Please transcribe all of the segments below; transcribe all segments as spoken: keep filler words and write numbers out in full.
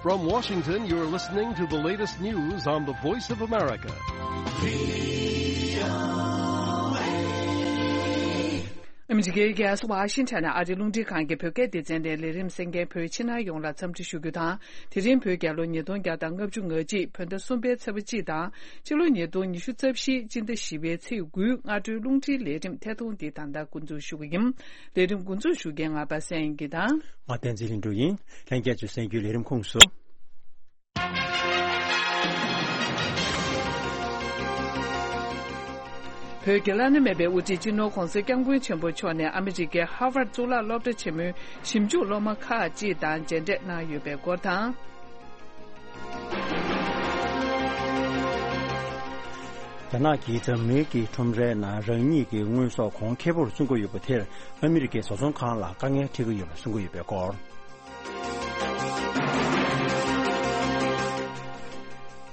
From Washington, you're listening to the latest news on the Voice of America. ཨ་མི་རི་ཀའི་རྒྱལ་ས་ཝ་ཤིང་ཊོན་ནས་ཨ་རིའི་རླུང་འཕྲིན་ཁང་གི་བོད་སྐད་སྡེ་ཚན་ནས་ལས་རིམ་གསན་མཁན་བོད་ཕྱི་ནང་ཡོངས་ལ་འཚམས་འདྲི་ཞུ་རྒྱུ་དང་། དེ་རིང་བོད་རྒྱལ་ལོ་ཉིས་སྟོང་བརྒྱ་དང་ལྔ་བཅུ་ང་གཅིག་བོད་ཟླ་གསུམ་པའི་ཚེས་པ་གཅིག་དང་། ཕྱི་ལོ་ཉིས་སྟོང་ཉི་ཤུ་རྩ་བཞི་སྤྱི་ཟླ་བཞི་པའི་ཚེས་དགུའི་སྔ་དྲོའི་རླུང་འཕྲིན་ལས་རིམ་ཐད་གཏོང་འདི་ད་ལྟ་འགོ་འཛུགས་ཞུ་གི་ཡིན། ལས་རིམ་འགོ་འཛུགས་ཞུ་མཁན་ང་པ་སངས་དབྱངས་སྐྱིད་དང་། ང་བསྟན་འཛིན་ལྷུན་གྲུབ་ཡིན། ལྷན་རྒྱས་ཚོས་གསན་རྒྱུའི་ལས་རིམ་ཁུངས་སུ། བོད་ཀྱི་བླ་ན་མེད་པའི་དབུ་ཁྲིད་སྤྱི་ནོར་༧གོང་ས་༧སྐྱབས་མགོན་ཆེན་པོ་མཆོག་ནས་ཨ་མི་རི་ཀའི་ཧར་ཝརཌ་གཙུག་ལག་སློབ་གྲྭ་ཆེན་མོའི་ཞིབ་འཇུག་སློབ་མ་ཁག་ཅིག་དང་མཇལ་འཕྲད་གནང་ཡོད་པའི་སྐོར་དང་། རྒྱ་ནག་གིས་འཛམ་གླིང་གི་ཁྲོམ་རའི་ནང་རང་ཉིད་ཀྱི་དངོས་ཟོག་གོང་ཁེ་པོར་བཙོང་གི་ཡོད་པ་དེར་ཨ་མི་རི་ཀའི་བཟོ་ཚོང་ཁང་ལ་དཀའ་ངལ་འཕྲད་ཀྱི་ཡོད་པ་གསུང་གི་ཡོད་པའི་སྐོར།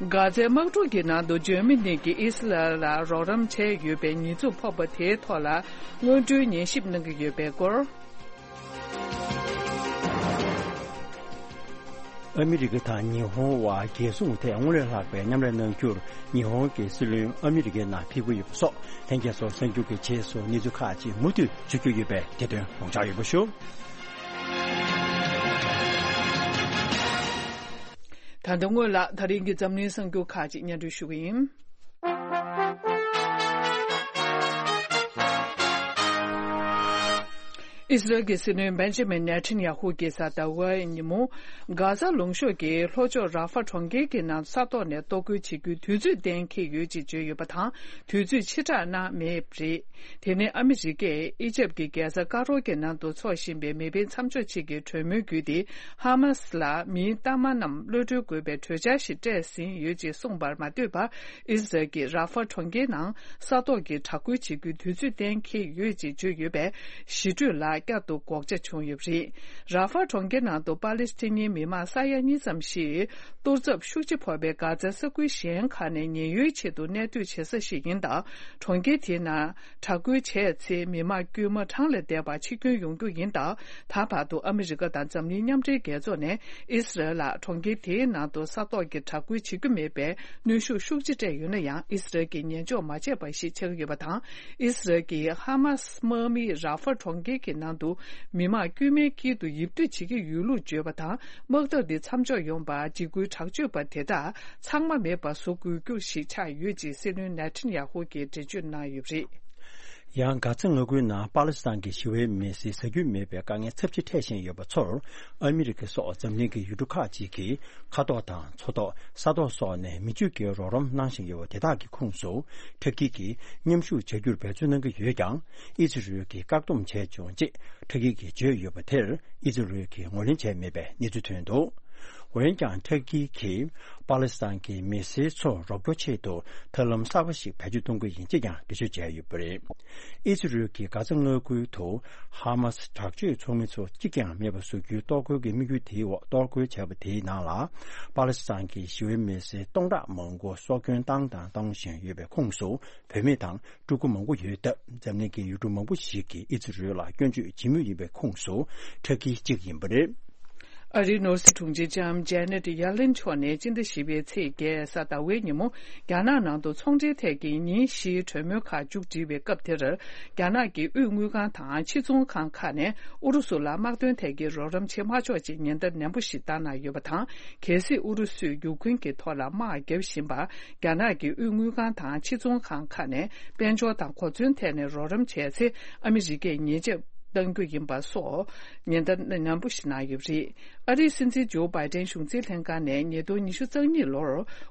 གྷ་ཛའི་དམག་འཁྲུག་གི་ནང་དུ་འཇར་མ་ནི་གིས་ཨི་སི་རལ་ལ་རོགས་རམ་བྱས་ཡོད་པའི་ཉེས་འཛུགས་ཕོག་པ་དེའི་ཐོག་ལ་སྔོན་འགྲོའི་ཉན་ཞིབ་གནང་གི་ཡོད་པའི་སྐོར། ཨ་མི་རི་ཀ་དང་ཉི་ཧོང་བར་རྒྱལ་སྲུང་ཐད་སྔོན་ལས་ལྷག་པའི་མཉམ་ལས་གནང་རྒྱུར་ཉི་ཧོང་གི་སྲིད་བློན་ཨ་མི་རི་ཀའི་ནང་ཕེབས་ཀྱི་ཡོད་པ་སོགས་ལྷན་རྒྱས་ཚོར་གསར་འགྱུར་གྱི་རྗེས་སུ་གནས་ཚུལ་ཁག་ཅིག་མུ་མཐུད་ཞུ་རྒྱུ་ཡོད་པས་དེ་དོན་ཡོངས་ཁྱབ་ཡོད་པ་ཞུ། ད་ལྟ་སྔོན་ལ་ད་རིང་གི་འཛམ་གླིང་གསར་འགྱུར་ཁག་ཅིག་སྙན་སྒྲོན་ཞུ་གི་ཡིན། ཨི་སི་རལ་གྱི་སྲིད་བློན་བེན་ཇི་མིན་ནེ་ཐན་ཡ་ཧུ་གྱིས་གཟའ་ཟླ་བའི་ཉིན་མོ། གྷ་ཟ་ལུང་གཤོང་གི་ལྷོ་ཕྱོགས་ར་ཧྥ་གྲོང་ཁྱེར་གྱི་ནང་ས་ཐོག་ནས་གཏོར་རྒོལ་བྱེད་རྒྱུའི་དུས་ཚོད་གཏན་འཁེལ་ཡོད་ཅེས་བརྗོད་ཡོད་པ་དང་། དུས་ཚོད་ཕྱིར་བསྒྲགས་གནང་མེད་པ་རེད། དེ་ནི་ཨ་མི་རི་ཀས་ཨི་ཇེབ་ཀྱི་རྒྱལ་ས་ཀ་རོ་གི་ནང་དུ་འཚོགས་བཞིན་པའི་མི་དཔེ་མཚམས་འཇོག་ཆེད་ཀྱི་གྲོས་མོལ་བརྒྱུད་དེ། ཧ་མ་སི་ལ་མིའི་གཏའ་མ་རྣམས་གློད་གྲོལ་དགོས་པའི་གྲོས་འཆར་ཞིག་སྤྲད་ཟིན་ཡོད་ཅེས་གསུངས་པར་མ་ལྟོས་པར། ཨི་སི་རལ་གྱིས་ར་ཧྥ་གྲོང་ཁྱེར་ནང་ས་ཐོག་གི་དྲག་རྒོལ་བྱེད་རྒྱུའི་དུས་ཚོད་གཏན་འཁེལ་ཡོད་ཅེས་བརྗོད་ཡོད་པས། ཞི་གྲོས་ལ་བསྐྱར་དུ་སྒོག་ཆ་བྱུང་ཡོད་པ་རེད། ར་ཧྥ་གྲོང་ཁྱེར་ནང་དུ་པ་ལེ་སི་ཐན་ཉིན་མི་མང་ས་ཡ་གཉིས་ཙམ་ཞིག་གཏོར་ཚབས་ཤུགས་ཆེ་ཕོག་པའི་གྷ་ཛའི་ས་ཁུལ་གཞན་ཁག་ནས་ཉེན་གཡོལ་ཆེད་དུ་གནས་སྡོད་བྱེད་ས་ཞིག་ཡིན་སྟབས། གྲོང་ཁྱེར་དེའི་ནང་དྲག་རྒོལ་བྱས་ཚེ་མི་མང་དཀྱུས་མ་གྲངས་ལས་འདས་པ་འཆི་སྐྱོན་ཡོང་རྒྱུ་ཡིན་སྟབས། ད་བར་དུ་ཨ་མི་རི་ཀ་དང་འཛམ་གླིང་མཉམ་འབྲེལ་རྒྱལ་ཚོགས་ནས་ཨི་སི་རལ་ལ་གྲོང་ཁྱེར་དེའི་ནང་དུ་ས་ཐོག་གི་དྲག་རྒོལ་བྱེད་རྒྱུ་མེད་པའི་གནོན་ཤུགས་ཤུགས་ཆེ་སྤྲད་ཡོད་ན་ཡང་། ཨི་སི་རལ་གྱིས་ཉན་འཇོག་མ་བྱས་པ་ཞིག་ཆགས་ཀྱི་ཡོད་པ་དང་། ཨི་སི་རལ་གྱིས་ཧ་མ་སི་དམག་མིས་ར་ཧྥ་གྲོང་ཁྱེར་གྱི་ནང་དུ་མི་མང་དཀྱུས་མའི་དཀྱིལ་དུ་ཡིབ་སྡོད་བྱེད་ཀྱི་ཡོད་ལུགས་བརྗོད་པ་དང་། དམག་འཐབ་འདི་མཚམས་འཇོག་ཡོང་བར་འཇིགས་སྐུལ་དྲག་སྤྱོད་པ་དེ་དག་ཚང་མ་མེད་པ་བཟོ་དགོས་རྒྱུ་ཞིག་ཆགས་ཡོད་ཅེས་སྲིད་བློན་ནེ་ཐན་ཡ་ཧུ་གྱིས་འགྲེལ་བརྗོད་གནང་ཡོད་པ་རེད། ཡང་གྷ་ཛ་མངའ་ཁུལ་ནང་པ་ལི་སི་ཐན་གྱི་ཞི་བའི་མི་སེར་ཟ་རྒྱུ་མེད་པའི་དཀའ་ངལ་ཚབས་ཆེ་འཕྲད་བཞིན་ཡོད་པ་ཚོར། ཨ་མི་རི་ཀ་སོགས་འཛམ་གླིང་གི་ཡུལ་གྲུ་ཁག་ཅིག་གིས་མཁའ་ཐོག་དང་མཚོ་ཐོག་ས་ཐོག་སོགས་ནས་མི་སྤྱོད་ཀྱི་རོགས་རམ་གནང་བཞིན་ཡོད་པ་དེ་དག་གི་ཁོངས་སུ། ཏུར་ཀི་གིས་མཉམ་ཞུགས་བྱ་རྒྱུར་འབད་བརྩོན་གནང་གི་ཡོད་ཀྱང་། ཨི་ཛི་རལ་གྱིས་བཀག་སྡོམ་བྱས་བྱུང་ཅེས་ཏུར་ཀི་གིས་བརྗོད་ཡོད་པ་དེར། ཨི་ཛི་རལ་གྱིས་ངོས་ལེན་བྱས་མེད་པའི་གནས་ཚུལ་ཐོན་འདུག་འོན་ཀྱང་། ཏུར་ཀི་གིས་པ་ལི་སི་ཐན་གྱི་མི་སེར་ཚོར་རོགས་སྐྱོར་ཆེད་དུ་ཐབས་ལམ་གསར་པ་ཞིག་བེད་སྤྱོད་གཏོང་གི་ཡིན་ཅེས་ཀྱང་འགྲེལ་བརྗོད་བྱས་ཡོད་པ་རེད། ཨི་ཛི་རལ་གྱིས་གྷ་ཛ་མངའ་ཁུལ་དུ་ཧ་མ་སི་དྲག་སྤྱོད་ཚོགས་མི་ཚོ་གཅིག་ཀྱང་མེད་པ་བཟོ་རྒྱུའི་གཏོར་རྒོལ་གྱི་དམིགས་ཡུལ་དེའི་འོག་གཏོར་རྒོལ་བྱས་པ་དེའི་ནང་ལ། པ་ལི་སི་ཐན་གྱི་ཞི་བའི་མི་སེར་སྟོང་ཕྲག་མང་པོ་སྲོག་སྐྱོན་བཏང་དང་གཏོང་བཞིན་ཡོད་པའི་ཁོངས་སུ། བུད་མེད་དང་ཕྲུ་གུ་མང་པོ་ཡོད་སྟབས། འཛམ་གླིང་གི་ཡུལ་གྲུ་མང་པོ་ཞིག་གིས་ཨི་ཛི་རལ་ལ་སྐྱོན་བརྗོད་བྱེད་མུས་ཡིན་པའི་ཁོངས་སུ་ཏུར་ཀི་གཅིག་ཡིན་པ་རེད། ཨ་རིའི་ནོར་སྲིད་དྲུང་ཆེ་ལྕམ་ཇེ་ནེ་ཊི་ཡེ་ལིན་མཆོག་ནས་སྤྱི་ཟླ་བཞི་པའི་ཚེས་བརྒྱད་གཟའ་ཟླ་བའི་ཉིན་མོ། རྒྱ་ནག་ནང་དུ་ཚོང་འབྲེལ་ཐད་ཀྱི་ཉིན་བཞིའི་གྲོས་མོལ་ཁག་མཇུག་སྒྲིལ་བའི་སྐབས་དེར། རྒྱ་ནག་གི་དབུས་དངུལ་ཁང་དང་ཕྱི་ཚོང་ཁང་ཁག་ནས་ཨུ་རུ་སུ་ལ་དམག་དོན་ཐད་ཀྱི་རོགས་རམ་བྱེད་མ་ཆོག་ཅེས་ཉེན་བརྡ་ནན་པོ་ཞིག་བཏང་གནང་ཡོད་པ་དང་། གལ་སྲིད་ཨུ་རུ་སུས་ཡུཀ་རེན་གྱི་ཐོག་ལ་དམག་བརྒྱབ་བཞིན་པར། རྒྱ་ནག་གི་དབུས་དངུལ་ཁང་དང་ཕྱི་ཚོང་ཁང་ཁག་ནས་དཔལ་འབྱོར་དང་གོ་མཚོན་ཐད་ནས་རོགས་རམ་བྱས་ཚེ། ཨ་མི་རི་ཀས་ཉེས་ཆད་གཏང་རྒྱུ་ཡིན་པ་སོགས་ཉེན་བརྡ་ནན་པོ་ཞིག་གནང་ཡོད་པ་རེད། ཨ་རིའི་སྲིད་འཛིན་ཇོ་བྷའི་ཏན་གཞུང་འཛིན་ལྷན་ཁང་ནས་ཉིས་སྟོང་ཉི་ཤུ་རྩ་གཉིས་ལོར་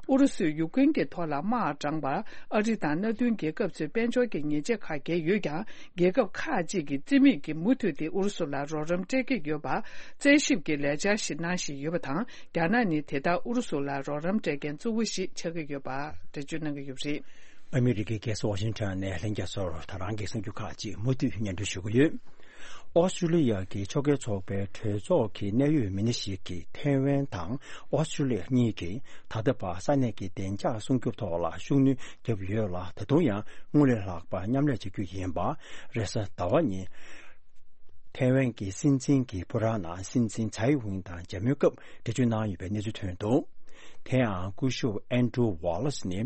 ཨུ་རུ་སུས་ཡུཀ་རེན་གྱི་ཐོག་ལ་དམག་དྲངས་པར། ཨ་རི་དང་མནའ་མཐུན་རྒྱལ་ཁབ་ཚོས་དཔལ་འབྱོར་གྱི་ཉེས་ཆད་ཁག་འགེལ་ཡོད་ཀྱང་། རྒྱལ་ཁབ་ཁག་ཅིག་གིས་རྩིས་མེད་ཀྱིས་མུ་མཐུད་དེ་ཨུ་རུ་སུ་ལ་རོགས་རམ་སྤྲད་ཀྱི་ཡོད་པ། རྩད་ཞིབ་ཀྱི་ལས་འཆར་ཞིག་གནང་བཞིན་ཡོད་པ་དང་། རྒྱ་ནག་ནི་དེ་ལྟར་ཨུ་རུ་སུ་ལ་རོགས་རམ་སྤྲད་མཁན་གཙོ་བོ་ཞིག་ཆགས་ཀྱི་ཡོད་པ་འགྲེལ་བརྗོད་གནང་གི་ཡོད་པ་རེད། ཨ་མི་རི་ཀའི་རྒྱལ་ས་ཝ་ཤིང་ཊོན་ནས་ལྷན་རྒྱས་ཚོར་ད་རང་གི་གསར་འགྱུར་ཁག་ཅིག་མུ་མཐུད་སྙན་སྒྲོན་ཞུ་གི་ཡོད། ཨོ་སི་ཀྲུ་ལི་ཡ་གི་ཕྱོགས་འགལ་ཚོགས་པའི་གྲོས་ཚོགས་ཀྱི་གནད་ཡོད་མི་སྣ་ཞིག་གིས་ཐེ་ཝན་དང་ཨོ་སི་ཀྲུ་ལི་ཡ་གཉིས་ཀྱིས་ད་ལྟ་བར་ས་གནས་ཀྱི་བདེ་འཇགས་སྲུང་སྐྱོབ་ཐོག་ལ་ཤུགས་སྣོན་བརྒྱབ་ཡོད་ལ། ད་དུང་ཡང་སྔོན་ལས་ལྷག་པ་མཉམ་ལས་བྱ་རྒྱུ་ཡིན་པ་རེས་གཟའ་ཟླ་བ་ཉིན། ཐའེ་ཝན་གྱི་སྲིད་འཛིན་གྱི་ཕོ་བྲང་ནང་སྲིད་འཛིན་ཚའེ་ཝིན་དང་མཇལ་མོལ་སྐབས་འགྲེལ་བརྗོད་གནང་ཡོད་པའི་གནས་ཚུལ་ཐོན་འདུག་དེ་ཡང་སྐུ་ཞབས་ཨན་ཌྲུ་ཝ་ལེ་སི་ནི་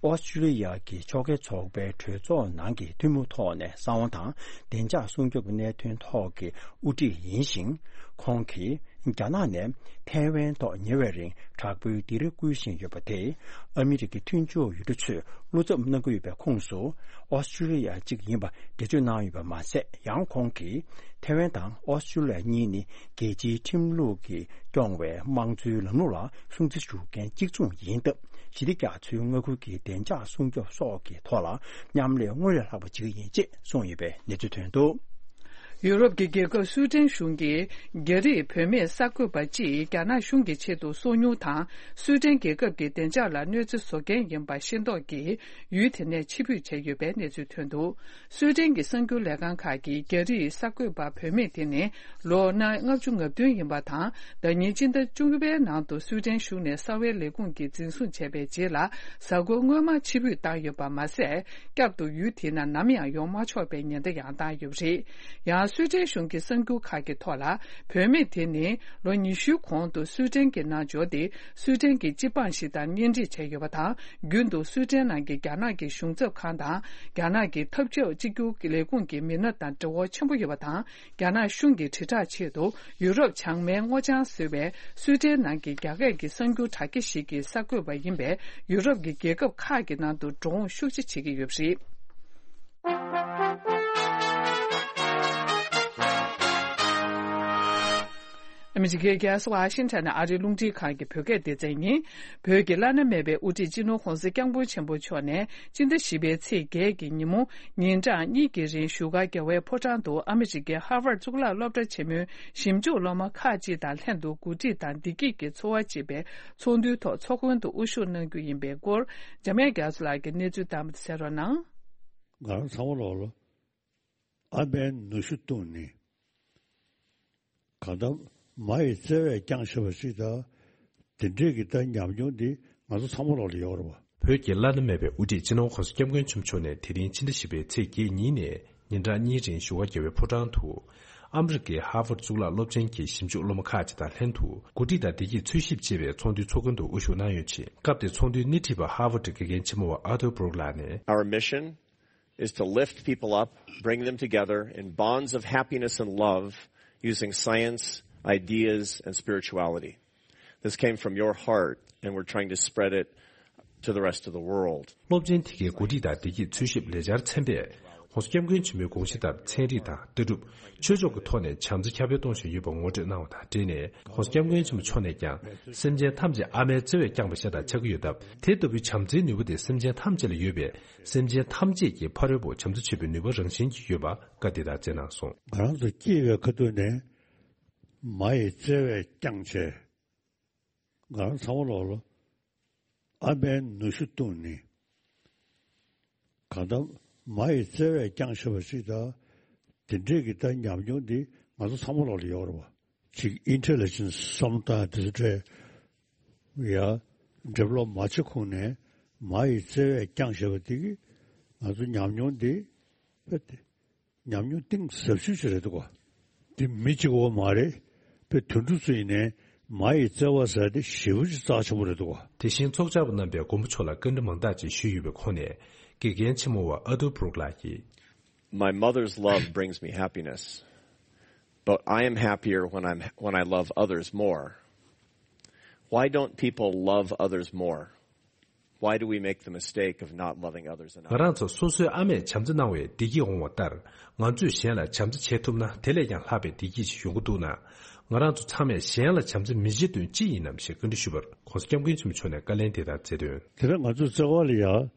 ཨོ་སི་ཀྲུ་ལི་ཡ་གི་ཕྱོགས་འགལ་ཚོགས་པའི་གྲོས་ཚོགས་ནང་གི་ཐུན་མོང་ཐོག་ནས་གསང་བ་དང་བདེ་འཇགས་སྲུང་སྐྱོབ་གནད་དོན་ཐོག་གི་དབུ་ཁྲིད་ཡིན་ཞིང་། ཁོང་གིས་རྒྱ་ནག་ནས་ཐའེ་ཝན་ཐོག་ཉེ་བའི་རིང་དྲག་པོའི་སྡིགས་ར་བསྐུལ་བཞིན་ཡོད་པ་དེས་ཨ་མི་རི་ཀའི་མཐུན་ཕྱོགས་ཡུལ་གྲུ་ཚོས་བློ་འཚབ་གནང་གི་ཡོད་པའི་ཁོངས་སུ་ཨོ་སི་ཀྲུ་ལི་ཡ་གཅིག་ཡིན་པ་འགྲེལ་བརྗོད་གནང་ཡོད་པ་མ་ཟད། ཡང་ཁོང་གིས་ཐའེ་ཝན་དང་ཨོ་སི་ཀྲུ་ལི་ཡ་གཉིས་ནི་རྒྱལ་སྤྱིའི་ཁྲིམས་ལུགས་ཀྱིས་སྐྱོང་བའི་དམངས་གཙོའི་ལམ་ལུགས་ལ་སྲུང་བརྩི་ཞུ་མཁན་གཅིག་མཚུངས་ཡིན་སྟབས། ཞི་བདེ་རྒྱ་མཚོའི་མངའ་ཁུལ་གྱི་བདེ་འཇགས་སྲུང་སྐྱོབ་སོགས་ཀྱི་ཐོག་ལ་མཉམ་ལས་སྔར་ལས་ལྷག་པ་བྱེད་ཀྱི་ཡིན་ཅེས་གསུངས་ཡོད་པའི་གནས་ཚུལ་ཐོན་འདུག་ཡུ་རོབ་ཀྱི་རྒྱལ་ཁབ་སུའེ་ཏེན་གཞུང་གིས་རྒྱ་རིགས་བུད་མེད་གསར་འགོད་པ་གཅིག་རྒྱ་ནག་གཞུང་གི་ཆེད་དུ་སོ་ཉུལ་དང་སུའེ་ཏེན་རྒྱལ་ཁབ་ཀྱི་བདེ་འཇགས་ལ་གནོད་འཚེ་བཟོ་མཁན་ཡིན་པ་ཤེས་རྟོགས་ཀྱིས་ཡུལ་དེ་ནས་ཕྱིར་འབུད་བྱས་ཡོད་པའི་གནས་ཚུལ་ཐོན་འདུག་སུའེ་ཏེན་གྱི་གསར་འགྱུར་ལས་ཁང་ཁག་གིས་རྒྱ་རིགས་གསར་འགོད་པ་བུད་མེད་དེ་ནི་ལོ་ན་ལྔ་བཅུ་ང་བདུན་ཡིན་པ་དང་། ཟླ་ཉིན་སྤྱི་ཟླ་བཅུ་པའི་ནང་དུ་སུའེ་ཏེན་གཞུང་ནས་གསང་བའི་ལས་ཁུངས་ཀྱིས་འཛིན་བཟུང་བྱས་པའི་རྗེས་ལ་གཟའ་འཁོར་སྔོན་མ་ཕྱིར་འབུད་བཏང་ཡོད་པ་མ་ཟད། བསྐྱར་དུ་ཡུལ་དེ་ནང་ནམ་ཡང་ཡོང་མ་ཆོག་པའི་ཉེན་བརྡ་ཡང་བཏང་ཡོད་པ་རེད། ཡང་སུའེ་ཏེན་གཞུང་གི་གསར་འགྱུར་ཁག་གི་ཐོག་ལ། བུད་མེད་དེ་ནི་ལོ་ཉི་ཤུའི་གོང་དུ་སུའེ་ཏེན་གྱི་ནང་འབྱོར་ཏེ། སུའེ་ཏེན་གྱི་སྤྱི་འབངས་ཤིག་དང་གཉེན་སྒྲིག་བྱས་ཡོད་པ་དང་། རྒྱུན་དུ་སུའེ་ཏེན་ནང་གི་རྒྱ་ནག་གི་གཞུང་ཚབ་ཁང་དང་། རྒྱ་ནག་གི་འཐབ་ཕྱོགས་གཅིག་གྱུར་ལས་ཁུངས་ཀྱི་མི་སྣ་དང་འབྲེལ་བ་ཆེན་པོ་ཡོད་པ་དང་། རྒྱ་ནག་གཞུང་གི་དྲིལ་བསྒྲགས་ཆེད་དུ་ཡུ་རོབ་བྱང་མའི་སྔོ་ལྗང་ཟེར་བའི་སུའེ་ཏེན་ནང་གི་རྒྱ་སྐད་ཀྱི་གསར་འགྱུར་དྲ་རྒྱ་ཞིག་གི་གསར་འགོད་པ་ཡིན་པས། ཡུ་རོབ་ཀྱི་རྒྱལ་ཁབ་ཁག་གི་ནང་དུ་འགྲོ་འོང་ཤུགས་ཆེ་བྱེད་ཀྱི་ཡོད་པ་རེད། ཨ་མི་རི་ཀའི་རྒྱལ་ས་ཝ་ཤིང་ཊོན་ནས་ཨ་རིའི་རླུང་འཕྲིན་ཁང་གི་བོད་སྐད་སྡེ་ཚན་ཡིན། བོད་ཀྱི་བླ་ན་མེད་པའི་དབུ་ཁྲིད་སྤྱི་ནོར་༧གོང་ས་༧སྐྱབས་མགོན་ཆེན་པོ་མཆོག་ནས་སྤྱི་ཟླ་བཞི་པའི་ཚེས་བརྒྱད་ཀྱི་ཉིན་མོ་ཉིན་གྲངས་གཉིས་ཀྱི་རིང་བཞུགས་སྒར་རྒྱལ་བའི་ཕོ་བྲང་དུ་ཨ་མི་རི་ཀའི་ཧར་ཝརཌ་གཙུག་ལག་སློབ་གྲྭ་ཆེན་མོའི་ཞིབ་འཇུག་སློབ་མ་ཁག་ཅིག་དང་ལྷན་དུ་གོ་སྒྲིག་དང་བདེ་སྐྱིད་ཀྱི་འཚོ་བ་ཅེས་པའི་ཚོགས་འདུའི་ཐོག་ཚོགས་མགོན་དུ་དབུ་བཞུགས་གནང་རྒྱུ་ཡིན་པའི་སྐོར། འཇམ་དབྱངས་རྒྱ་མཚོ་ལགས་ཀྱིས་གནས་ཚུལ་བཏང་བ་དེ་གསན་རོགས་གནང་། ང་རང་ཚང་མ་ལོག་ལ། ཨ་མའི་ནུ་ཞོ་བཏུངས་ནས། གང་ལྟར་མ་ཡི་བརྩེ་བས་བསྐྱངས་ཞེས་པ་ཅིག་དང་། དེ་འདྲས་ཀྱི་ད་ཉམས་མྱོང་འདི་ང་ཚོ་ཚང་མ་ལོག་ལ་ཡོད་རེད་བ། བོད་ཀྱི་བླ་ན་མེད་པའི་དབུ་ཁྲིད་སྤྱི་ནོར་༧གོང་ས་༧སྐྱབས་མགོན་ཆེན་པོ་མཆོག་ནས་དེ་རིང་ཕྱི་ཟླ་བཞི་པའི་ཚེས་བརྒྱད་ཉིན་ནས་ཉིན་གྲངས་གཉིས་རིང་བཞུགས་སྒར་རྒྱལ་བའི་ཕོ་བྲང་དུ། ཨ་མི་རི་ཀའི་ཧར་ཝརཌ་གཙུག་ལག་སློབ་ཆེན་གྱི་ཞིབ་འཇུག་སློབ་མ་ཁག་ཅིག་དང་ལྷན་དུ་གོ་སྒྲིག་དང་བདེ་སྐྱིད་འཚོལ་ཞིབ་ཅེས་པའི་ཚོགས་འདུའི་ཚོགས་མགོན་དུ་དབུ་བཞུགས་གནང་ཡོད་ཅིང་། སྐབས་དེར་ཚོགས་འདུའི་སྣེ་ཁྲིད་པ་ཧར་ཝརཌ་དགེ་རྒན་ཆེན་མོ་བ་ཨར་ཐུར་བྷུ་རུག་ལགས་ནས། Our mission is to lift people up, bring them together in bonds of happiness and love using science, ideas, and spirituality. This came from your heart, and we're trying to spread it to the rest of the world. སློབ་ཆེན་དེ་གའི་གོ་སྒྲིག་དང་བདེ་སྐྱིད་འཚོལ་ཞིབ་ལས་འཆར་ཚན་པས། ༸གོང་ས་༸སྐྱབས་མགོན་ཆེན་པོའི་དགོངས་གཞི་ལྟར་ཚན་རིག་དང་ལྟ་གྲུབ། ཆོས་ཕྱོགས་ཀྱི་ཐོག་ནས་བྱམས་བརྩེ་ཁྱབ་སྤེལ་གཏོང་བཞིན་ཡོད་པ་ངོ་སྤྲོད་གནང་བ་དང་འབྲེལ་ནས། ༸གོང་ས་༸སྐྱབས་མགོན་ཆེན་པོ་མཆོག་ནས་ཀྱང་སེམས་ཅན་ཐམས་ཅད་ཨ་མའི་བརྩེ་བས་བསྐྱངས་པ་ཤ་སྟག་ཆགས་ཀྱི་ཡོད་སྟབས། དེ་ལྟ་བུའི་བྱམས་བརྩེའི་ནུས་པ་དེ་སེམས་ཅན་ཐམས་ཅད་ལ་ཡོད་པས། སེམས་ཅན་ཐམས་ཅད་ཀྱི་ཕ་རོལ་པོ་བྱམས་བརྩེ་ཆེན་པོའི་ནུས་པ་རང་བཞིན་གྱིས་ཡོད་པ་བཀའ་དེ་ལྟར་སྩལ་གནང་སོང་། ང་རང་ཚོ་སྐྱེས་པའི་ཁ་ཐུག་ནས་མ་ཡི་བརྩེ་བས་བསྐྱངས་བྱས། ང་རང་ཚང་མ་ལོག་ལ་ཨ་མའི་ནུ་ཞོ་བཏུངས་ནས། གང་ལྟར་མ་ཡི་བརྩེ་བས་བསྐྱངས་ཞེས་པ་ཞིག་དང་། དེ་འདྲས་ཀྱི་ད་ཉམས་མྱོང་འདི་ང་ཚོ་ཚང་མ་ལོག་ལ་ཡོད་རེད་བ། ཅིག་ཨིན་ཊེ་ལི་ཇེན་སི་བསམ་སྟངས་དེ་ཚོ་འདྲས་ཡ། འགྲེམས་ལོག་མ་བྱེད་ཁུངས་ནས་མ་ཡི་བརྩེ་བས་བསྐྱངས་ཞེས་པ་འདི་གིས་ང་ཚོ་ཉམས་མྱོང་འདི་དཔེ་དེ། ཉམས་མྱོང་གཏིང་ཟབ་ཤོས་ཤིག་རེད་འདུག་ག་འདི་མི་གཅིག་པོ་མ་རེད། དཔེ་དུད་འགྲོ་ཚོ་ཡིན་ནའི་མ་ཡི་བརྩེ་བ་ཟེར་དེ་ཞེ་པོ་ཅིག་རྩ་ཆེན་པོ་རེད་འདུག་ག་དེ་བཞིན་ཚོགས་བཅར་བ་རྣམ་པས་མགོན་པོ་མཆོག་ལ་བཀའ་འདྲི་མང་དག་ཅིག་ཞུས་ཡོད་པའི་ཁོངས་ནས། དགེ་རྒན་ཆེན་མོ་བ་ཨ་ཐུར་བྷུ་རུག་ལགས་ཀྱིས། My mother's love brings me happiness, but I am happier when I'm, when I love others more. Why don't people love others more? Why do we make the mistake of not loving others enough? ང་རང་ཚོ་སོ་སོའི་ཨ་མས་བྱམས་བརྩེ་གནང་བའི་བདེ་སྐྱིད་འོང་བ་ལྟར། ང་ཚོས་གཞན་ལ་བྱམས་བརྩེ་བྱེད་ཐུབ་ན། དེ་ལས་ཀྱང་ལྷག་པའི་བདེ་སྐྱིད་ཞིག་ཡོང་གི་འདུག་ན། ང་རང་ཚོ་ཚང་མས་གཞན་ལ་བྱམས་བརྩེ་མི་བྱེད་དོན་ཅི་ཡིན་ནམ་ཞེས་བཀའ་འདྲི་ཞུས་པར། ༸གོང་ས་༸སྐྱབས་མགོན་ཆེན་པོ་མཆོག་ནས་བཀའ་ལན་དེ་ལྟར་སྩལ་དོན། དེ་རིང་ང་ཚོའི་བརྩེ་བ་ལ་ཡ། ཨ།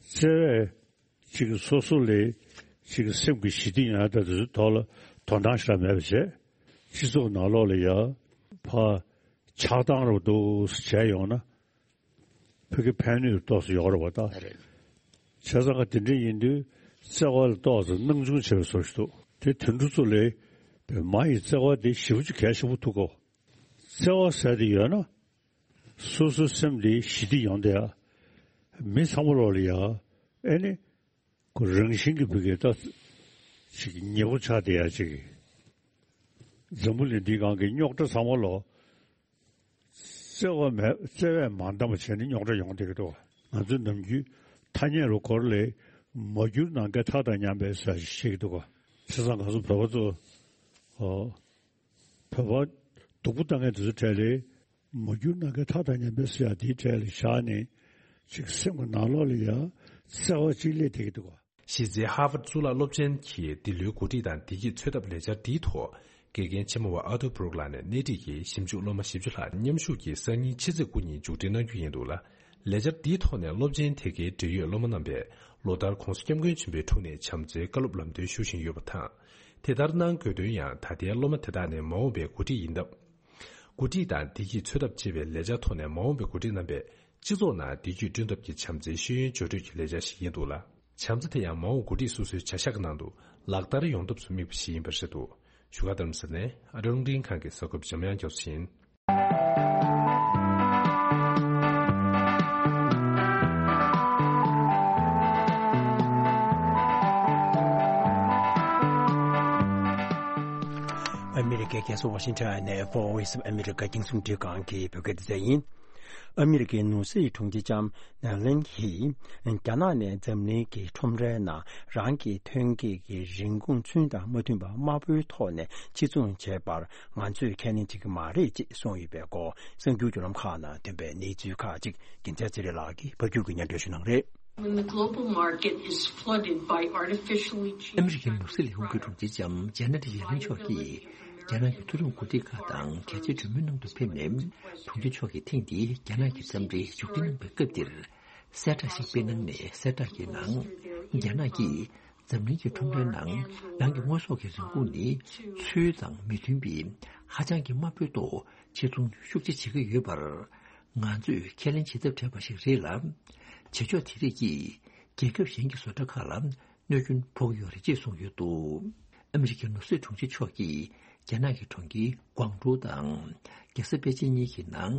བརྩེ་བས་ཅིག་སོ་སོ་ལས་ཅིག་སེམས་ཀྱི་ཞི་བདེ་ཡོང་ཡ་དང་དེ་ཚོའི་ཐོག་ལ་དོ་སྣང་ཞེ་དྲག་མེད་པ་བྱས། སྤྱི་ཚོགས་ནང་ལོགས་ལ་ཡ་ཕར་ཆགས་སྡང་རུ་འདུག་སེ་བྱས་ཡོང་ན། ཕ་གི་ཕན་ནུས་ཏོག་ཙམ་ཡོད་རེད་བ་ད། རེད། བྱས་ཙང་ག་དེ་འདྲ་ཡིན་དུས་བརྩེ་བ་ལ་ཏོག་ཙམ་སྣང་ཆུང་བྱས་པའི་བཟོ་ཞིག་འདུག་དེ་དུད་འགྲོ་ཚོ་ལས་པའི་མ་ཡི་བརྩེ་བ་དེ་ཞེ་པོ་ཅིག་གལ་ཆེན་པོ་ཐུག་གོ། བརྩེ་བ་ཟེར་དེ་ཡོད་ན། སོ་སོའི་སེམས་དེ་ཞི་བདེ་ཡོང་བསྡད་ཡ། མི་ཚང་མ་ལོག་ལ་ཡ། ཨེ་ནི། ཁོ་རང་བཞིན་གྱི་བུ་གའི་ད། ཅིག་ཉེ་པོ་ཆགས་བསྡད་ཡ་ཅིག་འཛམ་བུ་གླིང་འདིའི་སྒང་གི་རྙོག་དྲ་ཚང་མ་ལོ། བརྩེ་བ་མེད་བརྩེ་བས་མ་འདང་བ་བྱས་ནས་རྙོག་དྲ་ཡོང་བསྡད་ཀྱི་འདུག་ང་ཚོའི་ནམ་རྒྱུན་ཐ་སྙད་རུ་སྐོར་ལས་མ་གྱུར་ནམ་མཁའི་མཐའ་དང་མཉམ་པའི་ཟེར་ཞིག་བཤད་ཀྱི་འདུག་ག་བྱས་ཙང་ང་ཚོ་བོད་པ་ཚོ་ཨོ། བོད་པ་སྡུག་པོ་བཏང་མཁན་དེ་ཚོ་གྲས་ལས་མ་གྱུར་ནམ་མཁའི་མཐའ་དང་མཉམ་པའི་ཟེར་ཡ་དེའི་གྲས་ལས་བཞག་ནས་ཅིག་སེམས་ཀྱི་ནང་ལོགས་ལ་ཡ་བརྩེ་བ་ཅིག་སླེབས་བསྡད་ཀྱི་འདུག་ག་གཞི་རྩའི་ཧར་ཝརཌ་གཙུག་ལག་སློབ་ཆེན་གྱི་འདི་ལོའི་གོ་སྒྲིག་དང་བདེ་སྐྱིད་འཚོལ་ཐབས་ལས་འཆར་འདིའི་ཐོག་དགེ་རྒན་ཆེན་མོ་བ་ཨ་ཏུ་སྦུག་ལགས་ནས་སྣེ་ཁྲིད་ཀྱིས་ཞིབ་འཇུག་སློབ་མ་བཞི་བཅུ་ལྷག་མཉམ་ཞུགས་ཀྱིས་སང་ཉིན་ཕྱི་ཚེས་དགུ་ཉིན་མཇུག་སྒྲིལ་གནང་རྒྱུ་ཡིན་འདུག་ལ། ལས་འཆར་འདིའི་ཐོག་ནས་སློབ་ཆེན་དེ་གའི་འབྲེལ་ཡོད་སློབ་མ་རྣམ་པས་ལོ་ལྟར་༸གོང་ས་༸སྐྱབས་མགོན་ཆེན་པོའི་དྲུང་ནས་བྱམས་བརྩེའི་བཀའ་སློབ་ལམ་སྟོན་ཞུ་བཞིན་ཡོད་པ་དང་། དེ་ལྟར་གནང་དགོས་དོན་ཡང་ད་ལྟའི་སློབ་མ་དེ་དག་ནས་མ་འོངས་པའི་འགོ་ཁྲིད་ཡིན་སྟབས། འགོ་ཁྲིད་དང་བདེ་སྐྱིད་འཚོལ་ཐབས་ཅེས་པའི་ལས་འཆར་ཐོག་ནས་མ་འོངས་པའི་འགོ་ཁྲིད་རྣམ་པས་སྤྱི་ཚོགས་ནང་བདེ་སྐྱིད་བསྐྲུན་ཐབས་ཀྱི་བྱམས་བརྩེའི་ཤེས་ཡོན་སྦྱོར་སྤྲོད་ཀྱི་ལས་འཆར་ཞིག་ཡིན་འདུག་ལ། བྱམས་བརྩེ་དེ་ཡང་མ་འོངས་འགོ་ཁྲིད་སོ་སོའི་བྱ་གཞག་གི་ནང་དུ་ལག་བསྟར་ཡོང་ཐབས་སུ་དམིགས་པ་ཞིག་ཡིན་པ་རེད་འདུག་བཞུགས་སྒར་རྡ་རམ་ས་ལ་ནས་ཨ་རོང་འབྲིང་ཁང་གི་གསར་འགོད་པ་འཇམ་དབྱངས་རྒྱ་མཚོ་ཡིན། ཨ་མི་རི་ཀའི་རྒྱལ་ས་ཝ་ཤིང་ཊོན་ནས་Voice of America རྒྱང་སྲིང་འཕྲིན་ཁང་གི་བོད་སྐད་སྡེ་ཚན་ཡིན། ཨ་མི་རི་ཀའི་ནོར་སྲིད་དྲུང་ཆེ་ལྕམ་ནེ་ལིན་གྱིས་རྒྱ་ནག་ནས་འཛམ་གླིང་གི་ཁྲོམ་རའི་ནང་རང་གི་ཐོན་སྐྱེད་ཀྱི་རིན་གོང་ཚུན་དང་མ་མཐུན་པ་དམའ་པོའི་ཐོག་ནས་ཕྱིར་ཚོང་བྱས་པར་ང་ཚོས་ཁས་ལེན་བྱེད་ཀྱི་མ་རེད་ཅེས་གསུངས་ཡོད་པའི་སྐོར་གསར་འགྱུར་བརྒྱུད་ལམ་ཁག་ནང་ཐོན་པའི་གནས་ཚུལ་ཁག་ཅིག་རྒྱལ་མཚན་ཚེ་རིང་ལགས་ཀྱིས་ཕབ་སྒྱུར་གྱིས་སྙན་སྒྲོན་ཞུ་གནང་རེད། When the global market is flooded by artificially cheap ཨ་མི་རི་ཀའི་ནོར་སྲིད་ལས་ཁུངས་ཀྱི་དྲུང་ཆེ་ལྕམ་ཇེ་ནེ་ཊི་ཡེ་ལིན་མཆོག་གིས་རྒྱ་ནག་གི་མཐོ་རིམ་འགོ་ཁྲིད་ཁག་དང་གལ་ཆེའི་གྲོས་མོལ་གནང་དུ་ཕེབས་ནས། དྲུང་ཆེ་མཆོག་གིས་ཐེངས་འདིའི་རྒྱ་ནག་གི་འཚམས་འདྲིར་མཇུག་སྒྲིལ་གནང་པའི་སྐབས་འདིར། གསལ་བསྒྲགས་ཤིག་སྤེལ་གནང་ནས། གསལ་བསྒྲགས་ཀྱི་ནང་། རྒྱ་ནག་གིས་འཛམ་གླིང་གི་ཁྲོམ་རའི་ནང་རང་གི་དངོས་ཟོག་གི་རིན་གོང་ནི་ཚུལ་དང་མི་མཐུན་པའི་ཧ་ཅང་གི་དམའ་པོའི་ཐོག་ཕྱིར་ཚོང་ཤུགས་ཆེ་བྱེད་ཀྱི་ཡོད་པར། ང་ཚོས་ཁས་ལེན་བྱེད་ཐབས་བྲལ་བ་ཞིག་རེད་ལ། བྱེད་ཕྱོགས་དེ་རིགས་ཀྱིས་རྒྱལ་ཁབ་གཞན་གྱི་བཟོ་གྲྭ་ཁག་ལ་གནོད་སྐྱོན་ཕོག་གི་ཡོད་རེད་ཅེས་གསུངས་ཡོད་འདུག་ཨ་མི་རི་ཀའི་ནོར་སྲིད་དྲུང་ཆེ་མཆོག་གིས་རྒྱ་ནག་གི་གྲོང་ཁྱེར་ཀོང་ཀྲོའུ་དང་རྒྱལ་ས་པེ་ཅིན་གཉིས་ཀྱི་ནང་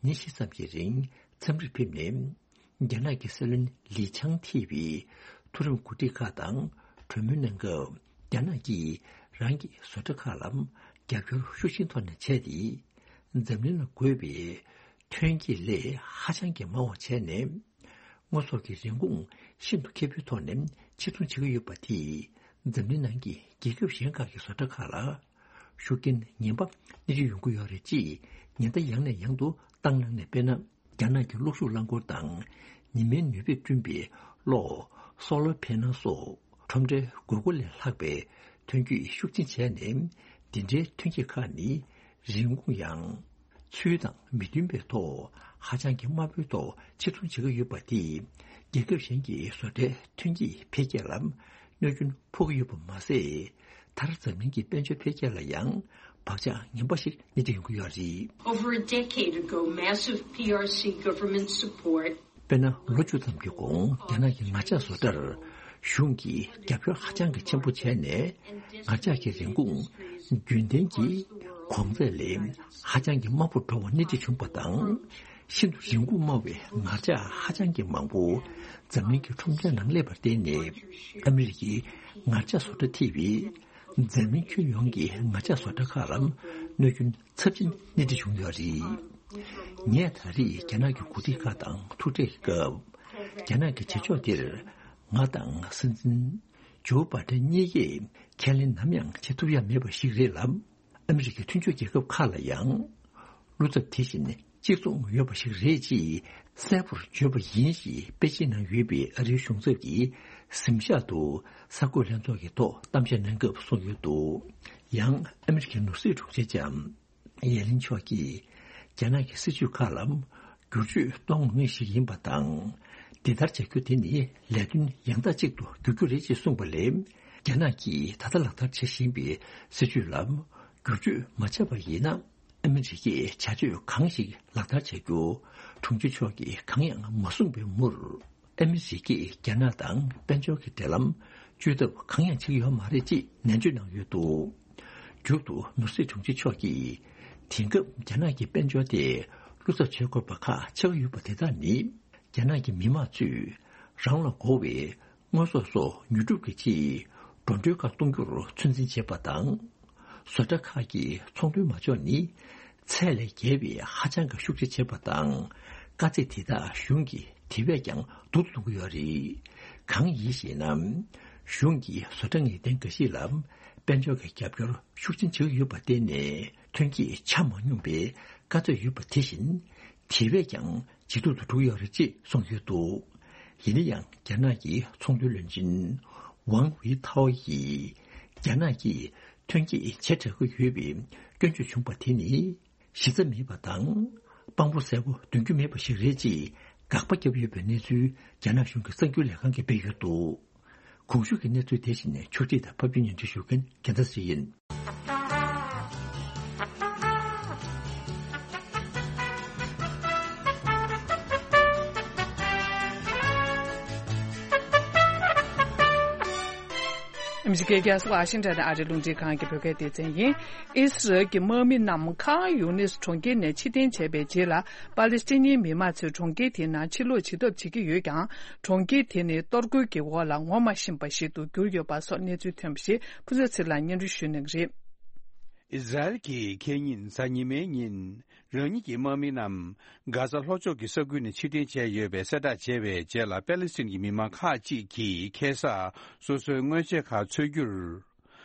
ཉིན་བཞི་ཙམ་གྱི་རིང་འཚམས་འདྲིར་ཕེབས་ནས། རྒྱ་ནག་གི་སྲིད་བློན་ལི་ཆང་ཐེ་བའི་མཐོ་རིམ་འགོ་ཁྲིད་ཁག་དང་གྲོས་མོལ་གནང་སྐབས། རྒྱ་ནག་གིས་རང་གི་བཟོ་གྲྭ་ཁག་ལ་རྒྱབ་སྐྱོར་ཤུགས་ཆེན་ཐོག་ནས་བྱས་ཏེ། འཛམ་གླིང་ལ་དགོས་པའི་ཐོན་སྐྱེད་ལས་ཧ་ཅང་གི་མང་བ་བྱས་ནས། དངོས་ཟོག་གི་རིན་གོང་ཤིན་ཏུ་ཁེ་པོའི་ཐོག་ནས་ཕྱིར་ཚོང་བྱེད་ཀྱི་ཡོད་པ་དེས། འཛམ་གླིང་ནང་གི་རྒྱལ་ཁབ་གཞན་ཁག་གི་བཟོ་གྲྭ་ཁག་ལ་ཤུགས་རྐྱེན་ངན་པ་སྣེ་ཁྲིད་ཡོང་གི་ཡོད་རེད་ཅེས་ཉེན་བརྡ་ཡང་ནས་ཡང་དུ་བཏང་གནང་ནས། དཔེར་ན། རྒྱ་ནག་གི་གློག་ཤུགས་རླངས་འཁོར་དང་ཉི་མའི་ནུས་པས་བསྐྲུན་པའི་གློག་སོ་ལར་ཕེ་ནལ་སོགས་ཁྲོམ་རའི་དགོས་མཁོ་ལས་ལྷག་པའི་ཐོན་སྐྱེད་ཤུགས་ཆེན་བྱས་ནས། འདི་འདྲའི་ཐོན་སྐྱེད་ཁག་ནི་རིན་གོང་ཡང་ཚུལ་དང་མི་མཐུན་པའི་ཐོག་ཧ་ཅང་གི་དམའ་པོའི་ཐོག་ཕྱིར་ཚོང་བྱེད་ཀྱི་ཡོད་པ་དེས་རྒྱལ་ཁབ་གཞན་གྱི་བཟོ་གྲྭའི་ཐོན་སྐྱེད་འཕེལ་རྒྱས་ལ་གནོད་སྐྱོན་ཕོག་གི་ཡོད་པ་མ་ཟད། མཐར་འཛམ་གླིང་གི་དཔལ་འབྱོར་འཕེལ་རྒྱས་ལ་ཡང་བག་ཆགས་ངན་པ་ཞིག་སྣེ་ཁྲིད་ཡོང་གི་ཡོད་རེད། Over a decade ago, massive P R C government support དཔེར་ན། ལོ་བཅུ་ཙམ་གྱི་གོང་རྒྱ་ནག་གི་ངར་ལྕགས་བཟོ་གྲྭར་གཞུང་གིས་རྒྱབ་སྐྱོར་ཧ་ཅང་གི་ཆེན་པོ་བྱས་ནས། ངར་ལྕགས་ཀྱི་རིན་གོང་རྒྱུན་ལྡན་གྱི་གོང་ཚད་ལས་ཧ་ཅང་གི་དམའ་པོར་འགྲོ་བ་སྣེ་ཁྲིད་བྱུང་བ་དང་། ཤིན་ཏུ་རིན་གོང་དམའ་བའི་ངར་ལྕགས་ཧ་ཅང་གི་མང་པོ་འཛམ་གླིང་གི་ཁྲོམ་རའི་ནང་སླེབས་པར་བརྟེན་ནས། ཨ་མི་རི་ཀའི་ངར་ལྕགས་བཟོ་གྲྭ་ཐེ་བའི་འཛམ་གླིང་ཁྱོན་ཡོངས་ཀྱི་ངར་ལྕགས་བཟོ་གྲྭ་ཁག་ལ་གནོད་སྐྱོན་ཚབས་ཆེན་སྣེ་ཁྲིད་བྱུང་ཡོད་རེད། ངས་ད་རེས་རྒྱ་ནག་གི་འགོ་ཁྲིད་ཁག་དང་ཐུག་འཕྲད་ཀྱི་སྐབས། རྒྱ་ནག་གི་བྱེད་ཕྱོགས་འདིར་ང་དང་སྲིད་འཛིན་ཇོ་བྷ་ཏན་གཉིས་ཀས་ཁས་ལེན་ནམ་ཡང་བྱེད་ཐུབ་ཡ་མེད་པ་ཞིག་རེད་ལ། ཨ་མི་རི་ཀའི་མཐུན་ཕྱོགས་རྒྱལ་ཁབ་ཁག་ལ་ཡང་བློ་འཚབ་དེ་བཞིན་གཅིག་མཚུངས་ཡོད་པ་ཞིག་རེད་ཅེས་གསལ་པོར་བརྗོད་པ་ཡིན་ཞེས་པེ་ཅིན་ནང་ཡོད་པའི་ཨ་རིའི་གཞུང་ཚབ་ཀྱི་གཟིམ་ཤག་ཏུ་གསར་འགོད་ལྷན་ཚོགས་ཀྱི་ཐོག་གཏམ་བཤད་གནང་སྐབས་གསུངས་ཡོད་འདུག་ཡང་ཨ་མི་རི་ཀའི་ནོར་སྲིད་དྲུང་ཆེ་ལྕམ་ཡེ་ལིན་མཆོག་གིས་རྒྱ་ནག་གི་སྲིད་ཇུས་ཁག་ལ་བསྒྱུར་བཅོས་གཏོང་དགོས་ངེས་ཤིག་ཡིན་པ་དང་། འདི་ལྟར་བྱ་རྒྱུ་དེ་ནི་ལས་དོན་ཡང་དག་ཅིག་ཏུ་འགྱུར་རྒྱུ་རེད་ཅེས་གསུངས་པ་ལས། རྒྱ་ནག་གིས་ད་ལྟ་ལག་བསྟར་བྱེད་བཞིན་པའི་སྲིད་ཇུས་ལ་བསྒྱུར་བཅོས་མ་བྱས་པ་ཡིན་ན། ཨ་མི་རི་ཀས་བྱ་སྤྱོད་གང་ཞིག་ལག་བསྟར་བྱ་རྒྱུ་དྲུང་ཆེ་མཆོག་གིས་གང་ཡང་མ་གསུངས་པའི་མུར། ཨ་མི་རི་ཀས་རྒྱ་ནག་དང་དཔལ་འབྱོར་གྱི་འབྲེལ་ལམ་གཅོད་ཐབས་གང་ཡང་བྱེད་ཀྱི་ཡོད་མ་རེད་ཅེས་ནན་བརྗོད་གནང་ཡོད་འདུག་མཇུག་ཏུ་ནོར་སྲིད་དྲུང་ཆེ་མཆོག་གིས། དེང་སྐབས་རྒྱ་ནག་གི་དཔལ་འབྱོར་དེ་བློ་འཚབ་བྱེད་དགོས་པ་ཁག་ཆགས་ཀྱི་ཡོད་པ་དེ་དག་ནི། རྒྱ་ནག་གི་མི་དམངས་ཚོས་རང་ལ་དགོས་པའི་དངོས་ཟོག་སོགས་ཉོ་སྒྲུབ་ཀྱི་ཆེད། འགྲོ་གྲོན་ཁག་གཏོང་རྒྱུར་ཚོད་འཛིན་བྱེད་པ་དང་། བཟོ་གྲྭ་ཁག་གིས་ཚོང་དོན་མ་འཇོག་ནི་ཚད་ལས་བརྒལ་བའི་ཧ་ཅང་གི་ཤུགས་ཆེ་བྱེད་པ་དང་། དཀའ་ཚེགས་དེ་དག་གཞུང་གིས་དེ་བས་ཀྱང་སྡུག་ཏུ་གཏོང་གི་ཡོད་རེད། གང་ཡིན་ཞེ་ན། གཞུང་གིས་བཟོ་གྲྭ་ངེས་གཏན་འགའ་ཞིག་ལ་དཔལ་འབྱོར་གྱི་རྒྱབ་སྐྱོར་ཤུགས་ཆེན་བྱེད་ཀྱི་ཡོད་པར་བརྟེན་ནས་ཐོན་སྐྱེད་ཆ་མ་སྙོམས་པའི་དཀའ་ཚེགས་ཡོད་པ་དེ་བཞིན་དེ་བས་ཀྱང་ཇེ་སྡུག་ཏུ་འགྲོ་གི་ཡོད་རེད་ཅེས་གསུངས་ཡོད་འདུག་ཡིན་ན་ཡང་རྒྱ་ནག་གི་ཚོང་དོན་བློན་ཆེན་ཝང་ཝེ་ཐའོ་ཡིས་རྒྱ་ནག་གིས་ཐོན་སྐྱེད་བྱེ་བྲག་གི་ཡོད་པའི་སྐྱོན་བརྗོད་བྱུང་བ་དེ་ནི་གཞི་རྩ་མེད་པ་དང་དཔང་པོ་གསལ་པོ་འདོན་རྒྱུ་མེད་པ་ཞིག་རེད་ཅེས་དགག་པ་བརྒྱབ་ཡོད་པའི་གནས་ཚུལ་རྒྱ་ནག་གཞུང་གི་གསར་འགྱུར་ལས་ཁང་གིས་སྤེལ་ཡོད་འདུག་གོང་ཞུས་ཀྱི་གནས་ཚུལ་དེ་བཞིན་ཕྱོགས་སྒྲིག་དང་ཕབ་སྒྱུར་སྙན་སྒྲོན་ཞུ་མཁན་རྒྱལ་མཚན་ཞིག་ཡིན། ཨ་མི་རི་ཀའི་རྒྱལ་ས་ཝ་ཤིང་ཊོན་ནས་ཨ་རིའི་རླུང་འཕྲིན་ཁང་གི་བོད་སྐད་སྡེ་ཚན་ཡིན། ཨིས་རལ་གྱི་དམག་མི་རྣམས་ཁཱན་ཡུ་ནིས་གྲོང་ཁྱེར་ནས་ཕྱིར་འཐེན་བྱས་པའི་རྗེས་ལ། པ་ལི་སི་ཐན་མི་མང་ཚོས་གྲོང་ཁྱེར་དེའི་ནང་ཕྱིར་ལོག་བྱེད་ཐབས་བྱེད་ཀྱི་ཡོད་ཀྱང་། གྲོང་ཁྱེར་དེ་ནི་གཏོར་རྒོལ་གྱི་འོག་ལ་ངོ་མ་ཤེས་པ་ཞིག་ཏུ་གྱུར་ཡོད་པ་སོགས་གནས་ཚུལ་ཐོན་པ་ཞིག་ཕུན་ཚོགས་ཚེ་རིང་ལགས་སྙན་སྒྲོན་ཞུ་གནང་གི་རེད། ཨིས་རལ་གྱིས་ཁེ་ཉིན་གཟའ་ཉི་མའི་ཉིན། རང་ཉིད་ཀྱི་དམག་མི་རྣམས་གྷ་ཛ་ལྷོ་ཕྱོགས་ཀྱི་ས་ཁུལ་ནས་ཕྱིར་འཐེན་བྱས་ཡོད་པའི་གསལ་བསྒྲགས་བྱས་པའི་རྗེས་ལ། པེ་ལི་སི་ཐན་གྱི་མི་མང་ཁག་ཅིག་གིས་ཁ་སང་སོ་སོའི་དངོས་ཆས་ཁག་འཚོལ་རྒྱུར།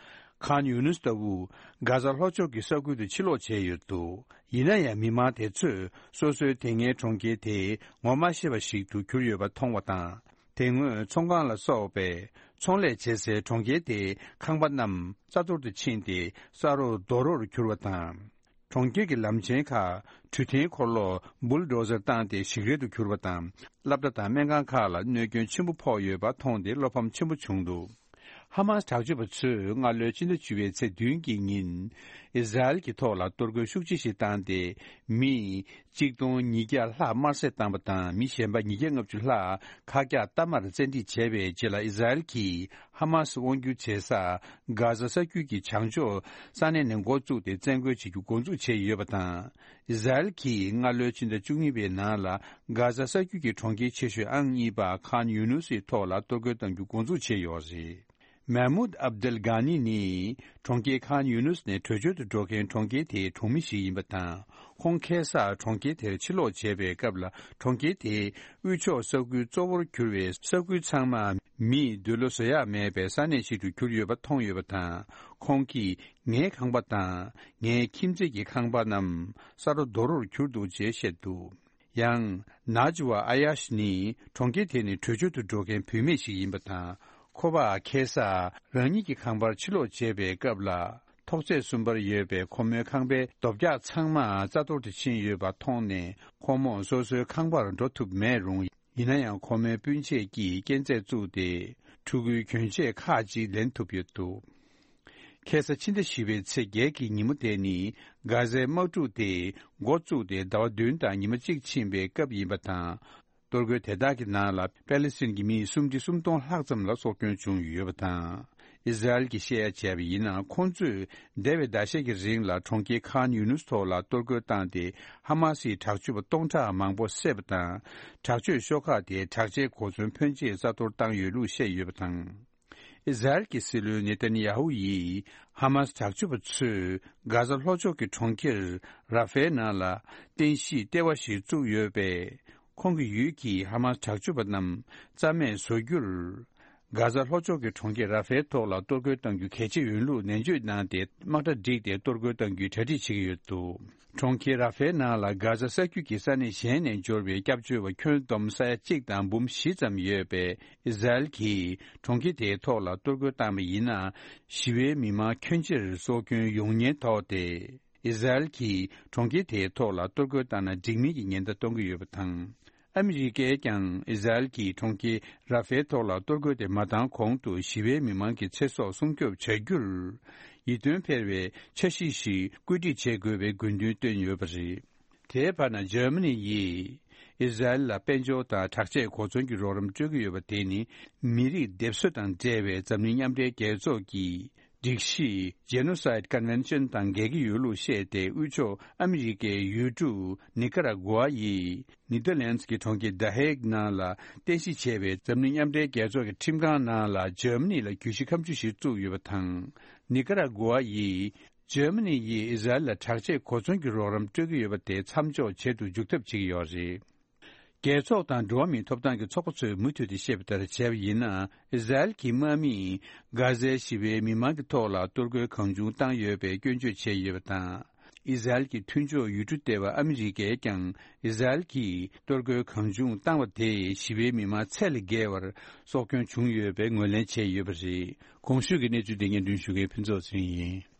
ཁཱན་ཡུ་ནུས་ལྟ་བུ་གྷ་ཛ་ལྷོ་ཕྱོགས་ཀྱི་ས་ཁུལ་དུ་ཕྱིར་ལོག་བྱས་ཡོད་འདུག་ཡིན་ན་ཡང་མི་མང་དེ་ཚོས་སོ་སོའི་དེ་སྔའི་གྲོང་ཁྱེར་དེ་ངོ་མ་ཤེས་པ་ཞིག་ཏུ་གྱུར་ཡོད་པ་མཐོང་བ་དང་། དེ་སྔོན་ཚོང་ཁང་ལ་སོགས་པའི་ཚོང་ལས་བྱེད་སའི་གྲོང་ཁྱེར་དེའི་ཁང་པ་རྣམས་རྩ་གཏོར་དུ་ཕྱིན་ཏེ་ས་རོ་རྡོ་རོར་གྱུར་བ་དང་། གྲོང་ཁྱེར་གྱི་ལམ་ཆེན་ཁག་འཕྲུལ་འཐེན་འཁོར་ལོ་བུལ་ཌོ་ཛར་བཏང་སྟེ་ཞིག་རལ་དུ་གྱུར་བ་དང་། སློབ་གྲྭ་དང་སྨན་ཁང་ཁག་ལ་གནོད་སྐྱོན་ཆེན་པོ་ཕོག་ཡོད་པ་མཐོང་སྟེ་བློ་ཕམ་ཆེན་པོ་བྱུང་འདུག་ཧ་མ་སི་དྲག་སྤྱོད་པ་ཚོས་སྔ་ལོའི་ཕྱི་ཟླ་བཅུ་པའི་ཚེས་བདུན་གྱི་ཉིན། ཨི་ཟ་རེལ་གྱི་ཐོག་ལ་གཏོར་རྒོལ་ཤུགས་ཆེ་ཞིག་བཏང་སྟེ། མི་གཅིག་སྟོང་ཉིས་བརྒྱ་ལྷག་དམར་གསོད་བཏང་བ་དང་། མི་གཞན་པ་ཉིས་བརྒྱ་ལྔ་བཅུ་ལྷག་ཁ་གྱག་གཏའ་མར་བཙན་ཁྲིད་བྱས་པའི་རྗེས་ལ། ཨི་ཟ་རེལ་གྱིས་ཧ་མ་སི་དབང་སྒྱུར་བྱེད་ས་གྷ་ཟ་ས་རྒྱུད་ཀྱི་བྱང་ཕྱོགས་ས་གནས་ནས་འགོ་བཙུགས་ཏེ་བཙན་རྒོལ་བྱེད་རྒྱུ་འགོ་འཛུགས་བྱས་ཡོད་པ་དང་། ཨི་ཟ་རེལ་གྱིས་སྔ་ལོའི་ཕྱི་ཟླ་བཅུ་གཉིས་པའི་ནང་ལ། གྷ་ཟ་ས་རྒྱུད་ཀྱི་གྲོང་ཁྱེར་ཆེ་ཤོས་ཨང་གཉིས་པ་ཁཱན་ཡུ་ནུ་སིའི་ཐོག་ལ་གཏོར་རྒོལ་གཏང་རྒྱུ་འགོ་འཛུགས་བྱས་ཡོད་རེད། མེ་མུད་ཨབ་དེལ་གྷ་ནི་ནི་གྲོང་ཁྱེར་ཁཱན་ཡུ་ནུ་སི་ནས་བྲོས་བྱོལ་དུ་འགྲོ་མཁན་གྲོང་ཁྱེར་དེའི་གྲོང་མི་ཞིག་ཡིན་པ་དང་། ཁོང་ཁ་སང་གྲོང་ཁྱེར་དེར་ཕྱིར་ལོག་བྱས་པའི་སྐབས་ལ། གྲོང་ཁྱེར་དེའི་དབུས་ཕྱོགས་ས་ཁུལ་གཙོ་བོར་གྱུར་བའི་ས་ཁུལ་ཚང་མ་མིས་འདོད་བློ་བཟོད་ཡག་མེད་པའི་ས་གནས་ཤིག་ཏུ་གྱུར་ཡོད་པ་མཐོང་ཡོད་པ་དང་། ཁོང་གིས་ངའི་ཁང་པ་དང་ངའི་ཁྱིམ་མཚེས་ཀྱི་ཁང་པ་རྣམས་ས་རོ་རྡོ་རོར་གྱུར་འདུག་ཅེས་བཤད་འདུག་ཡང་། ནཱ་ཇི་ཝ་ཨ་ཡ་ཤི་ནི་གྲོང་ཁྱེར་དེ་ནས་བྲོས་བྱོལ་དུ་འགྲོ་མཁན་བུད་མེད་ཞིག་ཡིན་པ་དང་། ཁོ་པ་ཁ་སང་རང་ཉིད་ཀྱི་ཁང་པར་ཕྱིར་ལོག་བྱས་པའི་སྐབས་ལ། ཐོག་བརྩེགས་གསུམ་པར་ཡོད་པའི་ཁོ་མོའི་ཁང་པའི་རྡོ་བཀྱག་ཚང་མ་རྩ་གཏོར་དུ་ཕྱིན་ཡོད་པ་མཐོང་ནས། ཁོ་མོ་སོ་སོའི་ཁང་པར་འགྲོ་ཐུབ་མེད་རུང་། ཡིན་ན་ཡང་ཁོ་མོའི་སྤུན་མཆེད་ཀྱིས་རྐྱེན་རྩ་བཙུགས་ཏེ། ཕྲུ་གུའི་གྱོན་ཆས་ཁག་ཅིག་ལེན་ཐུབ་ཡོད་འདུག་ཁ་སང་ཕྱི་ཟླ་བཞི་པའི་ཚེས་བརྒྱད་ཀྱི་ཉིན་མོ་དེ་ནི་གྷ་ཟའི་དམག་འཁྲུག་དེ་འགོ་བཙུགས་ཏེ་ཟླ་བ་བདུན་དང་ཉི་མ་གཅིག་ཕྱིན་པའི་སྐབས་ཡིན་པ་དང་། གཏོར་རྒོལ་དེ་དག་གི་ནང་ལ་པེ་ལི་སི་ཐན་གྱི་མི་སུམ་ཁྲི་སུམ་སྟོང་ལྷག་ཙམ་ལ་སྲོག་སྐྱོན་བྱུང་ཡོད་པ་དང་། ཨི་ཟ་རེལ་གྱིས་བཤད་ཡ་བྱས་པ་ཡིན་ན། ཁོང་ཚོས་འདས་པའི་ཟླ་ཤས་ཀྱི་རིང་ལ་གྲོང་ཁྱེར་ཁཱན་ཡུ་ནུས་ཐོག་ལ་གཏོར་རྒོལ་བཏང་སྟེ། ཧ་མ་སིའི་དྲག་སྤྱོད་པ་སྟོང་ཕྲག་མང་པོ་བསད་པ་དང་། དྲག་སྤྱོད་ཤོག་ཁག་དེའི་དྲག་ཆས་གོ་མཚོན་ཕོན་ཆེ་རྩ་གཏོར་བཏང་ཡོད་ལུགས་བཤད་ཡོད་པ་དང་། ཨི་ཟ་རེལ་གྱི་སྲིད་བློན་ནེ་ཐན་ཡ་ཧུ་ཡིས་ཧ་མ་སི་དྲག་སྤྱོད་པ་ཚོས་གྷ་ཟ་ལྷོ་ཕྱོགས་ཀྱི་གྲོང་ཁྱེར་ར་ཧྥའི་ནང་ལ་རྟེན་གཞི་ལྟེ་བ་ཞིག་བཙུགས་ཡོད་པས། ཁོང་གི་ཡུལ་གྱི་ཧ་མ་སི་དྲག་སྤྱོད་པ་རྣམས་རྩ་མེད་བཟོ་རྒྱུར། གྷ་ཟ་ལྷོ་ཕྱོགས་ཀྱི་གྲོང་ཁྱེར་ར་ཧྥའི་ཐོག་ལ་གཏོར་རྒོལ་གཏང་རྒྱུ་གལ་ཆེ་ཡིན་ལུགས་ནན་བརྗོད་གནང་སྟེ། དམག་གྲ་བསྒྲིགས་ཏེ་གཏོར་རྒོལ་གཏང་རྒྱུའི་གྲ་སྒྲིག་བྱེད་ཀྱི་ཡོད་འདུག་གྲོང་ཁྱེར་ར་ཧྥའི་ནང་ལ་གྷ་ཟ་ས་རྒྱུད་ཀྱི་ས་གནས་གཞན་ནས་འབྱོར་བའི་སྐྱབས་བཅོལ་བ་ཁྱོན་བསྡོམས་ས་ཡ་གཅིག་དང་འབུམ་བཞི་ཙམ་ཡོད་པས། ཨི་ཟ་རེལ་གྱིས་གྲོང་ཁྱེར་དེའི་ཐོག་ལ་གཏོར་རྒོལ་བཏང་བ་ཡིན་ན། ཞི་བའི་མི་མང་ཁྱོན་ཆེར་སྲོག་སྐྱོན་ཡོང་ཉེན་དོགས་ཏེ། ཨི་ཟ་རེལ་གྱིས་གྲོང་ཁྱེར་དེའི་ཐོག་ལ་གཏོར་རྒོལ་བཏང་ན་འགྲིག་མིན་གྱི་ཉེན་བརྡ་གཏོང་གི་ཡོད་པ་དང་། ཨ་མི་རི་ཀས་ཀྱང་ཨི་ཟ་རེལ་གྱིས་གྲོང་ཁྱེར་ར་ཧྥའི་ཐོག་ལ་གཏོར་རྒོལ་དེ་མ་བཏང་གོང་དུ་ཞི་བའི་མི་མང་གི་ཚེ་སྲོག་སྲུང་སྐྱོབ་བྱ་རྒྱུར། ཡིད་རྟོན་འཕེར་བའི་འཆར་གཞི་ཞིག་བཀོད་སྒྲིག་བྱེད་དགོས་པའི་དགོས་འདུན་བཏོན་ཡོད་པ་རེད། དེའི་བར་ན། འཇར་མ་ནི་ཡིས་ཨི་ཟ་རེལ་ལ་དཔལ་འབྱོར་དང་དྲག་ཆས་གོ་མཚོན་གྱི་རོགས་རམ་སྤྲོད་ཀྱི་ཡོད་པ་དེ་ནི། མི་རིགས་སྡེབ་གསོད་དང་འབྲེལ་བའི་འཛམ་གླིང་མཉམ་འབྲེལ་རྒྱལ་ཚོགས་ཀྱི་ སྒྲིག་གཞི་Genocide Convention དང་འགལ་གྱི་ཡོད་ལུགས་བཤད་དེ། དབུས་ཕྱོགས་ཨ་མི་རི་ཀའི་ཡུལ་གྲུ་ནི་ཀ་ར་གུ་ཝ་ཡིས་ནེ་དར་ལན་ཌི་གི་གྲོང་ཁྱེར་ད་ཧེག་ནང་ལ་རྟེན་གཞི་བྱས་པའི་འཛམ་གླིང་མཉམ་འབྲེལ་རྒྱལ་ཚོགས་ཀྱི་ཁྲིམས་ཁང་ནང་ལ་འཇར་མ་ནི་ལ་གྱོད་གཞི་ཁ་མཆུ་ཞིག་བཙུགས་ཡོད་པ་དང་། ནི་ཀ་ར་གུ་ཝ་ཡིས་འཇར་མ་ནི་ཡིས་ཨི་ཟ་རེལ་ལ་དྲག་ཆས་གོ་མཚོན་གྱི་རོགས་རམ་སྤྲོད་ཀྱི་ཡོད་པ་དེ་མཚམས་འཇོག་བྱེད་དུ་འཇུག་ཐབས་བྱེད་ཀྱི་ཡོད་རེད། རྒྱལ་ཚོགས་དང་འགྲོ་བ་མིའི་ཐོབ་ཐང་གི་ཚོགས་པ་ཚོས་མུ་མཐུད་དེ་བཤད་པ་ལྟར་བྱས་པ་ཡིན་ན། ཨི་ཟ་རེལ་གྱི་དམག་མིས་གྷ་ཟའི་ཞི་བའི་མི་མང་གི་ཐོག་ལ་གཏོར་རྒོལ་གང་བྱུང་བཏང་ཡོད་པའི་སྐྱོན་བརྗོད་བྱས་ཡོད་པ་དང་། ཨི་ཟ་རེལ་གྱི་མཐུན་ཕྱོགས་ཡུལ་གྲུ་ལྟེ་བ་ཨ་མི་རི་ཀས་ཀྱང་ཨི་ཟ་རེལ་གྱིས་གཏོར་རྒོལ་གང་བྱུང་བཏང་བ་དེས་ཞི་བའི་མི་མང་ཚད་ལས་བརྒལ་བར་སྲོག་སྐྱོན་བྱུང་ཡོད་པའི་ངོས་ལེན་བྱས་ཡོད་པ་རེད། གོང་ཞུས་ཀྱི་གནས་ཚུལ་དེ་སྙན་སྒྲོན་ཞུ་མཁན་ཕུན་ཚོགས་ཚེ་རིང་ཡིན།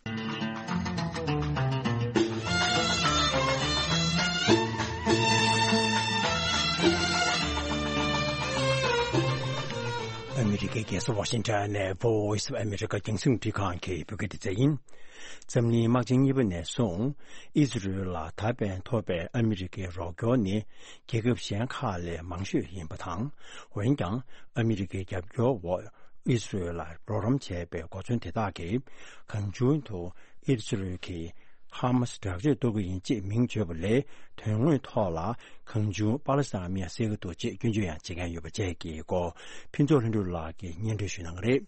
ཨ་མི་རི་ཀའི་རྒྱལ་ས་ཝ་ཤིང་ཊོན་ནས་Voice of America རྒྱང་སྲིང་འཕྲིན་ཁང་གི་བོད་སྐད་སྡེ་ཚན་ཡིན། འཛམ་གླིང་དམག་ཆེན་གཉིས་པ་ནས་བཟུང་ཨི་ཟི་རེལ་ལ་ད་ཕན་ཐོགས་པའི་ཨ་མི་རི་ཀའི་རོགས་སྐྱོར་ནི་རྒྱལ་ཁབ་གཞན་ཁག་ལས་མང་ཤོས་ཡིན་པ་དང་། འོན་ཀྱང་ཨ་མི་རི་ཀའི་རྒྱབ་སྐྱོར་འོག་ཨི་སི་རེལ་ལ་རོགས་རམ་བྱས་པའི་གོ་མཚོན་དེ་དག་གིས་གང་བྱུང་དུ་ཨི་སི་རེལ་གྱིས་ཧ་མ་སི་དྲག་ཆས་གཏོར་གྱི་ཡིན་ཅེས་མིང་བརྗོད་པ་ལས། དོན་དངོས་ཐོག་ལ་གང་བྱུང་པ་ལི་སི་ཐན་མི་ཡང་བསད་ཀྱི་འདུག་ཅེས་སྐྱོན་བརྗོད་ཡང་བྱེད་མཁན་ཡོད་པ་བཅས་ཀྱི་སྐོར་ཕུན་ཚོགས་ལྷུན་གྲུབ་ལགས་ཀྱིས་སྙན་སྒྲོན་ཞུ་གནང་གི་རེད།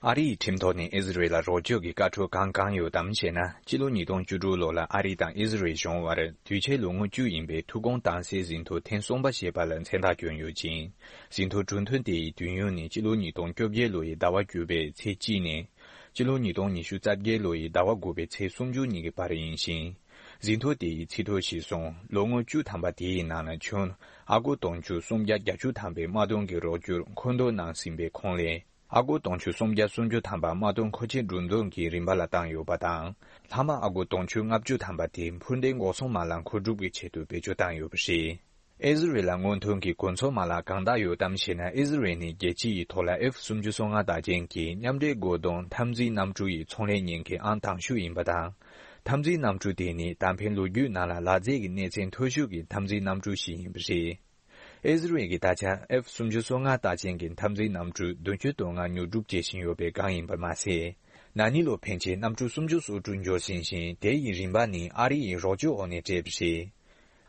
ཨ་རི་ཡི་ཁྲིམས་ཐོག་ནས་ཨི་ཟི་རེལ་ལ་རོགས་སྐྱོར་གྱི་བཀའ་འཁྲོལ་གང་གང་ཡོད་དམ་ཞེ་ན། ཕྱི་ལོ་ཉིས་སྟོང་བཅུ་དྲུག་ལོ་ལ་ཨ་རི་དང་ཨི་ཟི་རེལ་གཞུང་དབར་དུས་ཆེན་ལོ་ངོ་བཅུ་ཡིན་པའི་ཐུགས་དགོངས་དྭངས་གསལ་ཟིན་ཐོ་ཐེངས་གསུམ་པ་ཞེས་པ་ལ་མཚན་རྟགས་བསྐྱོན་ཡོད་ཅིང་། ཟིན་ཐོ་གྲུབ་དོན་དེ་ཡི་དུས་ཡུན་ནི་ཕྱི་ལོ་ཉིས་སྟོང་བཅོ་བརྒྱད་ལོ་ཡི་ཟླ་བ་བཅུ་པའི་ཚེས་གཅིག་ནས་ཕྱི་ལོ་ཉིས་སྟོང་ཉི་ཤུ་རྩ་བརྒྱད་ལོ་ཡི་ཟླ་བ་དགུ་པའི་ཚེས་སུམ་ཅུ་ཉིན་གྱི་བར་ཡིན་ཞིང་། ཟིན་ཐོ་དེ་ཡི་ཚིག་ཐོ་གཞིར་བཟུང་ལོ་ངོ་བཅུ་ཐམ་པ་དེའི་ནང་ལ་ཁྱོན་ཨ་སྒོར་དུང་ཕྱུར་སུམ་བརྒྱ་བརྒྱད་ཅུ་ཐམ་པའི་དམག་དོན་གྱི་རོགས་སྐྱོར་མཁོ་འདོན་གནང་ཟིན་པའི་ཁོངས་ལས། ཨ་སྒོར་དུང་ཕྱུར་སུམ་བརྒྱ་སུམ་ཅུ་ཐམ་པ་དམག་དོན་མཁོ་ཆས་འགྲོ་འདུག་གི་རིན་པ་ལ་བཏང་ཡོད་པ་དང་། ལྷག་མ་ཨ་སྒོར་དུང་ཕྱུར་ལྔ་བཅུ་ཐམ་པ་དེ་འཕུར་མདེལ་འགོག་སྲུང་མ་ལག་མཁོ་སྒྲུབ་ཀྱི་ཆེད་དུ་བེད་སྤྱོད་བཏང་ཡོད་པ་རེད། ཨི་ཟི་རེལ་ལ་སྔོན་ཐོན་གྱི་གོ་མཚོན་མ་ལག་གང་དག་ཡོད་དམ་ཞེ་ན། ཨི་ཟི་རེལ་ནི་རྒྱལ་སྤྱི་ཡི་ཐོག་ལ་ཨེཕ་སུམ་ཅུ་སོ་ལྔ་རྟགས་ཅན་གྱི་མཉམ་འབྲེལ་བཀོད་འདོམས་འཐབ་འཛིང་གནམ་གྲུ་ཡི་ཚོང་ལས་གཉེར་མཁན་ཨང་དང་ཤོས་ཡིན་པ་དང་། འཐབ་འཛིང་གནམ་གྲུ་དེ་ནི་ད་ཕན་ལོ་རྒྱུས་ནང་ལ་ལག་རྩལ་གྱི་གནས་ཚད་མཐོ་ཤོས་ཀྱི་འཐབ་འཛིང་གནམ་གྲུ་ཞིག་ཡིན་པ་རེད། ཨི་ཟི་རེལ་གྱིས་ད་ཆ་ཨེཕ་སུམ་ཅུ་སོ་ལྔ་རྟགས་ཅན་གྱི་འཐབ་འཛིང་གནམ་གྲུ་བདུན་ཅུ་དོན་ལྔ་ཉོ་སྒྲུབ་བྱེད་བཞིན་ཡོད་པའི་སྒང་ཡིན་པར་མ་ཟད། ན་ནིང་ལོ་ཕན་ཆད་གནམ་གྲུ་སུམ་ཅུ་སོ་དྲུག་འབྱོར་ཟིན་ཞིང་། དེ་ཡི་རིམ་པ་ནི་ཨ་རི་ཡི་རོགས་སྐྱོར་འོག་ནས་སྤྲད་པ་རེད།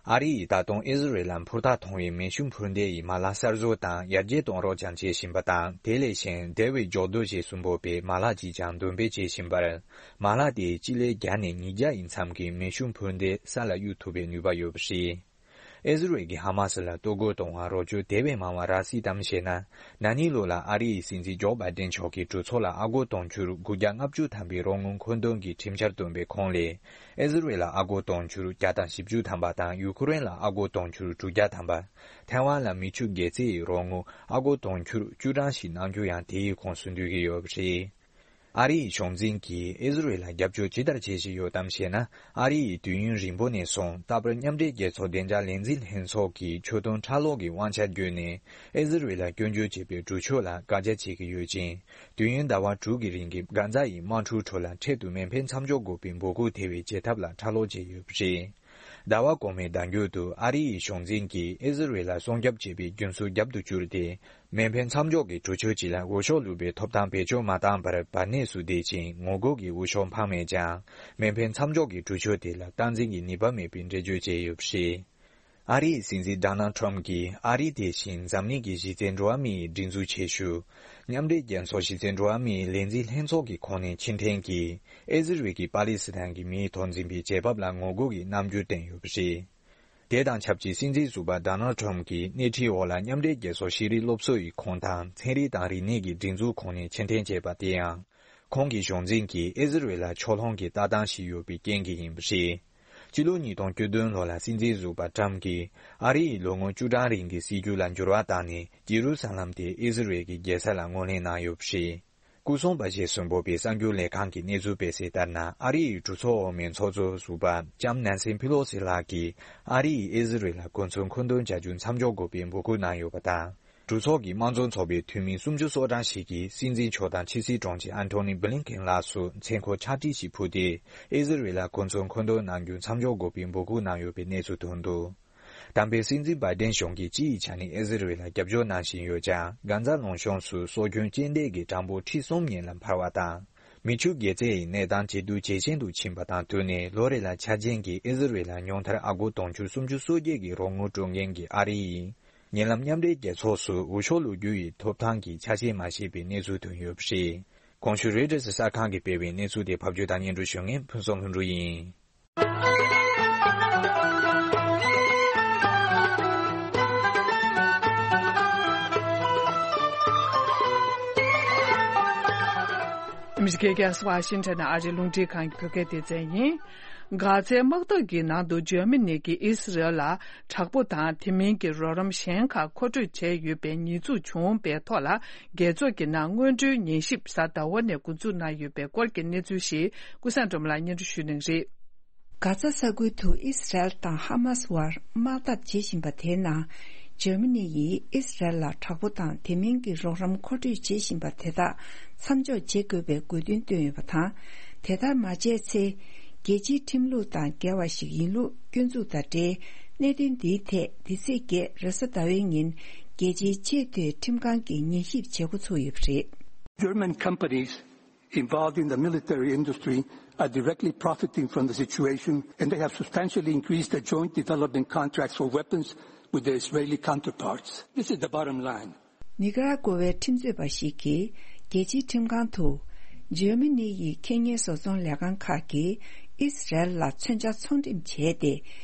ཨ་རི་ཡིས་ད་དུང་ཨི་ཟི་རེལ་ལ་འཕུར་ཐག་ཐུང་བའི་མེ་ཤུགས་འཕུར་མདེལ་ཡི་མ་ལག་གསར་བཟོ་དང་ཡར་རྒྱས་གཏོང་རོགས་ཀྱང་བྱེད་བཞིན་པ་དང་། དེ་ལས་གཞན་David ཇོག་རྡོ་ཞེས་གསུངས་པའི་མ་ལག་ཅིག་ཀྱང་འདོན་སྤེལ་བྱེད་བཞིན་པར། མ་ལག་དེས་སྤྱི་ལེ་བརྒྱ་ནས་ཉིས་བརྒྱ་ཡི་མཚམས་ཀྱི་མེ་ཤུགས་འཕུར་མདེལ་ས་ལ་གཡུག་ཐུབ་པའི་ནུས་པ་ཡོད་པ་རེད། ཨི་ཟི་རེལ་གྱིས་ཧ་མ་སི་ལ་གཏོར་རྒོལ་གཏོང་བར་རོགས་སྐྱོར་དེ་བས་མང་བ་རག་སྲིད་དམ་ཞེ་ན། ན་ནིང་ལོ་ལ་ཨ་རི་ཡི་སྲིད་འཛིན་ཇོ་བྷའི་ཏན་མཆོག་གིས་གྲོས་ཚོགས་ལ་ཨ་སྒོར་དུང་ཕྱུར་དགུ་བརྒྱ་ལྔ་བཅུ་ཐམ་པའི་རོགས་དངུལ་མཁོ་འདོན་གྱི་ཁྲིམས་འཆར་བཏོན་པའི་ཁོངས་ལས། ཨི་ཟི་རེལ་ལ་ཨ་སྒོར་དུང་ཕྱུར་བརྒྱ་དང་བཞི་བཅུ་ཐམ་པ་དང་། ཡུ་ཁུ་རེན་ལ་ཨ་སྒོར་དུང་ཕྱུར་དྲུག་བརྒྱ་ཐམ་པ། ཐའེ་ཝན་ལ་མི་ཆུ་གེ་ཙེ་ཡི་རོགས་དངུལ་ཨ་སྒོར་དུང་ཕྱུར་བཅུ་གྲངས་ཤིག་གནང་རྒྱུ་ཡང་དེའི་ཁོངས་སུ་འདུས་ཀྱི་ཡོད་པ་རེད། ཨ་རི་ཡི་གཞུང་འཛིན་གྱིས་ཨི་ཟི་རེལ་ལ་རྒྱབ་སྐྱོར་ཇི་ལྟར་བྱེད་བཞིན་ཡོད་དམ་ཞེ་ན། ཨ་རི་ཡིས་དུས་ཡུན་རིང་པོ་ནས་བཟུང་རྟག་པར་མཉམ་འབྲེལ་རྒྱལ་ཚོགས་བདེ་འཇགས་ལས་འཛིན་ལྷན་ཚོགས་ཀྱི་ཆོད་དོན་ཁྲལ་སློག་གི་དབང་ཆ་བརྒྱུད་ནས་ཨི་ཟི་རེལ་ལ་སྐྱོན་བརྗོད་བྱེད་པའི་གྲོས་ཆོད་ལ་བཀག་རྒྱ་བྱེད་ཀྱི་ཡོད་ཅིང་། དུས་ཡུན་ཟླ་བ་དྲུག་གི་རིང་གི་གྷ་ཛ་ཡི་དམག་འཁྲུག་ཁྲོད་ལ་འཕྲལ་དུ་མེ་འཕེན་མཚམས་འཇོག་དགོས་པའི་འབོད་སྐུལ་དེ་བས་བྱེད་ཐབས་ལ་ཁྲལ་སློག་བྱས་ཡོད་པ་རེད། ཟླ་བ་གོང་མའི་ཟླ་མཇུག་ཏུ་ཨ་རི་ཡི་གཞུང་འཛིན་གྱིས་ཨི་ཟི་རེལ་ལ་སྲུང་སྐྱོབ་བྱེད་པའི་རྒྱུན་སྲོལ་རྒྱབ་ཏུ་བསྐྱུར་ཏེ། མེ་འཕེན་མཚམས་འཇོག་གི་གྲོས་ཆོད་ཅིག་ལ་འོས་ཤོག་བླུགས་པའི་ཐོབ་ཐང་བེད་སྤྱོད་མ་བཏང་བར་བར་གནས་སུ་བསྡད་ཅིང་། ངོ་རྒོལ་གྱི་འོས་ཤོག་འཕངས་མེད་ཀྱང་། མེ་འཕེན་མཚམས་འཇོག་གི་གྲོས་ཆོད་དེ་ལ་སྟངས་འཛིན་གྱི་ནུས་པ་མེད་པའི་འགྲེལ་བརྗོད་བྱས་ཡོད་པ་རེད། ཨ་རིའི་སྲིད་འཛིན་Donald Trump གྱིས་ཨ་རི་དེ་བཞིན་འཛམ་གླིང་གི་གཞི་རྩའི་འགྲོ་བ་མིའི་སྒྲིག་འཛུགས་ཆེ་ཤོས། མཉམ་འབྲེལ་རྒྱལ་ཚོགས་གཞི་རྩའི་འགྲོ་བ་མིའི་ལས་འཛིན་ལྷན་ཚོགས་ཀྱི་ཁོངས་ནས་ཕྱིར་འཐེན་གྱིས། ཨི་ཟི་རེལ་གྱིས་པ་ལི་སི་ཐན་གྱི་མིའི་ཐོག་འཛིན་པའི་རྒྱལ་བབ་ལ་ངོ་རྒོལ་གྱི་རྣམ་འགྱུར་བསྟན་ཡོད་པ་རེད། དེ་དང་ཆབས་ཅིག་སྲིད་འཛིན་ཟུར་པ་Donald Trump གྱིས་སྣེ་ཁྲིད་འོག་ལ་མཉམ་འབྲེལ་རྒྱལ་ཚོགས་ཤེས་རིག་སློབ་གསོ་ཡི་ཁོངས་དང་ཚན་རིག་དང་རིག་གནས་ཀྱི་སྒྲིག་འཛུགས་ཁོངས་ནས་ཕྱིར་འཐེན་བྱས་པ་དེ་ཡང་། ཁོང་གི་གཞུང་འཛིན་གྱིས་ཨི་ཟི་རེལ་ལ་ཕྱོགས་ལྷུང་གི་ལྟ་སྟངས་ཤིག་ཡོད་པའི་རྐྱེན་གྱིས་ཡིན་པ་རེད། སྤྱི་ལོ་ཉིས་སྟོང་བཅུ་བདུན་ལོ་ལ་སྲིད་འཛིན་ཟུར་པ་Trump གྱིས་ཨ་རི་ཡི་ལོ་ངོ་བཅུ་གྲངས་རིང་གི་སྲིད་ཇུས་ལ་འགྱུར་བ་བཏང་ནས། ཇེ་རུ་ས་ལམ་དེ་ཨི་ཟི་རེལ་གྱི་རྒྱལ་ས་ལ་ངོས་ལེན་གནང་ཡོད་པ་རེད། སྐུ་སྲུང་པ་ཞེས་གསོན་པོ་པའི་གསར་འགྱུར་ལས་ཁང་གིས་གནས་ཚུལ་སྤེལ་གསལ་ལྟར་ན། ཨ་རི་ཡི་གྲོས་ཚོགས་འོག་མའི་ཚོགས་གཙོ་ཟུར་པ་ལྕམ་Nancy Pelosi ལགས་ཀྱིས་ཨ་རི་ཡིས་ཨི་ཟི་རེལ་ལ་གོ་མཚོན་མཁོ་འདོན་བྱ་རྒྱུ་མཚམས་འཇོག་དགོས་པའི་འབོད་སྐུལ་གནང་ཡོད་པ་དང་། གྲོས་ཚོགས་ཀྱི་དམངས་གཙོ་ཚོགས་པའི་འཐུས་མི་སུམ་ཅུ་སོ་གྲངས་ཤིག་གིས་སྲིད་འཛིན་མཆོག་དང་ཕྱི་སྲིད་དྲུང་ཆེ་Antony Blinken ལགས་སུ་མཚན་འཁོར་ཕྱག་བྲིས་ཤིག་ཕུལ་ཏེ། ཨི་ཟི་རེལ་ལ་གོ་མཚོན་མཁོ་འདོན་གནང་རྒྱུ་མཚམས་འཇོག་དགོས་པའི་འབོད་སྐུལ་གནང་ཡོད་པའི་གནས་ཚུལ་ཐོན་འདུག་དམ་པའི་སྲིད་འཛིན་Biden གཞུང་གིས་སྤྱི་ཡི་ཆ་ནས་ཨི་ཟི་རེལ་ལ་རྒྱབ་སྐྱོར་གནང་བཞིན་ཡོད་ཀྱང་། གྷ་ཛ་ལུང་གཤོང་སུ་སྲོག་སྐྱོན་རྐྱེན་འདས་ཀྱི་གྲངས་འབོར་ཁྲི་གསུམ་ཉིན་ལ་འཕར་བ་དང་། མི་ཆུ་དགེ་རྩའི་གནས་སྟངས་ཇེ་སྡུག་ཇེ་ཆེན་དུ་ཕྱིན་པ་དང་བསྟུན་ནས། ལོ་རེ་ལ་འཆར་ཅན་གྱི་ཨི་ཟི་རེལ་ལ་ཉུང་མཐར་ཨ་སྒོར་དུང་ཕྱུར་སུམ་ཅུ་སོ་བརྒྱད་ཀྱི་རོགས་དངུལ་སྤྲོད་མཁན་གྱི་ཨ་རི་ཡིས། ཉེ་ལམ་མཉམ་འབྲེལ་རྒྱལ་ཚོགས་སུ་འོས་ཤོག་ལོ་རྒྱུས་ཡི་ཐོབ་ཐང་གི་ཆ་ཤས་མ་བཞེས་པའི་གནས་ཚུལ་ཐོན་ཡོད་པ་རེད། གོང་ཞུས་རོའི་ཊར་གསར་ཁང་གིས་སྤེལ་བའི་གནས་ཚུལ་དེ་ཕབ་སྒྱུར་དང་སྙན་སྒྲོན་ཞུ་མཁན་ཕུན་ཚོགས་ལྷུན་གྲུབ་ཡིན། ཨ་མི་རི་ཀའི་རྒྱལ་ས་ཝ་ཤིང་ཊོན་ནས་ཨ་རིའི་རླུང་འཕྲིན་ཁང་གི་བོད་སྐད་སྡེ་ཚན་ཡིན། གྷ་ཛའི་དམག་འཐབ་ཀྱི་ནང་དུ་འཇར་མ་ནི་གིས་ཨི་སི་རལ་ལ་དྲག་པོ་དང་དེ་མིན་གྱི་རོགས་རམ་གཞན་ཁག་མཁོ་སྤྲོད་བྱས་ཡོད་པའི་ཉེས་འཛུགས་བྱུང་བའི་ཐོག་ལ། རྒྱལ་ཚོགས་ཀྱི་ནང་སྔོན་འགྲོའི་ཉན་ཞིབ་གཟའ་ཟླ་བ་ནས་འགོ་འཛུགས་གནང་ཡོད་པའི་སྐོར་གྱི་གནས་ཚུལ་ཞིག་ཀུན་བཟང་སྒྲོལ་མ་ལགས་སྙན་སྒྲོན་ཞུ་གནང་གི་རེད། གྷ་ཛ་ས་ཁུལ་དུ་ཨི་སི་རལ་དང་ཧ་མ་སི་བར་དམག་འཐབ་བྱེད་བཞིན་པ་དེའི་ནང་། འཇར་མ་ནི་ཡིས་ཨི་སི་རལ་ལ་དྲག་པོ་དང་དེ་མིན་གྱི་རོགས་རམ་མཁོ་སྤྲོད་བྱེད་བཞིན་པ་དེ་དག་མཚམས་འཇོག་བྱེད་དགོས་པའི་དགོས་འདུན་བཏོན་ཡོད་པ་དང་། དེ་ལྟར་མ་བྱས་ཚེ། རྒྱལ་སྤྱིའི་ཁྲིམས་ལུགས་དང་འགལ་བ་ཞིག་ཡིན་ལུགས་སྐྱོན་འཛུགས་དང་འབྲེལ། གནད་དོན་འདིའི་ཐད་འདི་ཚེས་བརྒྱད་རེས་གཟའ་ཟླ་བའི་ཉིན་རྒྱལ་སྤྱིའི་ཆེས་མཐོའི་ཁྲིམས་ཁང་གིས་ཉན་ཞིབ་བྱེད་འགོ་ཚུགས་ཡོད་པ་རེད། German companies involved in the military industry are directly profiting from the situation, and they have substantially increased their joint development contracts for weapons with their Israeli counterparts. This is the bottom line. ནི་ཀ་ར་ཀོ་ཝའི་ཁྲིམས་རྩོད་པ་ཞིག་གིས་རྒྱལ་སྤྱིའི་ཁྲིམས་ཁང་དུ། འཇར་མ་ནི་ཡི་ཁེ་གཉེར་བཟོ་ཚོང་ལས་ཁང་ཁག་གིས་ཨི་སི་རལ་ལ་མཚོན་ཆ་ཚོང་འགྲེམས་བྱས་ཏེ།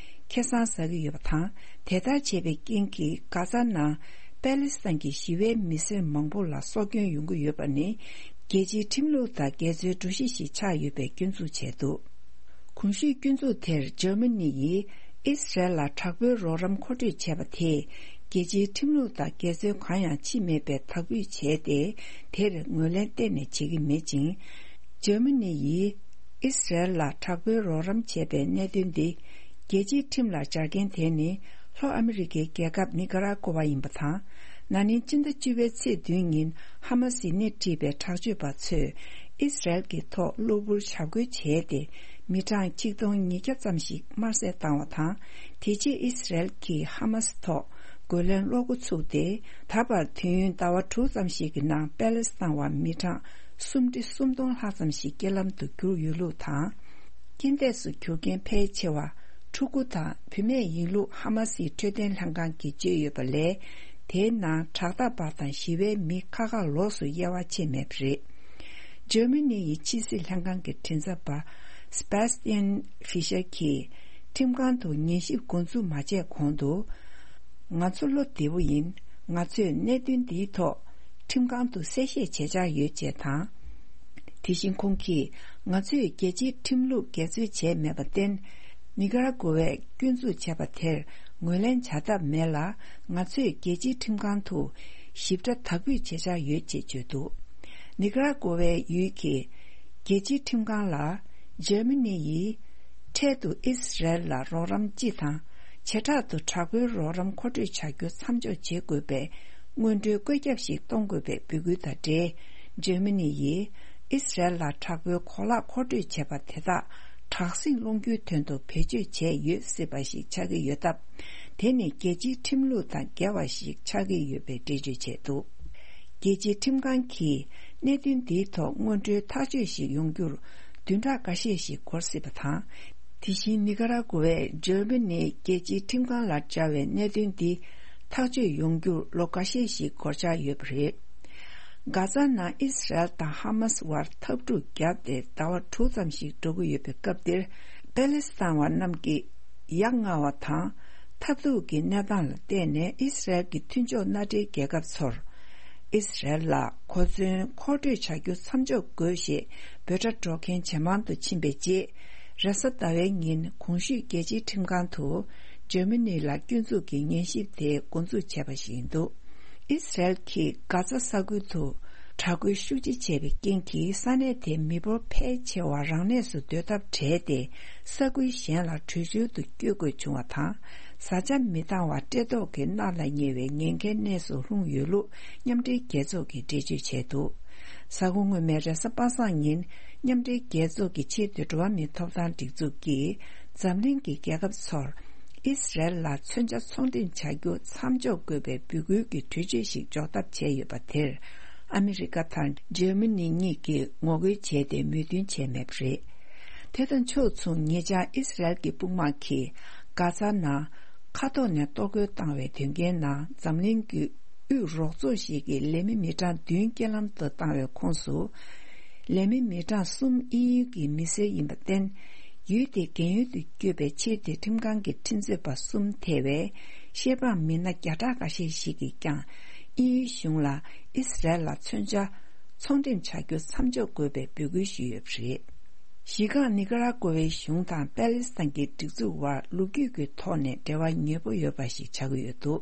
ཁེ་བཟང་ཟ་གི་ཡོད་པ་དང་། དེ་ལྟར་བྱས་པའི་རྐྱེན་གྱིས་གྷ་ཛ་ནང་པེ་ལི་སི་ཐན་གྱི་ཞི་བའི་མི་སེར་མང་པོ་ལ་སྲོག་སྐྱོན་ཡོང་གི་ཡོད་པ་ནི། རྒྱལ་སྤྱིའི་ཁྲིམས་ལུགས་དང་འགལ་འཛོལ་འགྲོ་གཞི་ཞིག་ཆགས་ཡོད་པའི་སྐྱོན་འཛུགས་བྱས་འདུག། གོང་ཞུས་སྐྱོན་འཛུགས་དེར་འཇར་མ་ནི་ཡིས་ཨི་སི་རལ་ལ་དྲག་པོའི་རོགས་རམ་མཁོ་སྤྲོད་བྱས་པ་དེས་རྒྱལ་སྤྱིའི་ཁྲིམས་ལུགས་དང་འགལ་འཛོལ་གང་ཡང་ཕྱིན་མེད་པའི་དག་འབུད་བྱས་ཏེ། དེར་ངོས་ལེན་གཏན་ནས་བྱེད་ཀྱི་མེད་ཅིང་། འཇར་མ་ནི་ཡིས་ཨི་སི་རལ་ལ་དྲག་པོའི་རོགས་རམ་བྱས་པའི་གནད་དོན་འདི་རྒྱལ་སྤྱིའི་ཁྲིམས་ལ་སྦྱར་མཁན་དེ་ནི་ལྷོ་ཨ་མི་རི་ཀའི་རྒྱལ་ཁབ་ནི་ཀ་ར་ཀོ་ཝ་ཡིན་པ་དང་། ན་ནིང་སྤྱི་ཟླ་བཅུ་པའི་ཚེས་བདུན་ཉིན་ཧ་མ་སིས་སྣེ་ཁྲིད་པའི་དྲག་སྤྱོད་པ་ཚོས་ཨི་སི་རལ་གྱི་ཐོག་གློ་བུར་འཇབ་རྒོལ་བྱས་ཏེ། མི་གྲངས་ཆིག་སྟོང་ཉིས་བརྒྱ་ཙམ་ཞིག་དམར་བསད་བཏང་བ་དང་། དེ་རྗེས་ཨི་སི་རལ་གྱིས་ཧ་མ་སི་ཐོག་རྒོལ་ལན་སློག་འགོ་ཚུགས་ཏེ། ད་བར་དུས་ཡུན་ཟླ་བ་དྲུག་ཙམ་ཞིག་གི་ནང་པེ་ལེ་སི་ཐན་བ་མི་གྲངས་སུམ་ཁྲི་སུམ་སྟོང་ལྷག་ཙམ་ཞིག་རྐྱེན་ལམ་དུ་གྱུར་ཡོད་ལུགས་དང་། རྐྱེན་འདས་སུ་གྱུར་མཁན་ཕལ་ཆེ་བ་ཕྲུ་གུ་དང་བུད་མེད་ཡིན་ལུགས་ཧ་མ་སིའི་འཕྲོད་བསྟེན་ལྷན་ཁང་གིས་བརྗོད་ཡོད་པ་ལས། དེའི་ནང་དྲག་འཐབ་པ་དང་ཞི་བའི་མི་ཁ་ཁ་ལོགས་སུ་དབྱེ་བ་ཕྱེ་མེད་པ་རེད། འཇར་མ་ནི་ཡི་ཕྱི་སྲིད་ལྷན་ཁང་གི་མགྲིན་ཚབ་པ་སི་པེ་སི་ཏི་ཡན་ཧྥི་ཤར་གྱིས་ཁྲིམས་ཁང་དུ་ཉན་ཞིབ་འགོ་འཛུགས་མ་བྱས་གོང་དུ། ང་ཚོ་བློ་བདེ་པོ་ཡིན། ང་ཚོས་གནད་དོན་འདིའི་ཐོག་ཁྲིམས་ཁང་དུ་གསལ་བཤད་བྱེད་འཆར་ཡོད་ཅེས་དང་། དེ་བཞིན་ཁོང་གིས་ང་ཚོས་རྒྱལ་སྤྱིའི་ཁྲིམས་ལུགས་འགལ་འཛོལ་བྱས་མེད་པར་བརྟེན། ནི་ཀ་ར་ཀོ་ཝས་སྐྱོན་འཛུགས་བྱས་པ་དེར་ངོས་ལེན་བྱ་ཐབས་མེད་ལ། ང་ཚོས་རྒྱལ་སྤྱིའི་ཁྲིམས་ཁང་དུ་ཞིབ་ཕྲ་དག་འབུད་བྱེད་འཆར་ཡོད་ཅེས་བརྗོད་འདུག། ནི་ཀ་ར་ཀོ་ཝའི་ཡུལ་གྱི་རྒྱལ་སྤྱིའི་ཁྲིམས་ཁང་ལ། འཇར་མ་ནི་ཡིས་འཕྲལ་དུ་ཨི་སི་རལ་ལ་རོགས་རམ་སྤྱི་དང་། བྱེ་བྲག་ཏུ་དྲག་པོའི་རོགས་རམ་མཁོ་སྤྲོད་བྱ་རྒྱུ་མཚམས་འཇོག་བྱེད་དགོས་པའི་སྔོན་འགྲོའི་བཀོད་ཁྱབ་ཞིག་གཏོང་དགོས་པའི་འབོད་སྐུལ་དང་འབྲེལ། འཇར་མ་ནི་ཡིས་ཨི་སི་རལ་ལ་དྲག་པོའི་གོ་ལག་མཁོ་སྤྲོད་བྱས་པ་དེ་དག་དྲག་ཟིང་སློང་རྒྱུའི་དོན་དུ་བེད་སྤྱོད་བྱས་ཡོད་སྲིད་པ་ཞིག་ཆགས་ཀྱི་ཡོད་སྟབས། དེ་ནི་རྒྱལ་སྤྱིའི་ཁྲིམས་ལུགས་དང་འགལ་བ་ཞིག་ཆགས་ཀྱི་ཡོད་པའི་འགྲེལ་བརྗོད་བྱས་འདུག། རྒྱལ་སྤྱིའི་ཁྲིམས་ཁང་གིས་གནད་དོན་འདིའི་ཐོག་སྔོན་འགྲོའི་ཐག་གཅོད་ཞིག་ཡོང་རྒྱུར་བདུན་ཕྲག་འགའ་ཤས་ཤིག་འགོར་སྲིད་པ་དང་། དེ་བཞིན་ནི་ཀ་ར་ཀོ་ཝས་འཇར་མ་ནིའི་རྒྱལ་སྤྱིའི་ཁྲིམས་ཁང་ལ་བཅར་བའི་གནད་དོན་འདི་ཐག་གཅོད་ཡོང་རྒྱུར་ལོ་འགའ་ཤས་ཤིག་འགོར་འཆར་ཡོད་པ་རེད། གྷ་ཛ་ནང་ཨི་སི་རལ་དང་ཧ་མ་སི་བར་འཐབ་འཁྲུག་བརྒྱབ་སྟེ་ཟླ་བ་དྲུག་ཙམ་ཞིག་འགྲོ་གི་ཡོད་པའི་སྐབས་འདིར། པེ་ལེ་སི་ཐན་བ་རྣམས་ཀྱིས་ཡ་ང་བ་དང་། མཐར་ཐུག་གི་གནས་སྟངས་ལ་བལྟས་ནས་ཨི་སི་རལ་གྱི་མཐུན་ཕྱོགས་མནའ་འབྲེལ་རྒྱལ་ཁབ་ཚོར། ཨི་སི་རལ་ལ་གོ་མཚོན་མཁོ་སྤྲོད་བྱ་རྒྱུ་མཚམས་འཇོག་དགོས་ཞེས་འབོད་སྒྲ་སྒྲོག་མཁན་ཇེ་མང་དུ་ཕྱིན་པའི་རྗེས། རེས་གཟའ་ཟླ་བའི་ཉིན་གོང་ཞུས་རྒྱལ་སྤྱིའི་ཁྲིམས་ཁང་དུ་འཇར་མ་ནི་ལ་སྐྱོན་འཛུགས་ཀྱི་ཉན་ཞིབ་དེ་འགོ་འཛུགས་བྱས་པ་ཞིག་ཡིན་འདུག། ཨི་སི་རལ་གྱིས་གྷ་ཛ་ས་ཁུལ་དུ་དྲག་རྒོལ་ཤུགས་ཆེ་བྱས་པའི་རྐྱེན་གྱིས་ས་གནས་དེའི་མི་འབོར་ཕལ་ཆེ་བ་རང་གནས་སུ་སྡོད་ཐབས་བྲལ་ཏེ། ས་ཁུལ་གཞན་ལ་བྲོས་བྱོལ་དུ་བསྐྱོད་དགོས་བྱུང་བ་དང་། བཟའ་བཅའ་མི་འདང་བ་བཀྲེས་ལྟོགས་ཀྱིས་མནར་ལ་ཉེ་བའི་ཉེན་ཁའི་གནས་སུ་ལྷུང་ཡོད་ལུགས་མཉམ་འབྲེལ་རྒྱལ་ཚོགས་ཀྱིས་འགྲེལ་བརྗོད་བྱས་འདུག། གཟའ་འཁོར་སྔོན་མའི་རེས་གཟའ་པ་སངས་ཉིན། མཉམ་འབྲེལ་རྒྱལ་ཚོགས་ཀྱི་ཆེས་མཐོའི་འགྲོ་བ་མིའི་ཐོབ་ཐང་སྒྲིག་འཛུགས་ཀྱིས། འཛམ་གླིང་གི་རྒྱལ་ཁབ་ཚོར། ཨི་སི་རལ་ལ་མཚོན་ཆ་ཚོང་འགྲེམས་བྱ་རྒྱུ་མཚམས་འཇོག་དགོས་པའི་འབོད་སྐུལ་གྱི་གྲོས་ཆོད་ཞིག་འཇོག་ཐབས་བྱས་ཡོད་པ་དེར། ཨ་མི་རི་ཀ་དང་འཇར་མ་ནི་གཉིས་ཀྱིས་ངོ་རྒོལ་བྱས་ཏེ་མོས་མཐུན་བྱས་མེད་པ་རེད། དེ་དང་ཕྱོགས་མཚུངས། ཉེ་ཆར་ཨི་སི་རལ་གྱི་དཔུང་དམག་གིས་གྷ་ཛ་ནང་མཁའ་ཐོག་ནས་གཏོར་རྒོལ་བཏང་བའི་དོན་རྐྱེན་ནང་འཛམ་གླིང་གི་དབུས་རོགས་ཚོགས་ཤིག་གིས་ལས་མི་མི་གྲངས་བདུན་རྐྱེན་ལམ་དུ་བཏང་བའི་ཁོངས་སུ། ལས་མི་མི་གྲངས་གསུམ་དབྱིན་ཡུལ་གྱི་མི་སེར་ཡིན་པར་བརྟེན། ཡུལ་དེའི་རྒན་ཡོལ་དུ་བསྐྱོད་པའི་ཕྱིར་དེ་ཁྲིམས་ཁང་གི་ཁྲིམས་རྩོད་པ་གསུམ་ཐེ་བའི་ཤེས་པའམ་མི་སྣ་བརྒྱ་ཕྲག་འགའ་ཤས་ཤིག་གིས་ཀྱང་དབྱིན་ཡུལ་གཞུང་ལ་ཨི་སི་རལ་ལ་མཚོན་ཆ་ཚོང་འགྲེམས་བྱ་རྒྱུ་མཚམས་འཇོག་དགོས་པའི་འབོད་སྐུལ་ཞུས་ཡོད་པ་རེད། གཞི་རྐང་ནི་ཀ་ར་ཀོ་ཝའི་གཞུང་དང་པེ་ལེ་སི་ཐན་གྱི་སྒྲིག་འཛུགས་དབར་ལོ་རྒྱུས་ཀྱི་ཐོག་ནས་འབྲེལ་བ་ཉེ་པོ་ཡོད་པ་ཞིག་ཆགས་ཀྱི་ཡོད་འདུག་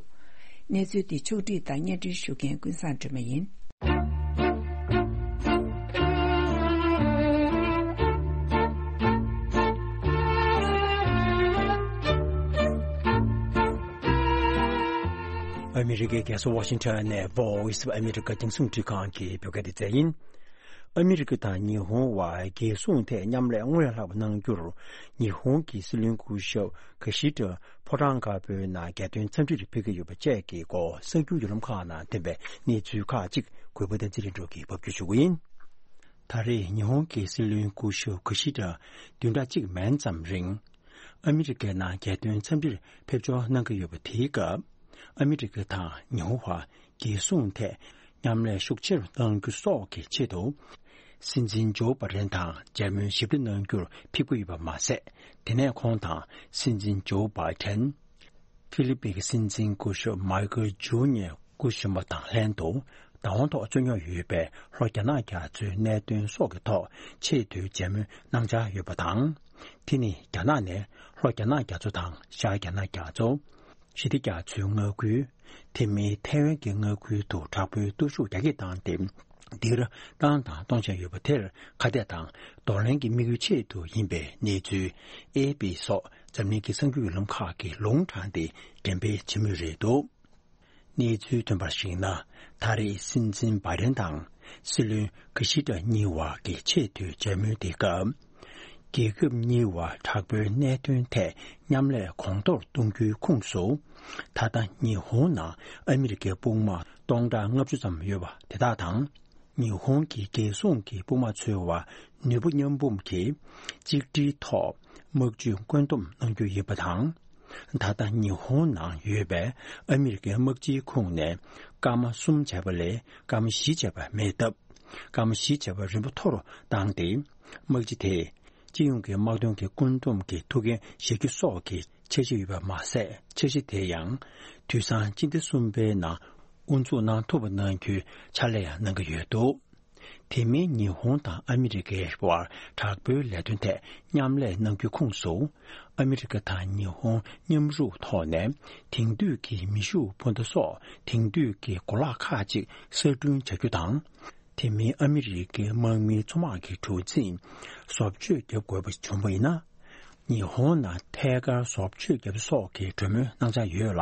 གནས་ཚུལ་འདི་ཕྱོགས་བསྒྲིགས་དང་སྙན་སྒྲོན་ཞུ་མཁན་ཀུན་བཟང་སྒྲོལ་མ་ཡིན། ཨ་མི་རི་ཀའི་རྒྱལ་ས་ཝ་ཤིང་ཊོན་ནས་Voice of America རྒྱང་སྲིང་འཕྲིན་ཁང་གི་བོད་སྐད་སྡེ་ཚན་ཡིན། ཨ་མི་རི་ཀ་དང་ཉི་ཧོང་བར་རྒྱལ་སྲུང་ཐད་མཉམ་ལས་སྔོན་ལ་ལྷག་པ་གནང་རྒྱུར། ཉི་ཧོང་གི་སྲིད་བློན་སྐུ་ཞབས་ཀི་ཤི་ད་ཕོ་བྲང་དཀར་པོའི་ནང་རྒྱལ་དོན་འཚམས་འདྲིར་ཕེབས་ཀྱི་ཡོད་པ་བཅས་ཀྱི་སྐོར་གསར་འགྱུར་བརྒྱུད་ལམ་ཁག་ནང་ཐོན་པའི་གནས་ཚུལ་ཁག་ཅིག་གུས་པ་བསྟན་འཛིན་ལྷུན་གྲུབ་ཀྱིས་ཕབ་སྒྱུར་ཞུ་གི་ཡིན། ད་རེས་ཉི་ཧོང་གི་སྲིད་བློན་སྐུ་ཞབས་ཀི་ཤི་ད་བདུན་ཕྲག་གཅིག་མན་ཙམ་རིང་། ཨ་མི་རི་ཀའི་ནང་རྒྱལ་དོན་འཚམས་འདྲིར་ཕེབས་འབྱོར་གནང་གི་ཡོད་པ་དེའི་སྐབས། ཨ་མི་རི་ཀ་དང་ཉི་ཧོང་བར་རྒྱལ་སྲུང་ཐད་མཉམ་ལས་ཤུགས་ཆེ་རུ་གཏང་རྒྱུ་སོགས་ཀྱི་ཆེད་དུ། སྲིད་འཛིན་ཇོ་བྷའི་ཌེན་དང་མཇལ་མོལ་ཞིབ་ཕྲ་གནང་རྒྱུར་ཕེབས་ཀྱི་ཡོད་པ་མ་ཟད། དེ་ནས་ཁོང་དང་སྲིད་འཛིན་ཇོ་བྷའི་ཌེན། ཧྥི་ལི་པིན་གྱི་སྲིད་འཛིན་སྐུ་ཞབས་མའི་ཀལ་ཇུ་ནི་ཡར་སྐུ་གཞོན་པ་དང་ལྷན་དུ་བདག་དབང་ཐོག་རྩོད་རྙོག་ཡོད་པའི་ལྷོ་རྒྱ་ནག་རྒྱ་མཚོའི་གནད་དོན་སོགས་ཀྱི་ཐོག་ཆེས་མཐོའི་མཇལ་མོལ་གནང་འཆར་ཡོད་པ་དང་། དེ་ནི་རྒྱ་ནག་ནས་ལྷོ་རྒྱ་ནག་རྒྱ་མཚོ་དང་ཤར་རྒྱ་ནག་རྒྱ་མཚོ། ཞི་བདེ་རྒྱ་མཚོའི་མངའ་ཁུལ། དེ་མིན་ཐའེ་ཝན་གྱི་མངའ་ཁུལ་དུ་དྲག་པོའི་སྟོབས་ཤུགས་རྒྱ་སྐྱེད་བཏང་སྟེ། འདིར་བཏང་དང་གཏོང་བཞིན་ཡོད་པ་དེར་ཁ་གཏད་དང་གདོང་ལེན་གྱི་དམིགས་ཡུལ་ཆེད་དུ་ཡིན་པའི་གནས་ཚུལ། ཨེ་པི་སོགས་འཛམ་གླིང་གི་གསར་འགྱུར་བརྒྱུད་ལམ་ཁག་གིས་ལུང་དྲངས་ཏེ་འགྲེམས་སྤེལ་བྱེད་མུས་རེད་འདུག་གནས་ཚུལ་ཐོན་པར་གཞིགས་ན། ད་རེས་སྲིད་འཛིན་བྷའི་ཌེན་དང་སྲིད་བློན་ཀི་ཤི་ད་གཉིས་བར་གྱི་ཆེས་མཐོའི་མཇལ་མོལ་དེ་སྐབས། རྒྱལ་ཁབ་གཉིས་བར་དྲག་པོའི་གནད་དོན་ཐད་མཉམ་ལས་གོང་མཐོར་གཏོང་རྒྱུའི་ཁོངས་སུ། ད་ལྟ་ཉི་ཧོང་ནང་ཨ་མི་རི་ཀའི་དཔུང་དམག་སྟོང་ཕྲག་ལྔ་བཅུ་ཙམ་ཡོད་པ་དེ་དག་དང་། ཉི་ཧོང་གི་རྒྱལ་སྲུང་གི་དཔུང་དམག་ཚོའི་བར་ནུས་པ་མཉམ་སྤུངས་ཀྱིས་གཅིག་སྒྲིལ་ཐོག་དམག་ཇུས་བཀོད་འདོམས་གནང་རྒྱུ་ཡིན་པ་དང་། ད་ལྟ་ཉི་ཧོང་ནང་ཡོད་པའི་ཨ་མི་རི་ཀའི་དམག་སྤྱིའི་ཁོངས་ནས་སྐར་མ་གསུམ་བྱས་པ་ལས་སྐར་མ་བཞི་བྱས་པ་མེད་སྟབས། སྐར་མ་བཞི་བྱས་པ་རིམ་པ་མཐོ་རུ་བཏང་སྟེ། དམག་སྤྱི་དེས་སྤྱི་ཡོངས་ཀྱི་དམག་དོན་གྱི་བཀོད་འདོམས་ཀྱི་ཐུགས་འགན་བཞེས་རྒྱུ་སོགས་ཀྱི་འཆར་གཞི་ཡོད་པ་མ་ཟད། འཆར་གཞི་དེ་ཡང་དུས་སང་སྤྱི་ཟླ་གསུམ་པའི་ནང་དབུ་འཛུགས་གནང་ཐུབ་པ་གནང་རྒྱུའི་ཕྱག་ལས་ཡང་གནང་གི་ཡོད་འདུག་དེ་མིན་ཉི་ཧོང་དང་ཨ་མི་རི་ཀའི་བར་དྲག་པོའི་ལས་དོན་ཐད་མཉམ་ལས་གནང་རྒྱུའི་ཁོངས་སུ། ཨ་མི་རི་ཀ་དང་ཉི་ཧོང་མཉམ་རུབ་ཐོག་ནས་དེང་དུས་ཀྱི་མེ་ཤུགས་འཕུར་མདའ་སོགས་དེང་དུས་ཀྱི་གོ་ལག་ཁག་ཅིག་གསར་སྐྲུན་བྱ་རྒྱུ་དང་། དེ་མིན་ཨ་མི་རི་ཀའི་དམག་མིའི་མཚོ་དམག་གི་གྲུ་གཟིངས་བཟོ་བཅོས་བརྒྱབ་དགོས་པ་བྱུང་བ་ཡིན་ན། ཉི་ཧོང་ནང་ཐད་ཀར་བཟོ་བཅོས་བརྒྱབ་སོགས་ཀྱི་གྲོས་མོལ་གནང་འཆར་ཡོད་ལ།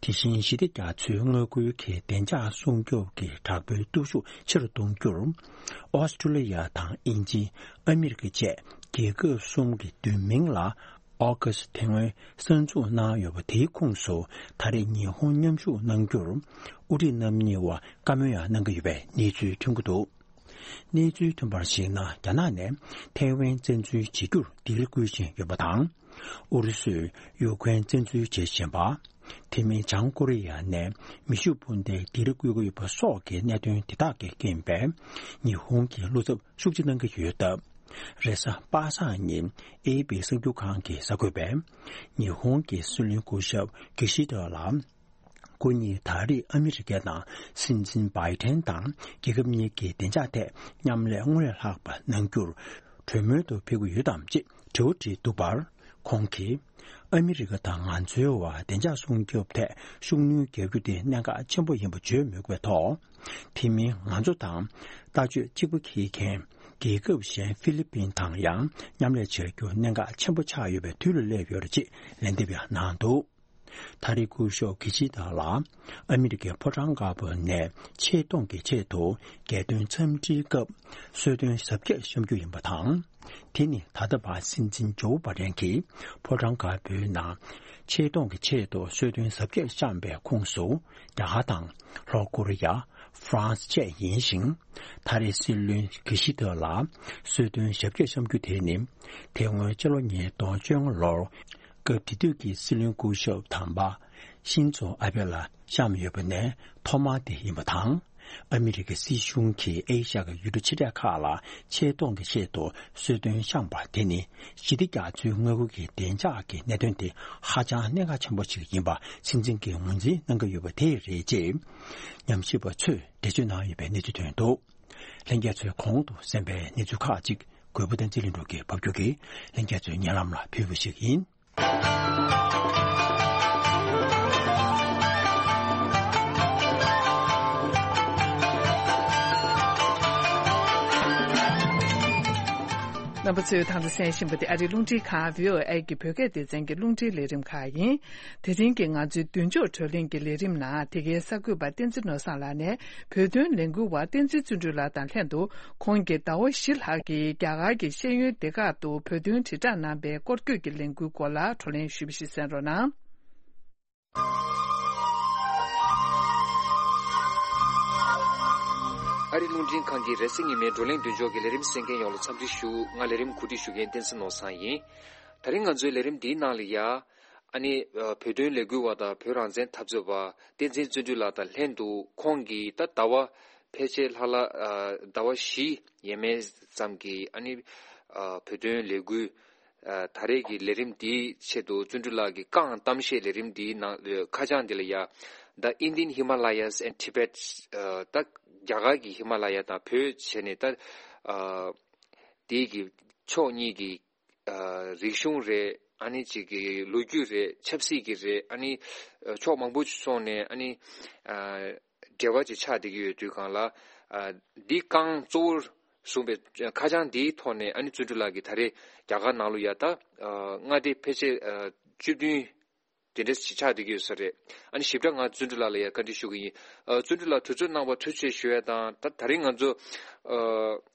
དེ་བཞིན་ཞི་བདེ་རྒྱ་མཚོའི་མངའ་ཁུལ་གྱི་བདེ་འཇགས་སྲུང་སྐྱོབ་ཀྱི་དྲག་པོའི་སྟོབས་ཤུགས་ཆེ་རུ་གཏོང་རྒྱུར། ཨོ་སི་ཀྲུ་ལི་ཡ་དང་དབྱིན་ཇི། ཨ་མི་རི་ཀ་བཅས་རྒྱལ་ཁབ་གསུམ་གྱི་མདུན་མིང་ལ། ཨོ་ཀ་སི་ཐེ་སྔོན་གསར་འཛུགས་གནང་ཡོད་པ་དེའི་ཁོངས་སུ་ད་རེས་ཉི་ཧོང་མཉམ་ཞུགས་གནང་རྒྱུར། དབུ་ཁྲིད་རྣམ་གཉིས་བར་བཀའ་མོལ་ཡང་གནང་གི་ཡོད་པའི་གནས་ཚུལ་ཐོན་གྱི་འདུག་གནས་ཚུལ་ཐོན་པར་གཞིགས་ན། རྒྱ་ནག་ནས་ཐའེ་ཝན་བཙན་འཛུལ་བྱེད་རྒྱུར་སྡིགས་ར་བསྐུལ་བཞིན་ཡོད་པ་དང་། ཨུ་རུ་སུས་ཡུ་ཀེ་རེན་བཙན་འཛུལ་བྱེད་བཞིན་པ། དེ་མིན་བྱང་ཀོ་རི་ཡ་ནས་མེ་ཤུགས་འཕུར་མདའི་སྡིགས་ར་བསྐུལ་གྱི་ཡོད་པ་སོགས་ཀྱི་གནད་དོན་དེ་དག་གི་རྐྱེན་པས་ཉི་ཧོང་གི་བློ་འཚབ་ཤུགས་ཆེ་གནང་གི་ཡོད་སྟབས། རེས་གཟའ་པ་སངས་ཉིན་ཨེ་པི་གསར་འགྱུར་ཁང་གིས་གསར་འགོད་པས། ཉི་ཧོང་གི་སྲིད་བློན་སྐུ་ཞབས་ཀི་ཤི་ད་ལ། སྐུ་ཉིད་ད་རེས་ཨ་མི་རི་ཀ་ནང་སྲིད་འཛིན་བྷའི་ཏན་དང་རྒྱལ་ཁབ་གཉིས་ཀྱི་བདེ་འཇགས་ཐད་མཉམ་ལས་སྔར་ལས་ལྷག་པ་གནང་རྒྱུར་གྲོས་མོལ་དུ་ཕེབས་ཀྱི་ཡོད་དམ་ཅེས་དྲི་བ་དྲིས་འདུག་པར། ཁོང་གིས། ཨ་མི་རི་ཀ་དང་ང་ཚོའི་བར་བདེ་འཇགས་སྲུང་སྐྱོབ་ཐད་ཤུགས་སྣོན་རྒྱག་རྒྱུ་དེ་གནད་འགག་ཆེན་པོ་ཡིན་པ་བརྗོད་མུས་པའི་ཐོག་དེ་མིན་ང་ཚོ་དང་ལྟ་སྤྱོད་གཅིག་པ་འཁྱེར་མཁན་རྒྱལ་ཁབ་གཞན་ཧྥི་ལི་པིན་དང་ཡང་མཉམ་ལས་བྱ་རྒྱུ་གནད་འགག་ཆེན་པོ་ཆགས་ཡོད་པའི་དུས་ལ་སླེབས་ཡོད་རེད་ཅེས་ལན་འདེབས་ཡང་གནང་འདུག་ད་རེས་སྐུ་ཞབས་ཀི་ཤི་ད་ལ་ཨ་མི་རི་ཀའི་ཕོ་བྲང་དཀར་པོ་ནས་ཆེ་མཐོང་གི་ཆེད་དུ་རྒྱལ་དོན་འཚམས་འདྲིའི་སྐབས་གསོལ་སྟོན་གཟབ་རྒྱས་བཤམས་རྒྱུ་ཡིན་པ་དང་། དེ་ནི་ད་ལྟ་བར་སྲིད་འཛིན་ཇོ་བྷའི་ཏན་གྱིས་ཕོ་བྲང་དཀར་པོའི་ནང་ཆེ་མཐོང་གི་ཆེད་དུ་གསོལ་སྟོན་གཟབ་རྒྱས་བཤམས་པའི་ཁོངས་སུ། རྒྱ་གར་དང་ལྷོ་ཀོ་རི་ཡ། ཧྥ་རན་སི་བཅས་ཡིན་ཞིང་། ད་རེས་སྲིད་བློན་གྷི་ཤི་ཏོ་ལ་གསོལ་སྟོན་ཞབས་སྐྱོར་བཤམས་རྒྱུ་དེ་ནི། དེ་སྔོན་སྤྱི་ལོ་ཉིས་སྟོང་བཅོ་ལྔ་ལོར་སྐབས་དེ་དུས་ཀྱི་སྲིད་བློན་སྐུ་ཞབས་དམ་པ་ཤིན་ཛོ་ཨ་བྷེ་ལ་བཤམས་ཡོད་པ་ནས་ཐོག་མ་དེ་ཡིན་པ་དང་། ཨ་མི་རི་ཀའི་སྲིད་གཞུང་གིས་ཨེ་ཤ་ཡའི་ཡུལ་གྲུ་ཆེ་གྲས་ཁག་ལ་ཆེ་མཐོང་གི་ཆེད་དུ་གསོལ་སྟོན་བཤམས་པ་དེ་ནི་ཞི་བདེ་རྒྱ་མཚོའི་མངའ་ཁུལ་གྱི་བདེ་འཇགས་ཀྱི་གནད་དོན་དེ་ཧ་ཅང་གནད་འགག་ཆེན་པོ་ཞིག་ཡིན་པ་སྲིད་འཛིན་གྱིས་ངོས་འཛིན་གནང་གི་ཡོད་པ་དེ་རེད་ཅེས་ཉམས་ཞིབ་པ་ཚོས་འགྲེལ་བརྗོད་གནང་ཡོད་པའི་གནས་ཚུལ་ཐོན་འདུག་ལྷན་རྒྱས་ཚོས་གོང་དུ་གསན་པའི་གནས་ཚུལ་ཁག་ཅིག་གུས་པ་བསྟན་འཛིན་ལྷུན་གྲུབ་ཀྱིས་ཕབ་སྒྱུར་གྱིས་ལྷན་རྒྱས་ཚོའི་སྙན་ལམ་ལ་ཕུལ་བ་ཞིག་ཡིན། རྣམ་པ་ཚོས་ད་ལྟ་གསན་བཞིན་པ་དེ་ཨ་རིའི་རླུང་འཕྲིན་ཁང་བྷི་ཨོ་ཨེ་གི་བོད་སྐད་སྡེ་ཚན་གྱི་རླུང་འཕྲིན་ལས་རིམ་ཁག་ཡིན། དེ་རིང་གི་ང་ཚོའི་མདུན་ལྕོག་བགྲོ་གླེང་གི་ལས་རིམ་ནང་དེ་གའི་གསར་འགོད་པ་བསྟན་འཛིན་ནོར་བཟང་ལགས་ནས་བོད་དོན་ལས་འགུལ་བ་བསྟན་འཛིན་བརྩོན་འགྲུས་ལགས་དང་ལྷན་དུ་ཁོང་གིས་ཟླ་བ་བཞི་ལྷག་གི་རྒྱ་གར་གྱི་ཤེས་ཡོན་སྡེ་ཁག་ཏུ་བོད་དོན་དྲིལ་བསྒྲགས་གནང་པའི་སྐོར་སྐྱོད་ཀྱི་ལས་འགུལ་སྐོར་ལ་བགྲོ་གླེང་ཞུས་པ་ཞིག་གསན་རོགས་གནང་། ཨ་རི་རླུང་འཕྲིན་ཁང་གི་རེས་གཟའ་ཉི་མའི་བགྲོ་གླེང་མདུན་ལྕོག་གི་ལས་རིམ་གསན་མཁན་ཡོངས་ལ་འཚམས་འདྲི་ཞུ། ང་ལས་རིམ་གོ་སྒྲིག་ཞུ་མཁན་བསྟན་འཛིན་ནོར་བཟང་ཡིན། དེ་རིང་ང་ཚོའི་ལས་རིམ་འདིའི་ནང་ལ་ཡ། ཨ་ནི། ཨ། བོད་དོན་ལས་འགུལ་བ་དང་བོད་རང་བཙན་འཐབ་རྩོད་པ་བསྟན་འཛིན་བརྩོན་འགྲུས་ལགས་དང་ལྷན་དུ་ཁོང་གིས་ད་ཟླ་བ་ཕལ་ཆེར་ལྷག་ལ། ཨ། ཟླ་བ་བཞི་ཡས་མས་ཙམ་གྱི་ཨ་ནི། ཨ། བོད་དོན་ལས་འགུལ། ཨ། ད་རེས་ཀྱི་ལས་རིམ་འདིའི་ཆེད་དུ་བརྩོན་འགྲུས་ལགས་ཀྱིས་བཀའ་གཏམ་བཤད་ལས་རིམ་འདིའི་ནང་ཁ་བྱང་འདི་ལ་ཡ། The Indian Himalayas and Tibet། ཨ། ད་རྒྱ་གར་གྱི་ཧི་མ་ལ་ཡ་དང་བོད་བྱས་ནས་ད། ཨ། དེའི་གི་ཕྱོགས་གཉིས་ཀྱི། ཨ། རིག་གཞུང་རེད། ཨ་ནི་གཅིག་གི་ལོ་རྒྱུས་རེད། ཆབ་སྲིད་ཀྱི་རེད། ཨ་ནི། ཨ། ཕྱོགས་མང་པོ་སོང་ནས་ཨ་ནི། ཨ། འབྲེལ་བ་ཅིག་ཆགས་བསྡད་ཀྱི་ཡོད་དུས་སྒང་ལ། ཨ། འདི་རྐང་གཙོ་བོར་བཟུང་བའི་ཁ་བྱང་འདིའི་ཐོག་ནས་ཨ་ནི་བརྩོན་འགྲུས་ལགས་ཀྱིས་ད་རེས་རྒྱ་གར་ནང་ལ་ཡ་ད། ཨ། མངའ་སྡེ་ཕལ་ཆེར། ཨ། བཅུ་བདུན་དེ་འདྲ་ཞིག་ཆགས་བསྡད་ཀྱི་ཡོད་ས་རེད། ཨ་ནི་ཞིབ་ཕྲ་ང་བརྩོན་འགྲུས་ལགས་ལ་ཡ་བཀའ་འདྲི་ཞུ་གི་ཡིན། ཨ། བརྩོན་འགྲུས་ལགས་དུས་ཚོད་གནང་བར་ཐུགས་རྗེ་ཆེ་ཞུ་ཡ་དང་། ད་ད་རིང་ང་ཚོ།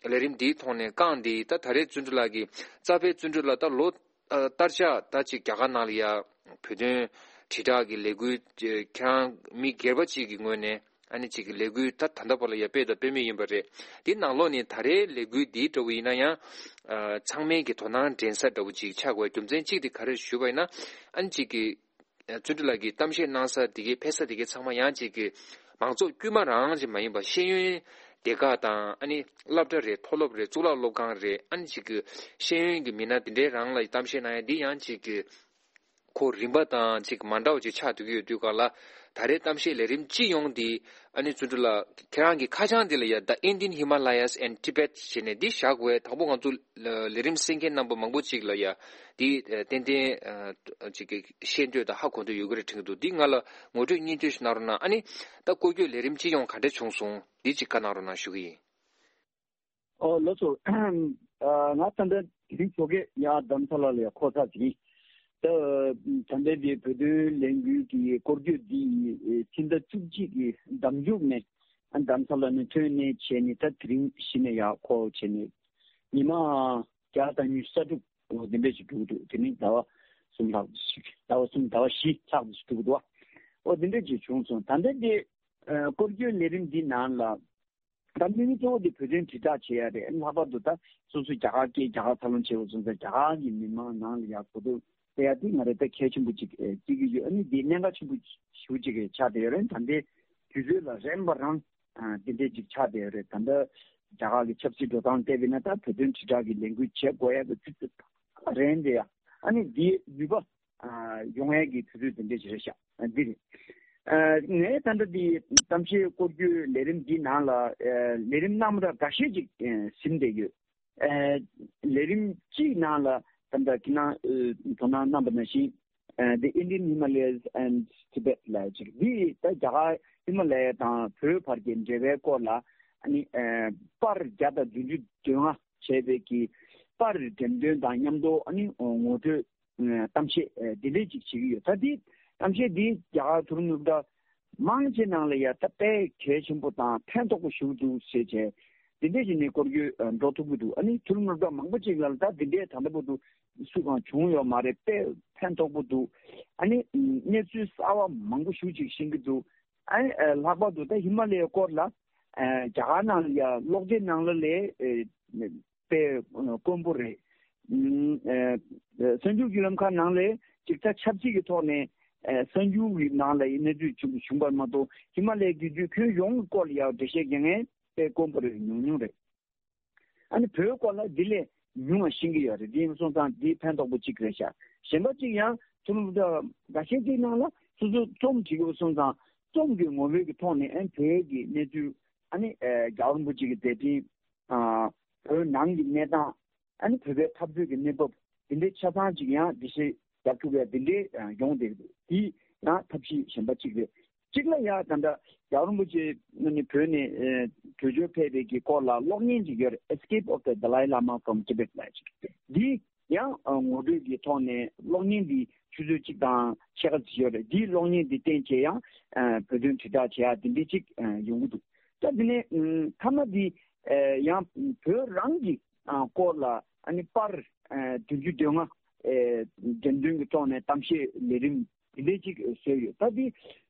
ཨ། ལས་རིམ་འདིའི་ཐོག་ནས་རྐང་འདི་ད་ད་རེས་བརྩོན་འགྲུས་ལགས་ཀྱིས་རྩ་བའི་བརྩོན་འགྲུས་ལགས་ད་ལོ། ཨ། བསྟར་ཆགས་ད་ཅིག་རྒྱ་གར་ནང་ལ་ཡ་བོད་དོན་དྲིལ་བསྒྲགས་ཀྱི་ལས་འགུལ་ཁྱེད་རང་མི་སྒེར་པ་ཅིག་གི་ངོས་ནས་ཨ་ནི་ཅིག་གི་ལས་འགུལ་ད་ད་ལྟ་བར་ལ་ཡ་སྤེལ་དང་སྤེལ་མུས་ཡིན་པ་རེད། དེ་ནང་ལོགས་ནས་ད་རེས་ལས་འགུལ་འདིའི་འདྲ་བོ་ཡིན་ན་ཡང་། ཨ། ཚང་མས་ཀྱི་དོ་སྣང་འདྲེན་ས་འདྲ་བོ་ཅིག་ཆགས་དགོས་རྒྱུ་མཚན་གཅིག་དེ་ག་རེ་ཞུས་པ་ཡིན་ན། ཨ་ནི་ཅིག་གི་བརྩོན་འགྲུས་ལགས་ཀྱིས་གཏམ་བཤད་གནང་ས་དེ་གའི་ཕེབས་ས་དེ་གའི་ཚང་མ་ཡང་ཅིག་གི་མང་ཚོགས་དཀྱུས་མ་རང་ཅིག་མ་ཡིན་པ་ཤེས་ཡོན་སྡེ་ཁག་དང་། ཨ་ནི་སློབ་གྲྭ་རེད། མཐོ་སློབ་རེད། གཙུག་ལག་སློབ་ཁང་རེད། ཨ་ནི་ཅིག་གི་ཤེས་ཡོན་གྱི་མི་སྣ་དེ་འདྲའི་རང་ལ་གཏམ་བཤད་གནང་ཡ་འདི་ཡང་ཅིག་གི་ཁོ་རིམ་པ་དང་ཅིག་མ་འདྲ་བ་ཅིག་ཆགས་བསྡད་ཀྱི་ཡོད་དུས་སྒང་ལ། ད་རེས་གཏམ་བཤད་ལས་རིམ་སྤྱི་ཡོངས་འདི་ཨ་ནི་བརྩོན་འགྲུས་ལགས་ཁྱེད་རང་གི་ཁ་བྱང་འདི་ལ་ཡ། The Indian Himalayas and Tibet ཞེས་ནས་འདི་བཞག་དགོས། དང་པོ་ང་ཚོ་ལས་རིམ་གསན་མཁན་རྣམ་པ་མང་པོ་ཅིག་ལ་ཡ་འདི་ཏན་ཏན་ཅིག་གི་ཤེས་འདོད་དང་ཧ་གོ་འདོད་ཡོད་ཀྱི་རེད་དྲན་གྱི་འདུག་འདི་ང་ལ་ངོ་སྤྲོད་སྙིང་བསྡུས་ཤིག་གནང་རོགས་གནང་། ཨ་ནི་ད་སྐོར་སྐྱོད་ལས་རིམ་སྤྱི་ཡོངས་ག་འདྲ་བྱུང་སོང་འདི་ཅིག་བཀའ་གནང་རོགས་གནང་ཞུ་གི་ཡིན། ཨོ་ལགས་སོ། ང་ད་ལྟ་དེ་རིང་ཞོགས་ཀས་ཡར་རྡ་རམ་ས་ལ་ལ་ཡར་འཁོར་ཚར་ཟིན། ད་ད་ལྟའི་འདི་བོད་དོན་ལས་འགུལ་གྱི་སྐོར་སྐྱོད་འདི་ཕྱི་ཟླ་བཅུ་གཅིག་གི་ཟླ་མཇུག་ནས་རྡ་རམ་ས་ལ་ནས་ཐོན་ནས་བྱས་ནས་ད་དེ་རིང་གཞི་ནས་ཡར་འཁོར་བྱས་ནས་ཉི་མ་བརྒྱ་དང་ཉི་ཤུ་རྩ་དྲུག་འོ་དེ་འདྲ་ཞིག་འགྲོ་གི་འདུག་དེ་ནས་ཟླ་བ་གསུམ་ལྷག་ཞིག་ཟླ་བ་གསུམ་ཟླ་བ་བཞི་ལྷག་ཞིག་འགྲོ་གི་འདུག་འོ་དེ་འདྲ་ཞིག་བྱུང་སོང་། ད་ལྟ་འདི་སྐོར་སྐྱོད་ལས་རིམ་འདི་ནང་ལ། ད་དམིགས་ཡུལ་གཙོ་བོ་དེ་བོད་དོན་དྲིལ་བསྒྲགས་བྱེད་ཡ་རེད། ལྷག་པར་དུ་ད་སོ་སོ་རྒྱ་གར་སྐད་རྒྱ་གར་ཐབས་ལམ་བྱེད་པ་སོང་ཙང་རྒྱ་གར་གྱི་མི་མང་ནང་ལ་ཡ་གོ་རྟོགས་སྤེལ་ཡ་དེ་ང་རང་ད་གལ་ཆེན་པོ་ཅིག་བརྩི་གི་ཡོད། ཨ་ནི་དེ་གནད་འགག་ཆེན་པོ་ཞེ་པོ་ཅིག་ཆགས་བསྡད་ཡོད་རེད། ད་ལྟའི་དུས་ཚོད་ལ་རན་པ་རང་དེ་འདྲས་ཅིག་ཆགས་བསྡད་ཡོད་རེད། ད་ལྟ་རྒྱ་གར་གྱི་ཆབ་སྲིད་འགྲོ་སྟངས་བལྟས་པ་ཡིན་ན་ད་བོད་དོན་དྲིལ་བསྒྲགས་ཀྱི་ལས་འགུལ་བྱེད་དགོས་ཡ་གི་དུས་ཚོད་རན་བསྡད་ཡ། ཨ་ནི་དེའི་ནུས་པ་ཡོང་ཡས་ཀྱི་དུས་ཚོད་དེ་འདྲས་ཞིག་རེད་ཤག་འདི་རེད། ངས་ད་ལྟ་འདི་གཏམ་བཤད་སྐོར་སྐྱོད་ལས་རིམ་འདི་ནང་ལ་ལས་རིམ་རྣམ་པ་འགའ་ཤས་ཅིག་ཟིན་བསྡད་ཡོད། ལས་རིམ་གཅིག་ནང་ལ་ད་ལྟ་ཁྱེད་རང་དོ་སྣང་གནང་པ་ནང་བཞིན། The Indian Himalayas and Tibet ལབ་ཅིག་འདི་ད་རྒྱ་གར་ཧི་མ་ལ་ཡ་དང་བོད་བར་གྱི་འབྲེལ་བའི་སྐོར་ལ་ཨ་ནི་པར་བརྒྱ་དང་བདུན་ཅུ་དོན་ལྔ་བྱས་པའི་གི་པར་འགྲེམས་སྟོན་དང་མཉམ་དུ་ཨ་ནི་ངོ་སྤྲོད་གཏམ་བཤད་འདི་འདྲས་ཅིག་བྱེད་ཀྱི་ཡོད། ད་འདི་གཏམ་བཤད་འདི་རྒྱ་གར་མཐོ་རིམ་སློབ་གྲྭ་མང་ཆེ་ནང་ལ་ཡ་ད་དཔེ་གལ་ཆེན་པོ་དང་ཕན་ཐོགས་པོ་ཞིག་འདུག་ཟེར་བྱས་འདི་འདྲས་ཅིག་ནས་སྐོར་སྐྱོད་འགྲོ་ཐུབ་ཀྱི་འདུག་ཨ་ནི་མཐོ་རིམ་སློབ་གྲྭ་མང་པོ་ཅིག་ལ་ད་འདི་འདྲས་ད་ལྟ་བར་དུ་སུ་གང་བྱུང་ཡོད་མ་རེད། དཔེ་ཕན་ཐོགས་པོ་འདུག་ཨ་ནི་གནས་ཚུལ་གསར་བ་མང་པོ་ཞིག་ཅིག་ཤེས་ཀྱི་འདུག་ཨ་ནི་ལྷག་པར་དུ་ད་ཧི་མ་ལ་ཡའི་སྐོར་ལ་ ཨ་རྒྱ་གར་ནང་ལ་ཡ་གློག་དེབ་ནང་ལ་ལས་ཨེ་དཔེ་དཀོན་པོ་རེད། ཨ་གསར་འགྱུར་བརྒྱུད་ལམ་ཁག་ནང་ལས་ཅིག་ད་ཆབ་སྲིད་ཀྱི་ཐོག་ནས་ཨ་གསར་འགྱུར་གྱི་ནང་ལ་ཡི་གནས་ཚུལ་བྱུང་བྱུང་བར་མ་གཏོགས་ཧི་མ་ལའི་རྒྱུད་ཀྱི་ཁྱོན་ཡོངས་ཀྱི་སྐོར་ལ་ཡ་འགྲེལ་བཤད་རྒྱག་མཁན་དཔེ་དཀོན་པོ་རེད། ཉུང་ཉུང་རེད། ཨ་ནི་བོད་སྐོར་ལ་འདི་ལས་ཉུང་བ་ཤེས་ཀྱི་ཡོད་རེད། འདི་ཡིན་སོང་ཙང་འདི་ཕན་ཐོགས་པོ་གཅིག་རེད་ཤག་གཞན་པ་གཅིག་ཡང་ཐུ་ལུ་ད་འགའ་ཤས་ཀྱི་ནང་ལ་སོ་སོ་རྩོམ་བྲིས་ཡོད་སོང་ཙང་རྩོམ་གྱི་ངོ་བོའི་གི་ཐོག་ནས་ཨ་ནི་བོད་ཀྱི་གནས་ཚུལ། ཨ་ནི་ཨ་རྒྱལ་བ་རིན་པོ་ཆེ་གི་མཛད་འཕྲིན། ཨ་བོད་ནང་གི་གནས་སྟངས། ཨ་ནི་བོད་པའི་འཐབ་རྩོད་ཀྱི་གནས་བབ་འདི་འདྲའི་ཆ་ཚང་ཅིག་ཡང་འགྲེལ་བཤད་རྒྱབ་ཐུབ་ཡ་འདི་འདྲའི་ཨ་ཡོང་བསྡད་འདུག་འདི་ཡང་ཐབས་ཤེས་གཞན་པ་གཅིག་རེད། གཅིག་ལ་ཡ་ད་ལྟ་རྒྱལ་བ་རིན་པོ་ཆེ་ནི་བོད་ནས་ཨ་བྲོས་བྱོལ་ཕེབས་པའི་གི་སྐོར་ལ་གློག་བརྙན་ཅིག་ཡོད་རེད། Escape of the Dalai Lama from Tibet ལབ་ཅིག་འདི་ཡང་ཨ་ངོ་སྤྲོད་ཀྱི་ཐོག་ནས་གློག་བརྙན་འདི་ཆུ་ཚོད་གཅིག་དང་ཕྱེད་ཀ་ཅིག་ཡོད་རེད། འདིའི་གློག་བརྙན་འདི་བསྟན་བྱས་ཡང་ཨ་བོད་དོན་དྲིལ་བསྒྲགས་བྱེད་ཡ་འདི་འདྲའི་ཅིག་ཨ་ཡོང་གི་འདུག་ད་འདི་ནས་ཨ་མཐའ་མ་འདི་ཨ་ཡང་བོད་རང་གི་ཨ་སྐོར་ལ་ཨ་ནི་པར་ཨ་བདུན་ཅུ་དོན་ལྔ་ཨ་འགྲེམས་སྟོན་གྱི་ཐོག་ནས་གཏམ་བཤད་ལས་རིམ་འདི་འདྲའི་ཅིག་བཟོས་ཡོད། ད་འདི་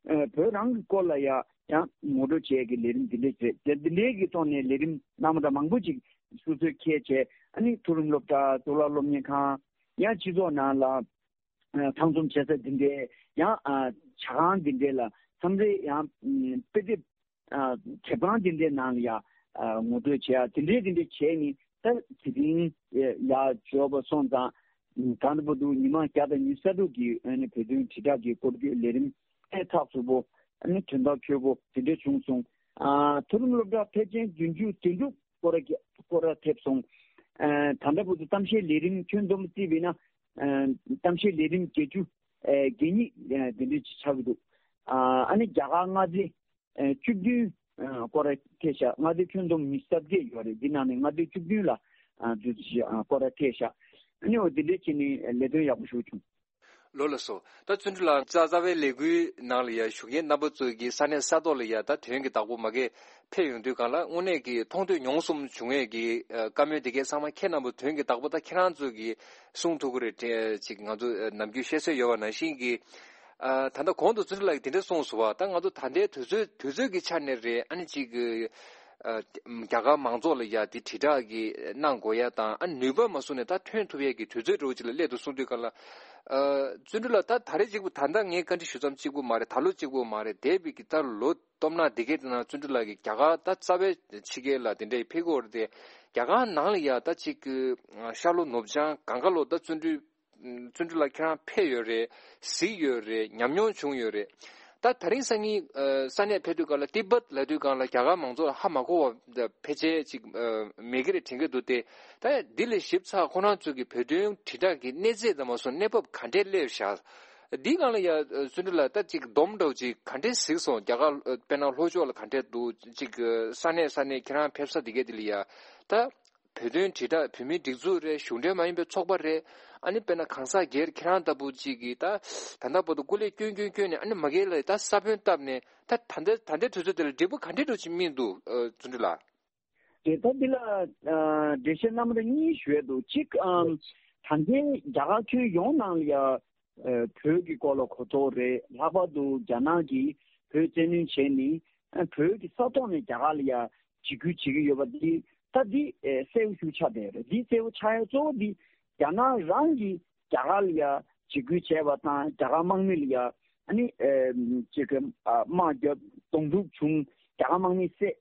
ཨ་བོད་རང་གི་སྐོར་ལ་ཡ་ཡང་ངོ་སྤྲོད་བྱེད་ཀྱི་ལས་རིམ་འདི་འདྲའི་རེད། དེ་འདི་འདྲའི་གི་ཐོག་ནས་ལས་རིམ་གནང་མ་ད་མང་པོ་ཅིག་སོ་སོས་འཁྱེར་བྱས། ཨ་ནི་མཐོ་རིམ་སློབ་གྲྭ། གཙུག་ལག་སློབ་གཉེར་ཁང་། ཡང་སྤྱི་ཚོགས་ནང་ལ་ཨ་ཚང་འཛོམས་བྱེད་ས་འདི་འདྲའི། ཡང་ཨ་ཇ་ཁང་འདི་འདྲའི་ལ་མཚམས་རེ་ཡང་ཨ་དཔེ་དེབ་ཨ་དེབ་ཁང་འདི་འདྲའི་ནང་ལ་ཡ་ཨ་ངོ་སྤྲོད་བྱེད་ཡ་འདི་འདྲའི་འདི་འདྲའི་བྱས་ནས། ད་དེ་རིང་ཡ་འབྱོར་བ་སོང་ཙང་ད་ལྟ་བར་དུ་ཉི་མ་བརྒྱ་དང་ཉི་ཤུ་རྩ་དྲུག་གི་ཨ་ནི་བོད་དོན་དྲིལ་བསྒྲགས་ཀྱི་སྐོར་གྱི་ལས་རིམ་ཨེ་ཚགས་ཚུད་པོ། ཨ་ནི་དོན་དག་ཆོད་པོ་དེ་འདྲ་བྱུང་སོང་། ཨ་མཐོ་རིམ་སློབ་གྲྭ་ཕལ་ཆེར་བདུན་ཅུ་དོན་དྲུག་སྐོར་ར་སྐོར་ར་ཐེབས་སོང་། ཨ་ད་ལྟ་བར་དུ་གཏམ་བཤད་ལས་རིམ་ཁྱོན་བསྡོམས་བརྩིས་པས་ན་ཨ་གཏམ་བཤད་ལས་རིམ་བརྒྱད་ཅུ་ཨ་གྱ་གཉིས་ཨ་དེ་འདྲ་ཅིག་ཆགས་ཀྱི་འདུག་ཨ་ཨ་ནི་རྒྱ་གར་མངའ་སྡེ་ཨ་བཅུ་བདུན་ཨ་སྐོར་ར་ཐེབས་ཤག་མངའ་སྡེ་ཁྱོན་བསྡོམས་ཉི་ཤུ་རྩ་བརྒྱད་ཡོད་རེད། འདི་ནང་ནས་མངའ་སྡེ་བཅུ་བདུན་ལ་ཨ་འདུ་འཛི་ཞིག་ཨ་སྐོར་ར་ཐེབས་ཤག་ཨ་ནི་འོ་དེ་འདྲ་བྱས་ནས་ལས་དོན་ཡག་པོ་ཞིག་བྱུང་། ལོ་ལ་སོ། ད་བརྩོན་འགྲུས་ལགས་རྩ་རྩ་བའི་ལས་འགུལ་ནང་ལ་ཡ་ཞུགས་མཁན་རྣམ་པ་ཚོ་གི་ས་གནས་ས་ཐོག་ལ་ཡ་ད་དོན་གྱི་བདག་པོ་མ་གི་ཕེབས་ཡོང་དུས་སྒང་ལ་དངོས་གནས་ཀྱི་མཐོང་ཐོས་མྱོང་གསུམ་བྱུང་ཡས་ཀྱི་ཨ་བཀའ་མོལ་དེ་གའི་ཚང་མ་ཁྱེད་རྣམ་པ་དོན་གྱི་བདག་པོ་ད་ཁྱེད་རང་ཚོ་གི་གསུང་ཐུབ་ཀྱི་རེད་དྲན་ཅིག་ང་ཚོ་ཨ་ནམ་རྒྱུན་བཤད་སྲོལ་ཡོད་པ་ནང་བཞིན་གྱི། ཨ་ད་ལྟ་གོང་དུ་བརྩོན་འགྲུས་ལགས་ཀྱིས་དེ་འདྲ་གསུངས་སོང་བ། ད་ང་ཚོ་ད་ལྟའི་དུས་ཚོད་དུས་ཚོད་ཀྱི་ཆ་ནས་རེད། ཨ་ནི་ཅིག་གི་ཨ་རྒྱ་གར་མང་ཚོགས་ལ་ཡ་དེ་དྲིལ་བསྒྲགས་ཀྱི་གནང་དགོས་ཡ་དང་། ཨ་ནུས་པ་མ་བཟུང་ནས་ད་ཐོན་ཐུབ་ཡ་གི་དུས་ཚོད་འདྲ་བོ་ཅིག་ལ་སླེབས་འདུག་གསུང་དུས་སྒང་ལ། ཨ་བརྩོན་འགྲུས་ལགས་ད་ད་རེས་གཅིག་པུ་ད་ལྟ་ངས་བཀའ་འདྲི་ཞུ་མཚམས་གཅིག་པུ་མ་རེད། ད་ལོ་གཅིག་པུ་མ་རེད། འདས་པའི་གི་ད་ལོ་སྟོབས་ན་འདི་གའི་དེ་ན་བརྩོན་འགྲུས་ལགས་ཀྱིས་རྒྱ་གར་ད་རྩ་བའི་ཕྱི་རྒྱལ་ལ་དེ་འདྲའི་ཕེབས་ཀྱི་ཡོད་རེད་དེ། རྒྱ་གར་ནང་ལ་ཡ་ད་ཅིག་གི་ཤར་ལྷོ་ནུབ་བྱང་གང་ག་ལོ་ད་བརྩོན་འགྲུས་བརྩོན་འགྲུས་ལགས་ཁྱེད་རང་ཕེབས་ཡོད་རེད། གཟིགས་ཡོད་རེད། ཉམས་མྱོང་བྱུང་ཡོད་རེད། ད་ད་རིང་སང་ཉིན་ཨ་ས་གནས་ཕེབས་དུས་སྒང་ལ་ཏི་བེད་ལབ་དུས་སྒང་ལ་རྒྱ་གར་མང་ཚོགས་ལ་ཧ་མ་གོ་བ་ཕལ་ཆེར་ཅིག་ཨ་མེད་ཀྱི་རེད་དྲན་གྱི་འདུག་སྟེ། ད་འདི་ལས་ཞིབ་ཚགས་ཁོ་རང་ཚོ་གི་བོད་དོན་དྲིལ་བསྒྲགས་ཀྱི་གནས་ཚད་དང་མ་སོང་གནས་བབ་ག་འདྲས་སླེབས་བཞག་འདི་སྒང་ལ་ཡ་ཨ་བརྩོན་འགྲུས་ལགས་ད་ཅིག་སྡོམ་འདྲ་བོ་ཅིག་ག་འདྲས་གཟིགས་སོང་། རྒྱ་གར་ཨ་དཔེར་ན་ལྷོ་ཕྱོགས་ལ་ག་འདྲས་འདུག་ཅིག་ཨ་ས་གནས་ས་གནས་ཁྱེད་རང་ཕེབས་ས་འདི་གའི་འདི་ལ་ཡ་ད། བོད་དོན་དྲིལ་བསྒྲགས་བོད་མིའི་སྒྲིག་འཛུགས་རེད། གཞུང་འབྲེལ་མ་ཡིན་པའི་ཚོགས་པ་རེད། ཨ་ནི་དཔེར་ན་གང་ཟག་སྒེར་ཁྱེད་རང་ལྟ་བུ་ཅིག་གིས་ད་ད་ལྟ་བར་དུ་སྐུ་ལས་བསྐྱོན་བསྐྱོན་བསྐྱོན་ནས་ཨ་ནི་མ་གི་ལ་ད་ས་བོན་བཏབ་ནས་ད་ད་ལྟ་ད་ལྟའི་དུས་ཚོད་དེ་ལ་འབྲས་བུ་ག་འདྲས་འགྲོ་ཅིག་སྨིན་འདུག་ཨ་བརྩོན་འགྲུས་ལགས། དེ་ད་འདི་ལ་ཨ་འགྲེལ་བཤད་རྣམ་པ་གཉིས་ཞུ་ཡས་འདུག་གཅིག་ཨམ་ད་ལྟའི་རྒྱ་གར་ཁྱོན་ཡོངས་ནང་ལ་ཡ་ཨ་བོད་ཀྱི་སྐོར་ལ་གོ་རྟོགས་རེད། ལྷག་པར་དུ་རྒྱ་ནག་གིས་བོད་བཙན་གནོན་བྱས་ནས་ཨ་བོད་ཀྱི་ས་ཐོག་ནས་རྒྱ་གར་ལ་ཡ་འཇིགས་སྐུལ་བྱེད་ཀྱི་ཡོད་པ་འདི་ད་འདི་ཨེ་གསལ་པོ་ཞིག་ཆགས་བསྡད་ཡོད་རེད། འདི་གསལ་པོ་ཆགས་ཡ་གཙོ་བོ་འདི་རྒྱ་ནག་རང་གིས་རྒྱ་གར་ལ་ཡ་འཇིགས་སྐུལ་བྱས་པ་དང་། རྒྱ་གར་དམག་མི་ལ་ཡ་ཨ་ནི་ཨེ་ཅིག་གི་ཨ་དམག་རྒྱབ་གདོང་ཐུག་བྱུང་། རྒྱ་གར་དམག་མི་བསད།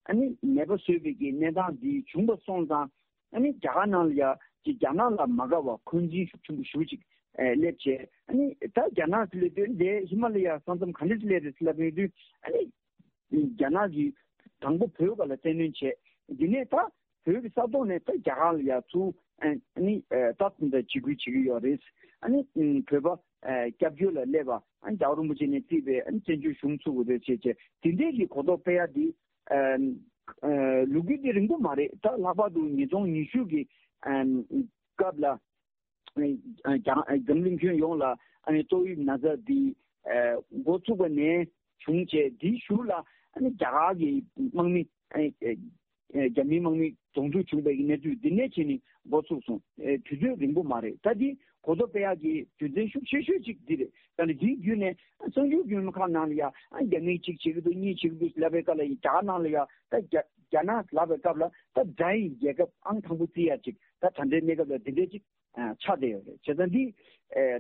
ཨ་ནི་མེད་པ་བཟོས་པའི་གི་གནས་སྟངས་འདི་བྱུང་བ་སོང་ཙང་། ཨ་ནི་རྒྱ་གར་ནང་ལ་ཡ་ཅིག་རྒྱ་ནག་ལ་མ་དགའ་བ་འཁོན་འཛིན་ཤུགས་ཆེན་པོ་ཞེ་པོ་ཅིག་ཨེ་སླེབས་བྱས། ཨ་ནི་ད་རྒྱ་ནག་ལ་དོན་དེ་ཧི་མ་ལ་ཡ་ས་མཚམས་ག་འདྲ་ཞིག་སླེབས་རེད་ཟེར་ལབ་ཡོང་དུས། ཨ་ནི་རྒྱ་ནག་གིས་དང་པོ་བོད་སྒང་ལ་བཙན་གནོན་བྱས། འདི་ནས་ད་བོད་ཀྱི་ས་ཐོག་ནས་ད་རྒྱ་གར་ལ་ཡ་ཚུར་ཨ་ནི་ཨེ་ད་ད་འཇིགས་སྐུལ་བྱེད་ཀྱི་ཡོད་རེད། ཨ་ནི་ཨམ་བོད་པ་ཨེ་སྐྱབས་བཅོལ་ལ་སླེབས་པ། ཨ་ནི་རྒྱལ་བ་རིན་པོ་ཆེ་ནས་བརྩིས་པའི་ཨ་ནི་བཙན་བྱོལ་གཞུང་ཚུགས་དགོས་རེད་ཅེས་བྱས། དེ་འདྲའི་གི་གོ་རྟོགས་སྤེལ་ཡ་འདི་ཨ་ཨ་ལོ་རྒྱུས་འདི་རིང་པོ་མ་རེད། ད་ལྷག་པར་དུ་ཉིས་སྟོང་ཉི་ཤུ་གི་ཨ་སྐབས་ལ་ཨ་རྒྱང་འཛམ་གླིང་ཁྱོན་ཡོངས་ལ་ཨ་ནི་ཏོག་དབྱིབས་ན་ཚ་འདི་ཨ་འགོ་ཚུགས་པ་ནས་བྱུང་བྱས། འདིའི་གཞུག་ལ་ཨ་ནི་རྒྱ་གར་གྱི་དམག་མི་ཨ་ནི་ རྒྱ་མིའི་དམག་མི་གདོང་ཐུག་བྱུང་བའི་གནས་ཚུལ་འདི་ནས་བྱས་ནས་འགོ་ཚུགས་སོང་། དུས་ཚོད་རིང་པོ་མ་རེད། ད་འདི་གོ་རྟོགས་སྤེལ་ཡག་གི་རྒྱུ་མཚན་ཤུགས་ཆེ་ཤོས་ཅིག་འདི་རེད། ད་ནི་འདིའི་བརྒྱུད་ནས་གསར་འགྱུར་བརྒྱུད་ལམ་ཁག་ནང་ལ་ཡ་རྒྱ་མིས་གཅིག་བྱེད་ཀྱི་འདུག་གཉིས་བྱེད་ཀྱི་འདུག་ལབ་པའི་སྐབས་ལ་རྒྱ་གར་ནང་ལ་ཡ་ད་རྒྱ་རྒྱ་ནག་ལབ་པའི་སྐབས་ལ་ད་དགྲ་ཡི་རྒྱལ་ཁབ་ཨང་དང་པོ་བརྩི་ཡ་ཅིག་ད་ད་ལྟའི་གནས་སྐབས་ལ་འདི་འདྲའི་ཅིག་ཆགས་བསྡད་ཡོད་རེད། བྱས་ཙང་འདི་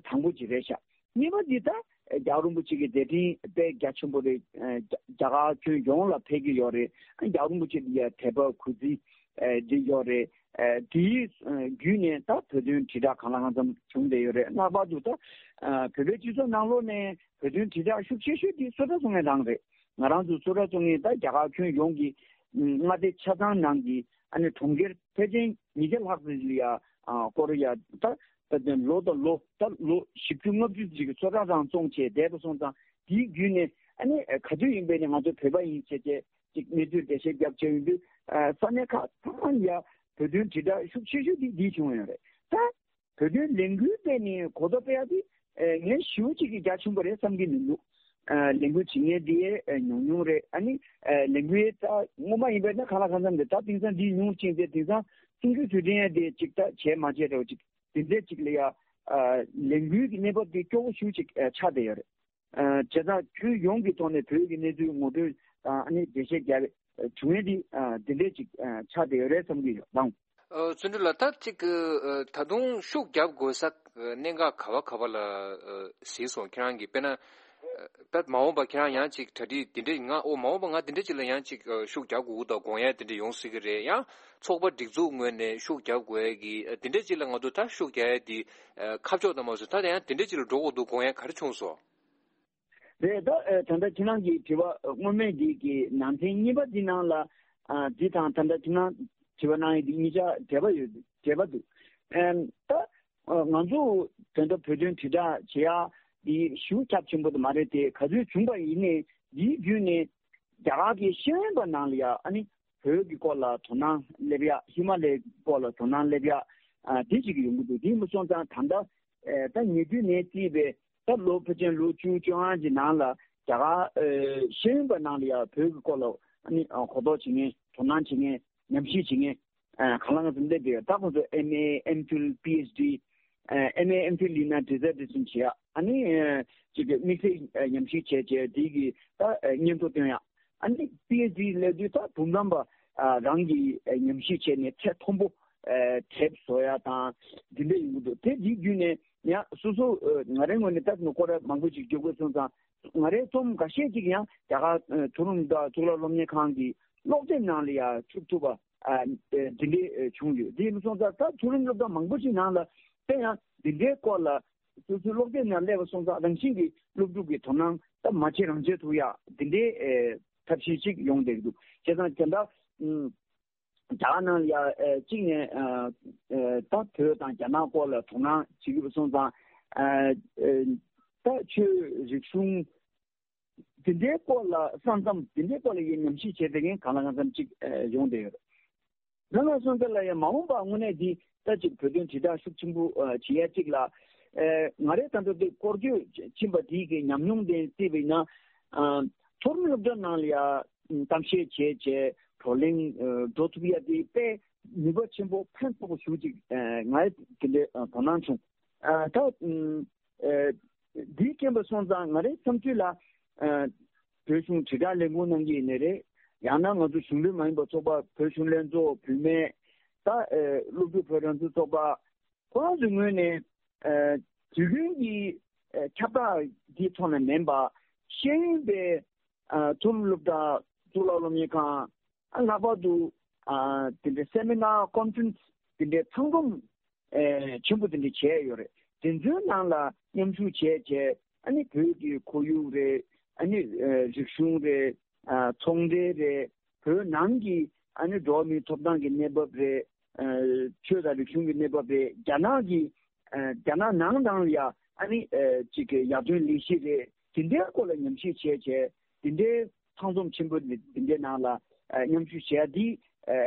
དང་པོ་ཅིག་རེད་ཤག་གཉིས་པ་འདི་ད་རྒྱལ་བ་རིན་པོ་ཆེ་གི་མཛད་འཕྲིན་དཔེ་རྒྱ་ཆེན་པོ་རེད། རྒྱ་གར་ཁྱོན་ཡོངས་ལ་ཕེབས་ཀྱི་ཡོད་རེད། རྒྱལ་བ་རིན་པོ་ཆེ་འདི་ཡ་དད་པ་གུས་བརྩི་འདི་ཡོད་རེད། དེའི་བརྒྱུད་ནས་ད་བོད་དོན་དྲིལ་བསྒྲགས་གང་ལ་གང་འཚམ་བྱུང་བསྡད་ཡོད་རེད། ལྷག་པར་དུ་ད་བོད་པའི་སྤྱི་ཚོགས་ནང་ལོགས་ནས་བོད་དོན་དྲིལ་བསྒྲགས་ཤུགས་ཆེ་ཤོས་དེ་བསུ་ཁྲ་བཙུགས་མཁན་རང་རེད། ང་རང་ཚོ་བསུ་ཁྲ་བཙུགས་མཁན་ད་རྒྱ་གར་ཁྱོན་ཡོངས་ཀྱི་མངའ་སྡེ་ཆ་ཚང་ནང་གི་ཨ་ནི་གྲོང་ཁྱེར་ཕལ་ཆེར་ཉིས་བརྒྱ་ལྷག་ཙམ་ལ་ཡ་སྐོར་ཡ་ད་ད་ལོ་དང་ལོ་ད་ལོ་བཞི་བཅུ་ལྔ་བཅུ་ཅིག་གི་བསུ་ཁྲ་རང་བཙོང་བྱས་བསྡད་པ་སོང་ཙང་དེའི་བརྒྱུད་ནས་ཨ་ནི་ག་དུས་ཡིན་པའི་ནས་ང་ཚོ་བོད་པ་ཡིན་བྱས་བྱས་ཅིག་གནས་ཚུལ་འགྲེལ་བཤད་རྒྱབ་བྱས་ཡོང་དུས་ས་གནས་ཁག་ཚང་མ་ཡ་བོད་དོན་དྲིལ་བསྒྲགས་ཤུགས་ཆེ་ཤོས་དེ་འདི་བྱུང་ཡོད་རེད། ད་བོད་དོན་ལས་འགུལ་སྤེལ་ནས་གོ་རྟོགས་སྤེལ་ཡ་དེ་ངས་ཞེ་པོ་ཅིག་གི་རྒྱ་ཆེན་པོ་རེད་བསམ་གྱི་མི་འདུག་ལས་འགུལ་བྱེད་མཁན་དེ་ཉུང་ཉུང་རེད། ཨ་ནི་ལས་འགུལ་ད་སྔོན་མ་ཡིན་པ་ན་གང་ལ་གང་འཚམ་རེད། ད་དེང་སང་འདི་ཉུང་ཕྱིན་ཏེ་དེང་སང་གསུང་ཆོས་དུས་དྲན་ཡ་དེ་ཅིག་ད་བྱས་མ་བྱས་རེད་བ། ཅིག་དེ་འདྲས་ཅིག་ལ་ཡ་ལས་འགུལ་གྱི་གནས་བབ་དེ་སྐྱོ་བོ་ཞེ་པོ་ཅིག་ཆགས་བསྡད་ཡོད་རེད། བྱས་ཙང་ཁྱོན་ཡོངས་ཀྱི་ཐོག་ནས་བོད་ཀྱི་གནས་ཚུལ་ངོ་སྤྲོད་དང་ཨ་ནི་འགྲེལ་བཤད་རྒྱག་བྱུང་ཡས་འདི་འདི་འདྲས་ཅིག་ཆགས་བསྡད་ཡོད་རེད་བསམ་གྱི་ཡོད་ལགས། ཨ། བརྩོན་འགྲུས་ལགས། ད་ཅིག་ཨ། ད་དུང་ཤུགས་རྒྱབ་དགོས་ས་གནད་འགག་ག་བ་ག་བ་ལ་ཨ། གཟིགས་སོང་། ཁྱེད་རང་གིས་དཔེར་ན་ཨ། དཔེ་མ་འོངས་པ་ཁྱེད་རང་ཡང་ཅིག་གྲ་སྒྲིག་འདི་འདྲས་ང་ཨོ་མ་འོངས་པ་ང་འདི་འདྲས་ཅིག་ལ་ཡང་ཅིག་ཨ། ཤུགས་རྒྱག་དགོས་ཀྱི་འདུག་དགོངས་ཡས་འདི་འདྲས་ཡོང་སྲིད་ཀྱི་རེད། ཡང་ཚོགས་པ་སྒྲིག་འཛུགས་ངོས་ནས་ཤུགས་རྒྱག་དགོས་ཡས་ཀྱི་ཨ། འདི་འདྲས་ཅིག་ལ་ང་ཚོ་ད་ཤུགས་རྒྱག་ཡས་འདི་ཨ། ཁ་ཕྱོགས་དང་མ་སོང་། ད་ཡང་འདི་འདྲས་ཅིག་ལ་འགྲོ་དགོས་འདུག་དགོངས་ཡས་ག་རེ་བྱུང་སོང་། རེད། ད་ཨ། ད་ལྟ་ཁྱེད་རང་གི་དྲི་བ་སྔོན་མའི་འདི་གི་ནང་ཚན་གཉིས་པ་འདི་ནང་ལ་ཨ། འདི་དང་ད་ལྟ་ཁྱེད་རང་དྲི་བ་གནང་ཡས་འདི་གཉིས་ཆ་འབྲེལ་བ་ཡོད། འབྲེལ་བ་འདུག་ཨ། ད་ཨ། ང་ཚོ་དོན་དུ་བོད་དོན་དྲིལ་བསྒྲགས་བྱེད་ཡ་འདི་ཞེ་པོ་ཁྱབ་ཆེན་པོ་དེ་མ་རེད་དེ། ག་ཚོད་བྱུང་བ་ཡིན་ནའི་འདིའི་བརྒྱུད་ནས་རྒྱ་གར་གྱི་ཤེས་ཡོན་པ་ནང་ལ་ཡ་ཨ་ནི་བོད་ཀྱི་སྐོར་ལ་དོ་སྣང་སླེབས་ཡ། ཧི་མ་ལའི་སྐོར་ལ་དོ་སྣང་སླེབས་ཡ་ཨ། འདི་ཅིག་ཡོང་གི་འདུག་དེ་ཡིན་པ་སོང་ཙང་ད་ལྟ་ཨ། ད་ཉེ་དུས་ནས་བརྩིས་པའི་ད་ལོ་ཕལ་ཆེར་ལོ་བཅུ་བཅོ་ལྔ་གི་ནང་ལ་རྒྱ་གར་ཨ། ཤེས་ཡོན་པ་ནང་ལ་ཡ་བོད་ཀྱི་སྐོར་ལ་ཨ་ནི་ཨ། གོ་རྟོགས་བྱེད་མཁན་དོ་སྣང་བྱེད་མཁན་ཉམས་ཞིབ་བྱེད་མཁན་ཨ། གང་ལ་གང་འཚམ་སླེབས་བསྡད་ཡོད། ད་ཁོང་ཚོ་ཨེམ་ཨེ་ཨེམ་ཕིལ་པི་ཨེཆ་ཌི་ཨ། ཨེམ་ཨེ་ཨེམ་ཕིལ་ཡིན་ན་ཌི་ཟར་ཊེ་ཤན་བྱེད་ཡ། ཨ་ནི་ཨ། ཅིག་དམིགས་བསལ་ཨ། ཉམས་ཞིབ་བྱས་བྱས་དེ་གི་ད་ཨ། སྙན་ཐོ་སྟོན་ཡ། ཨ་ནི་པི་ཨེཆ་ཌི་སླེབས་དུས་ད་འབུམ་རམས་པ་ཨ། རང་གིས་ཨ། ཉམས་ཞིབ་བྱས་ནས་ཚད་མཐོན་པོ་ཨ། དེབ་བཟོ་ཡ་དང་འདི་འདྲ་ཡོང་གི་འདུག་དེ་འདི་བརྒྱུད་ནས་ཡང་སོ་སོ་ཨ། ང་རའི་ངོས་ནས་ད་ནི་སྐོར་ར་མང་པོ་ཅིག་བརྒྱབ་དགོས་སོང་ཙང་ང་རའི་རྩོམ་འགའ་ཤས་ཅིག་ཡང་རྒྱ་གར་ཨ། མཐོ་རིམ་དང་གཙུག་ལག་སློབ་གཉེར་ཁང་གི་སློབ་དེབ་ནང་ལ་ཡང་བཅུག་ཐུབ་པ་ཨ། འདི་འདྲའི་བྱུང་ཡོད། དེ་ཡིན་སོང་ཙང་ད་མཐོ་རིམ་སློབ་གྲྭ་མང་པོ་ཅིག་ནང་ལ་དེ་ཡང་འདི་འདྲའི་སྐོར་ལ་སོ་སོའི་སློབ་དེབ་ནང་སླེབས་པ་སོང་ཙང་རང་བཞིན་གྱིས་སློབ་ཕྲུག་གི་དོ་སྣང་ད་མ་བྱེད་རང་བྱེད་ཐུབ་ཡ་འདི་འདྲའི་ཨེ་ཐབས་ཤེས་ཅིག་ཡོང་བསྡད་ཀྱི་འདུག་བྱས་ཙང་དེ་འདྲ་ཨུམ། རྒྱ་གར་ནང་ལ་ཡ་ཨེ་གཅིག་ནས་ཨ་ཨེ་ད་བོད་དང་རྒྱ་ནག་སྐོར་ལ་དོ་སྣང་བྱེད་ཀྱི་སོང་ཙང་ཨ་ཨེ་ད་ཆོས་རིག་གཞུང་། དེ་འདྲའི་སྐོར་ལ་ས་མཚམས་དེ་འདྲའི་སྐོར་ལ་ཡིན་ཉམས་ཞིབ་བྱས་པའི་ངན་གང་ལ་གང་འཚམ་ཅིག་ཡོང་བསྡད་ཡོད། ང་ལ་སོང་ཙང་ལ་ཡང་མ་འོངས་པ་དངོས་གནས་འདི་ལྟ་ཅིག་བོད་དོན་དྲིལ་བསྒྲགས་ཤུགས་ཆེན་པོ་བྱེད་ཡ་ཅིག་ལ་ང་རའི་ད་ལྟ་དེ་སྐོར་སྐྱོད་ཕྱིན་པ་དེའི་གི་ཉམས་མྱོང་དེ་བརྩིས་པ་ཡིན་ན་མཐོ་རིམ་སློབ་གྲྭ་ནང་ལ་ཡ་གཏམ་བཤད་བྱས་བྱས་བགྲོ་གླེང་འགྲོ་ཐུབ་ཡ་དེ་དཔེ་ནུས་པ་ཆེན་པོ་ཕན་ཐོགས་པོ་ཞེ་ཅིག་ང་དེ་འདྲའི་དོ་སྣང་བྱུང་། ད་འདིའི་རྐྱེན་པ་སོང་ཙང་ང་རའི་བསམ་ཚུལ་ལ་བོད་གཞུང་དྲིལ་བསྒྲགས་ལས་ཁུངས་གནང་གི་ཡིན་ནའི་རེད། ཡང་ན་ང་ཚོ་གཞུང་འབྲེལ་མ་ཡིན་པ་ཚོགས་པ་བོད་གཞུང་ལྷན་ཚོགས་བུད་མེད་ད་སློབ་ཕྲུག་བོད་རང་བཙན་ཚོགས་པ་ཁོ་རང་ཚོའི་ངོས་ནས་དུས་རྒྱུན་གྱི་ཁྱབ་བསྒྲགས་འདིའི་ཐོག་ནས་མིན་པ་ཤེས་ཡོན་པའི་མཐོ་རིམ་སློབ་གྲྭ་གཙུག་ལག་སློབ་གཉེར་ཁང་ལྷག་པར་དུ་དེ་འདྲའི་སེ་མི་ནར་ཀོན་ཕ་རེན་སི་དེ་འདྲའི་ཚང་འཛོམས་ཆེན་པོ་དེ་འདྲ་བྱས་ཡོད་རེད། དེ་ཚོའི་ནང་ལ་མཉམ་ཞུགས་བྱས་བྱས་ཨ་ནི་བོད་ཀྱི་ཁོར་ཡུག་རེད། ཨ་ནི་རིག་གཞུང་རེད། ཚོང་འབྲེལ་རེད། བོད་ནང་གི་ཨ་ནི་འགྲོ་བ་མིའི་ཐོབ་ཐང་གི་གནས་བབ་རེད། ཆོས་དང་རིག་གཞུང་གི་གནས་བབ་རེད། རྒྱ་ནག་གི་རྒྱ་ནག་ནང་དང་ཡ་ཨ་ནི་ཅིག་གི་ཡར་ཐོན་ལས་གཞི་རེད། དེ་འདྲའི་སྐོར་ལ་ཉམས་ཞིབ་བྱས་བྱས་དེ་འདྲའི་ཚང་འཛོམས་ཆེན་པོ་དེ་འདྲའི་ནང་ལ་མཉམ་ཞུགས་བྱས་དེ།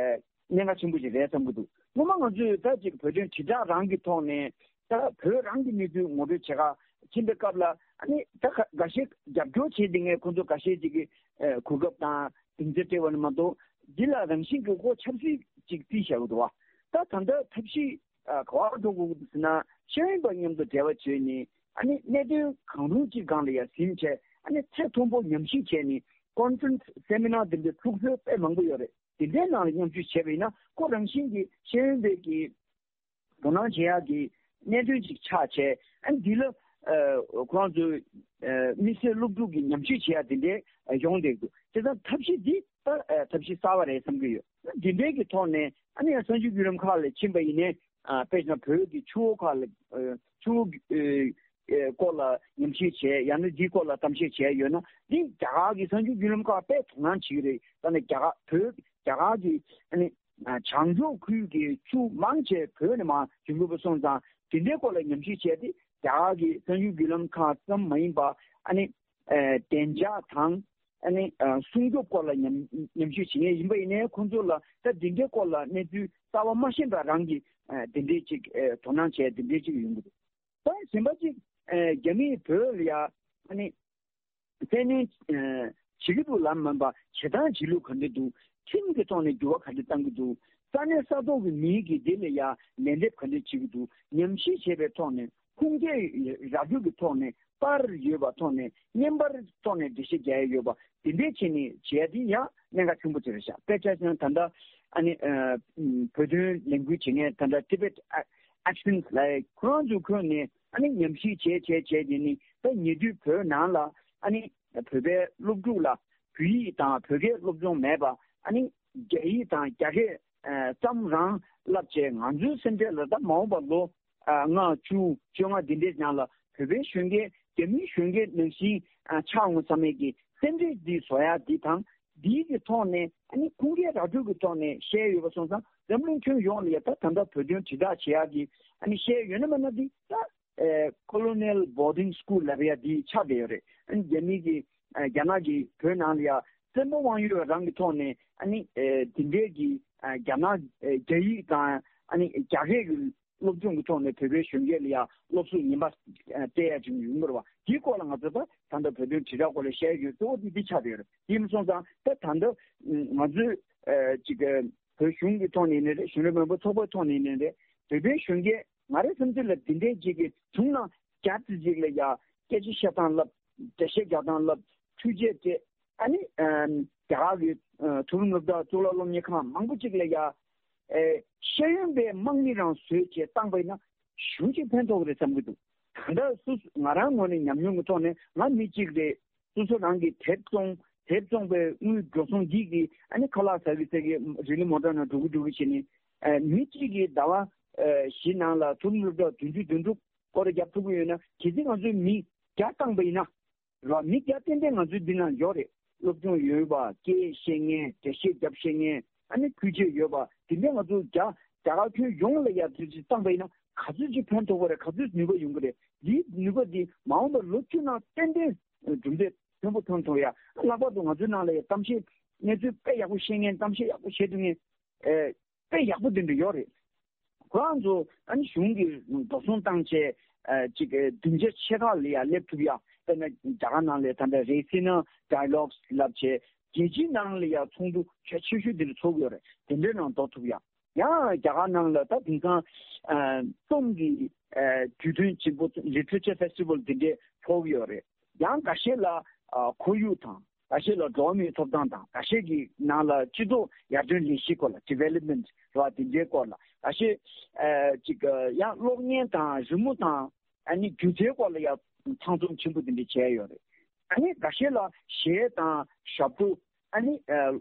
གནད་འགག་ཆེན་པོ་ཞིག་རེད་བསམ་གྱི་འདུག་སྔོན་མ་ང་ཚོས་ད་ཅིག་བོད་དོན་དྲིལ་བསྒྲགས་རང་གི་ཐོག་ནས་ད་བོད་རང་གི་གནས་ཚུལ་ངོ་སྤྲོད་བྱེད་ག་ཕྱིན་པའི་སྐབས་ལ་ཨ་ནི་ད་འགའ་ཤས་རྒྱབ་སྐྱོར་བྱེད་བསྡད་མཁན་ཁོང་ཚོ་འགའ་ཤས་ཅིག་གིས་གོ་སྐབས་དང་སྡིངས་ཆ་སྤྲད་པ་ནི་མ་གཏོགས་ འདི་ལ་རང་བཞིན་གྱི་ཁོ་ཆབ་སྲིད་ཅིག་བརྩིས་བཞག་གི་འདུག་བ། ད་ད་ལྟ་ཐབས་ཤེས་ཨ་ག་བར་འགྲོ་དགོས་ཀྱི་འདུག་ཟེར་ན། ཤེས་ཡོན་པ་མཉམ་དུ་འབྲེལ་བ་བྱས་ནས་ཨ་ནི་གནད་དོན་གང་རུང་ཅིག་སྒང་ལ་ཡ་ཟིན་བྱས། ཨ་ནི་ཚད་མཐོན་པོ་ཉམས་ཞིབ་བྱས་ནས་ཀོན་ཕ་རེན་སི་སེ་མི་ནར་འདི་འདྲ་ཚུགས་སྲོལ་དཔེ་མང་པོ་ཡོད་རེད། དེ་འདྲའི་ནང་ལ་མཉམ་ཞུགས་བྱས་པ་ཡིན་ན་ཁོ་རང་བཞིན་གྱིས་ཤེས་ཡོན་པའི་གི་དོ་སྣང་བྱེད་ཡག་གི་གནད་དོན་ཅིག་ཆགས་བྱས། ཨ་ནི་འདི་ལ་ཨ་ཁོ་རང་ཚོའི་ཨ་དམིགས་བསལ་སློབ་ཕྲུག་གི་ཉམས་ཞིབ་བྱེད་ཡག་དེ་འདྲའི་ཡོང་བསྡད་འདུག་བྱས་ཙང་ཐབས་ཤེས་འདི་ད་ཨ་ཐབས་ཤེས་གསར་པ་རེད་བསམ་གྱི་ཡོད། འདི་འདྲའི་གི་ཐོག་ནས་ཨ་ནི་ཡང་གསར་འགྱུར་བརྒྱུད་ལམ་ཁག་ལ་ཕྱིན་པ་ཡིན་ནའི། ཨ་དཔེ་བཞག་ན་བོད་ཀྱི་ཆུ་བོ་ཁག་ལ་ཨ་ཆུ་བོ་ཨ་སྐོར་ལ་ཉམས་ཞིབ་བྱས། ཡང་ན་འདིའི་སྐོར་ལ་གཏམ་བཤད་བྱས་ཡོད་ན། འདི་རྒྱ་གར་གྱི་གསར་འགྱུར་བརྒྱུད་ལམ་ཁག་དཔེ་དོ་སྣང་བྱེད་ཀྱི་རེད། ད་ནི་རྒྱ་གར་བོད་རྒྱ་གར་གྱི་ཨ་ནི་ཨ་བྱང་ཕྱོགས་ཁུལ་གྱི་ཆུ་མང་ཆེ་བོད་ནས་མར་འབྱུང་གི་ཡོད་པ་སོང་ཙང་། དེ་འདྲའི་སྐོར་ལ་ཉམས་ཞིབ་བྱས་ཏེ། རྒྱ་གར་གྱི་གསར་འགྱུར་བརྒྱུད་ལམ་ཁག་ཙམ་མ་ཡིན་པ། ཨ་ནི་ཨ་བདེ་འཇགས་དང་ཨ་ནི་ཨ་སྲུང་སྐྱོབ་སྐོར་ལ་ཉམས་ཉམས་ཞིབ་བྱེད་མཁན་ཡིན་པ་ཡིན་ནའི། ཁོང་ཚོ་ལ་ད་འདི་འདྲའི་སྐོར་ལ་གནས་ཚུལ་གསར་པ་མ་ཤེས་པ་རང་གིས་ཨ་དེ་འདྲའི་ཅིག་ཨ་དོ་སྣང་བྱས། དེ་འདྲའི་ཅིག་ཡོང་གི་འདུག་ད་གཞན་པ་ཅིག་ཨ་རྒྱ་མིས་བོད་ལ་ཡ་ཨ་ནི་བཙན་གནོན་ཨ་བྱེད་ཀྱི་འདུག་ལབ་མིན་པ། བྱེད་སྟངས་བྱེད་ལུགས་ག་འདྲ་འདུག་ཁྲིམས་ཀྱི་ཐོག་ནས་འགྱུར་བ་ག་འདྲ་གཏང་གི་འདུག་ས་གནས་ས་ཐོག་གི་མི་གིས་འདི་ལ་ཡ་ལན་འདེབས་ག་འདྲ་བྱེད་ཀྱི་འདུག་ཉམས་ཞིབ་བྱས་པའི་ཐོག་ནས། ཁུངས་སྐྱེལ་ར་སྤྲོད་ཀྱི་ཐོག་ནས། པར་ཡོད་པ་ཐོག་ནས། བརྙན་པར་ཐོག་ནས་འགྲེལ་བཤད་རྒྱག་ཡ་ཡོད་པ་དེ་འདྲའི་བྱས་ནས་བྱས་ཏེ་ཡང་གནད་འགག་ཆེན་པོ་ཅིག་རེད་ཤག་དཔེ་ཆ་བཞག་ན་ད་ལྟ་ཨ་ནི་ཨ་བོད་དོན་ལས་འགུལ་བྱེད་མཁན་ད་ལྟ་Tibet Action་ལབ་ཁོ་རང་ཚོ་ཁོ་ནས་ཨ་ནི་ཉམས་ཞིབ་བྱས་བྱས་བྱས་དེ་ནི་ད་ཉེ་དུས་བོད་ནང་ལ་ཨ་ནི་བོད་པའི་སློབ་ཕྲུག་ལ་བོད་ཡིག་དང་བོད་སྐད་སློབ་སྦྱོང་མེད་པ། ཨ་ནི་རྒྱ་ཡིག་དང་རྒྱ་སྐད་ཨ་ཙམ་རང་བསླབ་བྱས། ང་ཚོའི་སེམས་ཁྲལ་ལ་ད་མ་འོངས་པ་ལོ་ཨ་ལྔ་བཅུ་བཅོ་ལྔ་འདི་འདྲའི་ནང་ལ་བོད་པའི་གཞོན་སྐྱེས་རྒྱ་མིའི་གཞོན་སྐྱེས་ནང་བཞིན་ཨ་ཆགས་འོང་བསམ་མེད་ཀྱི་སེམས་ཁྲལ་འདི་བཟོ་ཡ་འདི་དང་། འདིའི་གི་ཐོག་ནས་ཨ་ནི་ཁུངས་སྐྱེལ་ར་སྤྲོད་ཀྱི་ཐོག་ནས་བཤད་ཡོད་པ་སོང་ཙང་། འཛམ་གླིང་ཁྱོན་ཡོངས་ལ་ཡ་ད་ད་ལྟ་བོད་དོན་དྲིལ་བསྒྲགས་བྱེད་ཡ་གི་ཨ་ནི་བཤད་ཡོད་ན་མེད་ན་འདི་ད་ཨེ་Colonial Boarding School་ལབ་ཡ་འདི་ཆགས་བསྡད་ཡོད་རེད། ཨ་ནི་རྒྱ་མི་གི་ཨ་རྒྱ་ནག་གི་བོད་ནང་ལ་ཡ་བཙན་པོ་དབང་ཡོད་རང་གི་ཐོག་ནས་ཨ་ནི་ཨེ་འདི་འདྲའི་གི་ཨ་རྒྱ་ནག་ཨེ་རྒྱ་ཡིག་དང་ཨ་ནི་རྒྱ་སྐད་གི་སློབ་སྦྱོང་གི་ཐོག་ནས་བོད་པའི་གཞོན་སྐྱེས་ལ་ཡང་སློབ་གསོ་ངན་པ་ཨ་སྤྲད་ཡ་ཅིག་ཡོང་གི་རེད་བ། དེའི་སྐོར་ལ་ང་ཚོ་ད་ད་ལྟ་བོད་དོན་དྲིལ་བསྒྲགས་སྐོར་ལ་བཤད་ཡོད། གཙོ་བོ་དེ་འདི་ཆགས་བསྡད་ཡོད་རེད། དེ་མ་སོང་ཙང་ད་ད་ལྟ་ང་ཚོས་ཨ་ཅིག་བོད་གཞུང་གི་ཐོག་ནས་ཡིན་ནའི་རེད། གཞོན་ནུ་མི་འབོར་ཚོགས་པའི་ཐོག་ནས་ཡིན་ནའི་རེད། བོད་པའི་གཞོན་སྐྱེས་ང་རའི་བསམ་ཚུལ་ལ་འདི་འདྲའི་ཅིག་གི་བྱུང་ན་བརྒྱ་ཙམ་ཅིག་ལ་ཡ་སྐད་ཆ་བཤད་སྟངས་ལབ། འགྲེལ་བཤད་རྒྱག་སྟངས་ལབ། ཐུགས་རྗེ་ཆེ། ཨ་ནི་ཨ་རྒྱ་གར་གྱི་ཨ་མཐོ་རིམ་སློབ་གྲྭ་གཙུག་ལག་སློབ་གཉེར་ཁང་མང་པོ་ཅིག་ལ་ཡ་ཨེ་ཤེས་ཡོན་པའི་དམག་མི་རང་བཟོས་བྱས་བཏང་པ་ཡིན་ན་ཞེ་པོ་ཅིག་ཕན་ཐོགས་ཀྱི་རེད་བསམ་གྱི་འདུག་ད་ལྟ་སོ་སོ་ང་རང་ངོས་ནས་ཉམས་མྱོང་གི་ཐོག་ནས། ང་མི་གཅིག་རེད། སོ་སོ་རང་གིས་དེབ་བཙོང་། དེབ་བཙོང་པའི་དངུལ་འགྲོ་སོང་འདི་གིས་ཨ་ནི་ཁ་ལག་ཟ་གི་ཟ་གི་རི་ལི་མོ་ཊ་ནང་འགྲོ་གི་འགྲོ་གི་བྱས་ནས། ཨེ་མི་གཅིག་གིས་ཟླ་བ་ཨེ་བཞི་ནང་ལ་མཐོ་རིམ་སློབ་གྲྭ་བདུན་ཅུ་དོན་དྲུག་སྐོར་ར་བརྒྱབ་ཐུབ་ཀྱི་ཡོད་ན། གལ་སྲིད་ང་ཚོས་མི་བརྒྱ་བཏང་པ་ཡིན་ན། རེད་བ། མི་བརྒྱ་ཏན་ཏན་ང་ཚོའི་འདི་ན་ཡོད་རེད། སློབ་སྦྱོང་ཡོད་པ། སྐད་བཤད་མཁན། འགྲེལ་བཤད་རྒྱབ་ཤེས་མཁན། ཨ་ནི་ཁུལ་ཆེ་ཡོད་པ། དེ་འདྲ་ང་ཚོ་རྒྱ་རྒྱ་གར་ཁྱོན་ཡོངས་ལ་ཡར་དུས་ཚོད་བཏང་པ་ཡིན་ན་ག་ཚོད་ཅིག་ཕན་ཐོགས་པ་རེད། ག་ཚོད་ནུས་པ་ཡོང་གི་རེད། འདིའི་ནུས་པ་འདི་མ་འོངས་པར་ལོ་བཅུ་ནང་ཏན་ཏན་གྲུབ་འབྲས་མཐོན་པོ་ཐོན་ཐུབ་ཡ། ལྷག་པར་དུ་ང་ཚོའི་ནང་ལ་ཡ་གཏམ་བཤད་གནས་ཚུལ་དཔེ་ཡག་པོ་བཤད་མཁན། གཏམ་བཤད་ཡག་པོ་བྱེད་ཐུབ་མཁན། ཨེ། དཔེ་ཡག་པོ་དེ་འདྲ་ཡོད་རེད། ཁོ་རང་ཚོ་ཨ་ནི་གཞུང་གིས་འགྲོ་སོང་བཏང་བྱས། ཨ་ཅིག་སྡིངས་ཆ་ཆེ་ཁག་ལ་ཡ་སླེབས་ཐུབ་ཡ། དཔེར་ན་རྒྱ་གར་ནང་ལ་ད་ལྟ་Raisina Dialogues་ལབ་བྱས། རྒྱལ་སྤྱིའི་ནང་ལ་ཡ་ཚོགས་འདུ་གལ་ཆེ་ཤོས་དེ་འདྲ་ཚོགས་ཡོད་རེད། དེ་འདྲའི་ནང་འགྲོ་ཐུབ་ཡ། ཡང་རྒྱ་གར་ནང་ལ་ད་དེང་སང་ཨ་རྩོམ་གྱི་ཨ་དུས་སྟོན་ཆེན་པོ། Literature Festival་དེ་འདྲའི་ཚོགས་ཡོད་རེད། ཡང་འགའ་ཤས་ལ་ཨ་ཁོར་ཡུག་དང་། འགའ་ཤས་ལ་འགྲོ་བ་མིའི་ཐོབ་ཐང་དང་། འགའ་ཤས་ཀྱི་ནང་ལ་སྤྱི་ཚོགས་ཡར་ཐོན་ལས་གཞིའི་སྐོར་ལ། Development་རེད་བ། དེ་འདྲའི་སྐོར་ལ། འགའ་ཤས་ཨ་ཅིག་ཡང་གློག་བརྙན་དང་རི་མོ་དང་ཨ་ནི་སྒྱུ་རྩལ་སྐོར་ལ་ཡང་ཚང་འཛོམས་ཆེན་པོ་དེ་འདྲ་བྱས་ཡོད་རེད། ཨ་ནི་འགའ་ཤས་ལ་གཞས་དང་ཞབས་བྲོ། ཨ་ནི་ཨ་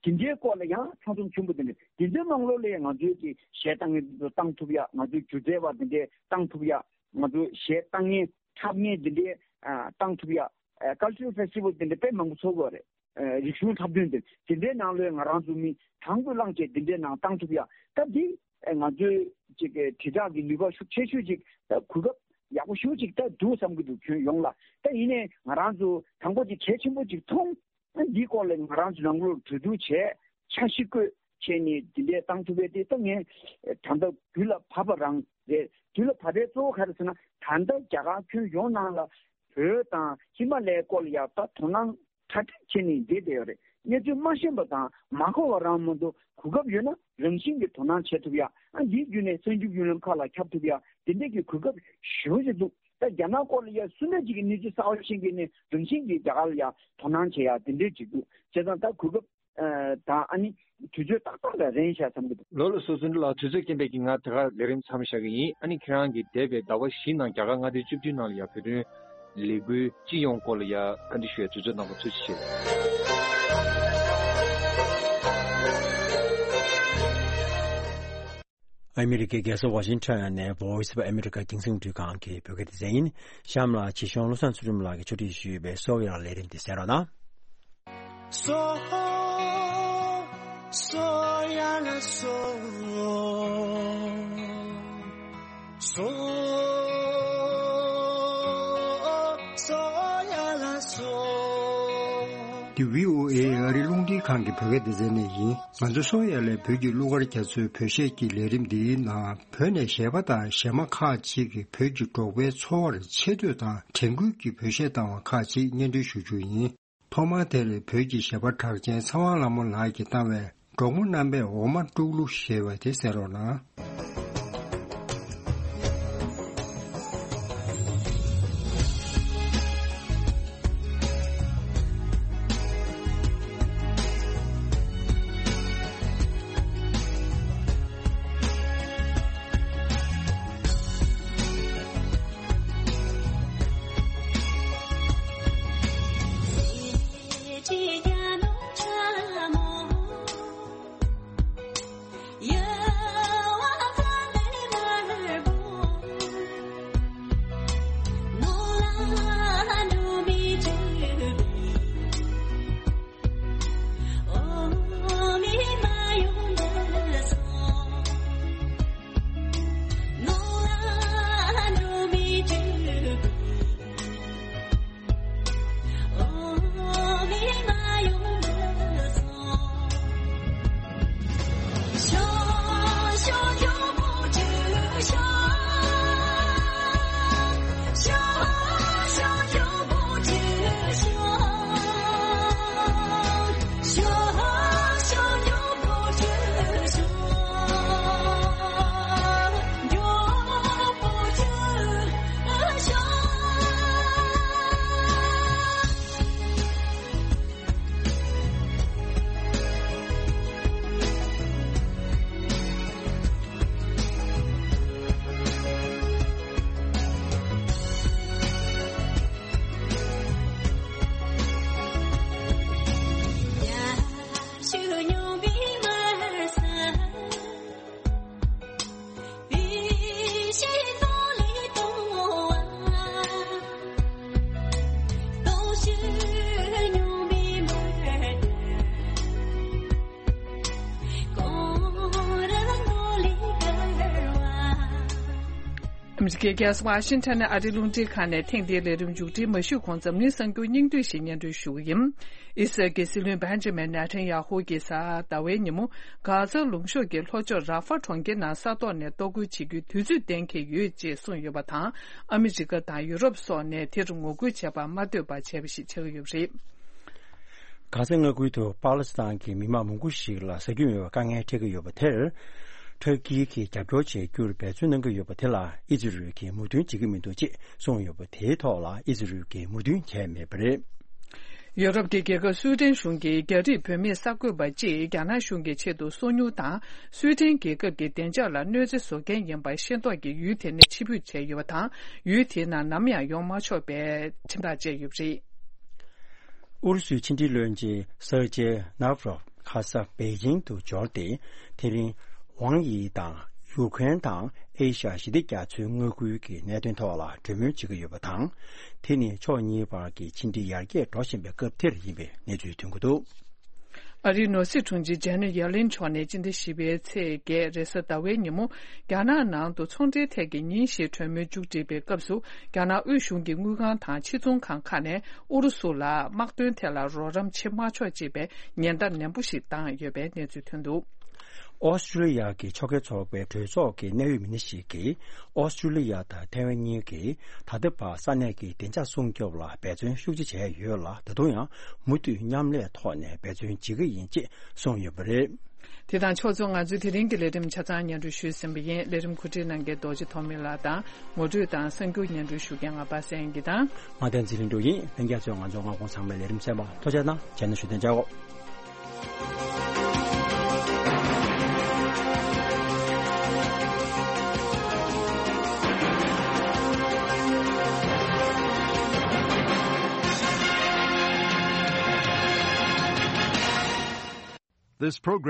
དེ་འདྲའི་སྐོར་ལ་ཡང་ཚང་འཛོམས་ཆེན་པོ་དེ་འདྲ། དེ་འདྲའི་ནང་ལོགས་ལ་ཡང་ང་ཚོའི་གི་གཞས་བཏང་མཁན་དེ་ཚོ་བཏང་ཐུབ་ཡ། ང་ཚོའི་སྒྱུ་རྩལ་བ་དེ་འདྲའི་བཏང་ཐུབ་ཡ། ང་ཚོའི་གཞས་བཏང་མཁན་འཁྲབ་མཁན་དེ་འདྲའི་ཨ་བཏང་ཐུབ་ཡ། ཨ་Cultural Festival་དེ་འདྲ་དཔེ་མང་པོ་ཚོགས་ཀྱི་ཡོད་རེད། ཨ་རིག་གཞུང་འཁྲབ་སྟོན་དེ་དེ་འདྲའི་ནང་ལོགས་ང་རང་ཚོ་མི་དང་པོ་བླངས་བྱས་དེ་འདྲའི་ནང་བཏང་ཐུབ་ཡ། ད་འདི་ཨ་ང་ཚོའི་ཅིག་གི་དྲིལ་བསྒྲགས་ཀྱི་ནུས་པ་ཤུགས་ཆེ་ཤོས་ཅིག་ད་གོ་སྐབས་ཡག་པོ་ཞེ་པོ་ཅིག་ད་འདུག་བསམ་གྱི་འདུག་ཁྱོན་ཡོངས་ལ། ད་ཡིན་ནའི་ང་རང་ཚོ་དང་པོ་ཅིག་གལ་ཆེན་པོ་ཅིག་མཐོང་། ཨ་འདིའི་སྐོར་ལ་ང་རང་ཚོ་ནང་ལོགས་གྲོས་བསྡུར་བྱས། འཆར་གཞི་བཀོད་བྱས་ནས་འདི་འདྲས་བཏང་ཐུབ་པ་དེ་ད་ངས་ད་ལྟ་དུས་ལ་བབ་པ་རང་རེད། དུས་ལ་བབ་པའི་གཙོ་བོ་ག་རེ་ཟེར་ན། ད་ལྟ་རྒྱ་གར་ཁྱོན་ཡོངས་ནང་ལ་བོད་དང་ཧི་མ་ལའི་སྐོར་ལ་ཡ་ད་དོ་སྣང་གྲ་སྒྲིག་བྱས་ནས་བསྡད་བསྡད་ཡོད་རེད། གནས་ཚུལ་མ་ཤེས་པ་དང་མ་གོ་བ་རང་མ་གཏོགས། གོ་སྐབས་ཡོད་ན་རང་བཞིན་གྱིས་དོ་སྣང་བྱེད་ཐུབ་ཡ། ཨ། འདིའི་བརྒྱུད་ནས་གསར་འགྱུར་བརྒྱུད་ལམ་ཁག་ལ་ཁྱབ་ཐུབ་ཡ། དེ་འདྲས་ཀྱི་གོ་སྐབས་ཞེ་པོ་ཅིག་འདུག་ད་རྒྱ་ནག་སྐོར་ལ་ཡ་སུ་འདྲ་ཅིག་གིས་གནས་ཚུལ་གསར་པ་ཤེས་མཁན་ནི་རང་བཞིན་གྱིས་རྒྱ་གར་ལ་ཡ་དོ་སྣང་བྱེད་ཡ་དེ་འདྲས་ཅིག་འདུག་བྱས་ཙང་ད་གོ་སྐབས། ཨ། ད་ཨ་ནི་དུས་ཚོད་ཏག་ཏག་ལ་རན་ཤག་བསམ་གྱི་འདུག་ལོ་ལ་སོ་ཚུན་ལ་དུས་ཚོད་རྐྱེན་པས་ཀྱིས་ང་དེ་གར་ལས་རིམ་མཚམས་བཞག་གི་ཡིན། ཨ་ནི་ཁྱེད་རང་གིས་འདས་པའི་ཟླ་བ་བཞི་ནང་རྒྱ་གར་མངའ་སྡེ་བཅུ་བདུན་ནང་ལ་ཡ་བོད་དོན་ལས་འགུལ་སྤྱི་ཡོངས་སྐོར་ལ་ཡ་བཀའ་འདྲི་ཞུ་ཡ་དུས་ཚོད་གནང་བར་ཐུགས་རྗེ་ཆེ། ཨ་མི་རི་ཀའི་རྒྱལ་ས་ཝ་ཤིང་ཊོན་ནས་Voice of America་རྒྱང་སྲིང་རླུང་འཕྲིན་ཁང་གི་བོད་སྐད་སྡེ་ཚན་ཡིན། གཤམ་ལ་ཆེད་གཞུང་བློ་བཟང་ཚུལ་ཁྲིམས་ལགས་ཀྱིས་ཕྱོགས་སྒྲིག་ཞུས་པའི་གསོ་བའི་ལས་རིམ་དེ་གསན་རོགས་གནང་། སོ། སོ་ཡ་ལ་སོ། སོ། སོ་ཡ་ལ་སོ། འདི་བྷི་ཨོ་ཨེ་ཨ་རིའི་རླུང་འཕྲིན་ཁང་གི་བོད་སྐད་སྡེ་ཚན་ནས་ཡིན། ང་ཚོ་སོ་ཡ་ལའི་བོད་ཀྱི་གླུ་གར་རྒྱ་མཚོའི་བོད་གཞས་ཀྱི་ལས་རིམ་འདིའི་ནང་བོད་ནས་གཞས་པ་དང་གཞས་མ་ཁག་ཅིག་གིས་བོད་ཀྱི་འབྲོག་པའི་འཚོ་བར་ཆེ་བསྟོད་དང་དྲན་སྐུལ་གྱི་བོད་གཞས་བཏང་བ་ཁག་ཅིག་སྙན་སྒྲོན་ཞུ་རྒྱུ་ཡིན། ཐོག་མར་དེར་བོད་ཀྱི་གཞས་པ་གྲགས་ཅན་ཚེ་དབང་ལྷ་མོ་ལགས་ཀྱིས་བཏང་བའི་འབྲོག་མོ་རྣམ་པས་འོ་མ་དཀྲུག་གླུ་ཞེས་པ་དེ་གསན་རོགས་གནང་། ཨ་མི་རི་ཀའི་རྒྱལ་ས་ཝ་ཤིང་ཊོན་ནས་ཨ་རིའི་རླུང་འཕྲིན་ཁང་ནས་ཐེངས་འདིའི་ལས་རིམ་མཇུག་སྒྲིལ་མ་ཞུས་གོང་འཛམ་གླིང་གསར་འགྱུར་སྙིང་བསྡུས་ཤིག་སྙན་སྒྲོན་ཞུ་གི་ཡིན། ཨི་སི་རལ་གྱི་སྲིད་བློན་བྷན་ཇ་མན་ནེ་ཐན་ཡ་ཧུ་གྱིས་གཟའ་ཟླ་བའི་ཉིན་མོ་གྷ་ཛ་ལུང་གཤོང་གི་ལྷོ་ཕྱོགས་ར་ཧྥ་གྲོང་ཁྱེར་ནང་ས་ཐོག་ནས་གཏོར་རྒོལ་བྱེད་རྒྱུའི་དུས་ཚོད་གཏན་འཁེལ་ཡོད་ཅེས་གསུངས་ཡོད་པ་དང་། ཨ་མི་རི་ཀ་དང་ཡུ་རོབ་སོགས་ནས་དེར་ངོ་རྒོལ་བྱེད་པར་མ་འདོད་པ་བྱས་པ་ཞིག་ཆགས་ཀྱི་ཡོད་པ་རེད། གྷ་ཟའི་མངའ་ཁུལ་དུ་པཱ་ལི་སི་ཐན་གྱི་མི་མང་མང་པོ་ཞིག་ལ་ཟ་རྒྱུ་མེད་པའི་དཀའ་ངལ་འཕྲད་ཀྱི་ཡོད་པ་དེར། ཐུར་ཀི་གིས་རྒྱབ་སྐྱོར་བྱེད་རྒྱུར་འབད་བརྩོན་གནང་གི་ཡོད་པ་དེ་ལ་ཨི་ཛི་རལ་གྱིས་མོས་མཐུན་བྱེད་ཀྱི་མི་འདུག་ཅེས་གསུངས་ཡོད་པ་དེའི་ཐོག་ལ་ཨི་ཛི་རལ་གྱིས་མོས་མཐུན་བྱས་མེད་པ་རེད། ཡོ་རོབ་ཀྱི་རྒྱལ་ཁབ་སུའེ་ཏེན་གཞུང་གིས་རྒྱ་རིགས་བུད་མེད་གསར་འགོད་པ་གཅིག་རྒྱ་ནག་གཞུང་གི་ཆེད་དུ་སོ་ཉུལ་དང་། སུའེ་ཏེན་རྒྱལ་ཁབ་ཀྱི་བདེ་འཇགས་ལ་གནོད་འཚེ་བཟོ་མཁན་ཡིན་པ་ཤེས་རྟོགས་ཀྱིས་ཡུལ་དེ་ནས་ཕྱིར་འབུད་བྱས་ཡོད་པ་དང་། ཡུལ་དེའི་ནང་ནམ་ཡང་ཡོང་མ་ཆོག་པའི་ཁྲིམས་ཐག་བཅད་ཡོད་པ་རེད། ཨུ་རུ་སུའི་ཕྱི་འབྲེལ་བློན་ཆེན་སེར་ཇེ་ནཱབ་རོབ་ཁ་ས་པེ་ཅིང་དུ་འབྱོར་ཏེ། དེ་རིང་ཝང་དབྱི་དང་ཡུ་ཁུ་རེན་དང་ཨེ་ཤ་ཡ་ཞི་བདེ་རྒྱ་མཚོའི་མངའ་ཁུལ་གྱི་གནད་དོན་ཐོག་ལ་གྲོས་མོལ་བྱེད་ཀྱི་ཡོད་པ་དང་། དེ་ནི་ཕྱོགས་གཉིས་བར་གྱི་ཕྱི་འབྲེལ་ཡར་རྒྱས་འགྲོ་བཞིན་པའི་སྐབས་དེར་ཡིན་པའི་གནས་ཚུལ་ཐོན་གྱི་འདུག་ཨ་རིའི་ནོར་སྲིད་དྲུང་ཆེ་ཇེ་ནེ་ཡེ་ལིན་མཆོག་ནས་སྤྱི་ཟླ་བཞི་པའི་ཚེས་བརྒྱད་རེས་གཟའ་ཟླ་བའི་ཉིན་མོ། རྒྱ་ནག་ནང་དུ་ཚོང་འབྲེལ་ཐད་ཀྱི་ཉིན་བཞིའི་གྲོས་མོལ་མཇུག་སྒྲིལ་བའི་སྐབས་སུ། རྒྱ་ནག་དབུས་གཞུང་གི་དངུལ་ཁང་དང་ཕྱིར་ཚོང་ཁང་ཁག་ནས་ཨུ་རུ་སུ་ལ་དམག་དོན་ཐད་ལ་རོགས་རམ་བྱེད་མ་ཆོག་ཅེས་པའི་ཉེན་བརྡ་ནན་པོ་ཞིག་བཏང་ཡོད་པའི་གནས་ཚུལ་ཐོན་འདུག་ཨོ་སི་ཀྲུ་ལི་ཡ་གི་ཕྱོགས་འགལ་ཚོགས་པའི་གྲོས་ཚོགས་ཀྱི་གནད་ཡོད་མི་སྣ་ཞིག་གིས། ཨོ་སི་ཀྲུ་ལི་ཡ་དང་ཐའེ་ཝན་གཉིས་ཀྱིས་ད་ལྟ་བར་ས་གནས་ཀྱི་བདེ་འཇགས་སྲུང་སྐྱོབ་ལ་འབད་བརྩོན་ཤུགས་ཆེ་བྱས་ཡོད་ལ། ད་དུང་ཡང་མུ་མཐུད་མཉམ་ལས་ཐོག་ནས་འབད་བརྩོན་བྱེད་ཀྱི་ཡིན་ཅེས་གསུངས་ཡོད་པ་རེད། དེ་དང་ཕྱོགས་མཚུངས། ང་ཚོའི་དེ་རིང་གི་ལས་རིམ་ཆ་ཚང་སྙན་སྒྲོན་ཞུས་ཟིན་པ་ཡིན། ལས་རིམ་གོ་སྒྲིག་གནང་མཁན་རྡོ་རྗེ་ཐོགས་མེད་ལགས་དང་། ངོ་སྤྲོད་དང་གསར་འགྱུར་སྙན་སྒྲོན་ཞུ་མཁན་ང་པ་སངས་སྐྱིད་དང་། ང་བསྟན་འཛིན་ལྷུན་གྲུབ་ཡིན། ལྷན་རྒྱས་ཚོས་ང་ཚོ་སྔ་དགོང་ཚང་མའི་ལས་རིམ་གསན་པར་ཐུགས་རྗེ་གནང་། རྗེས་གནང་ཞུ་དོན་བྱའོ། This program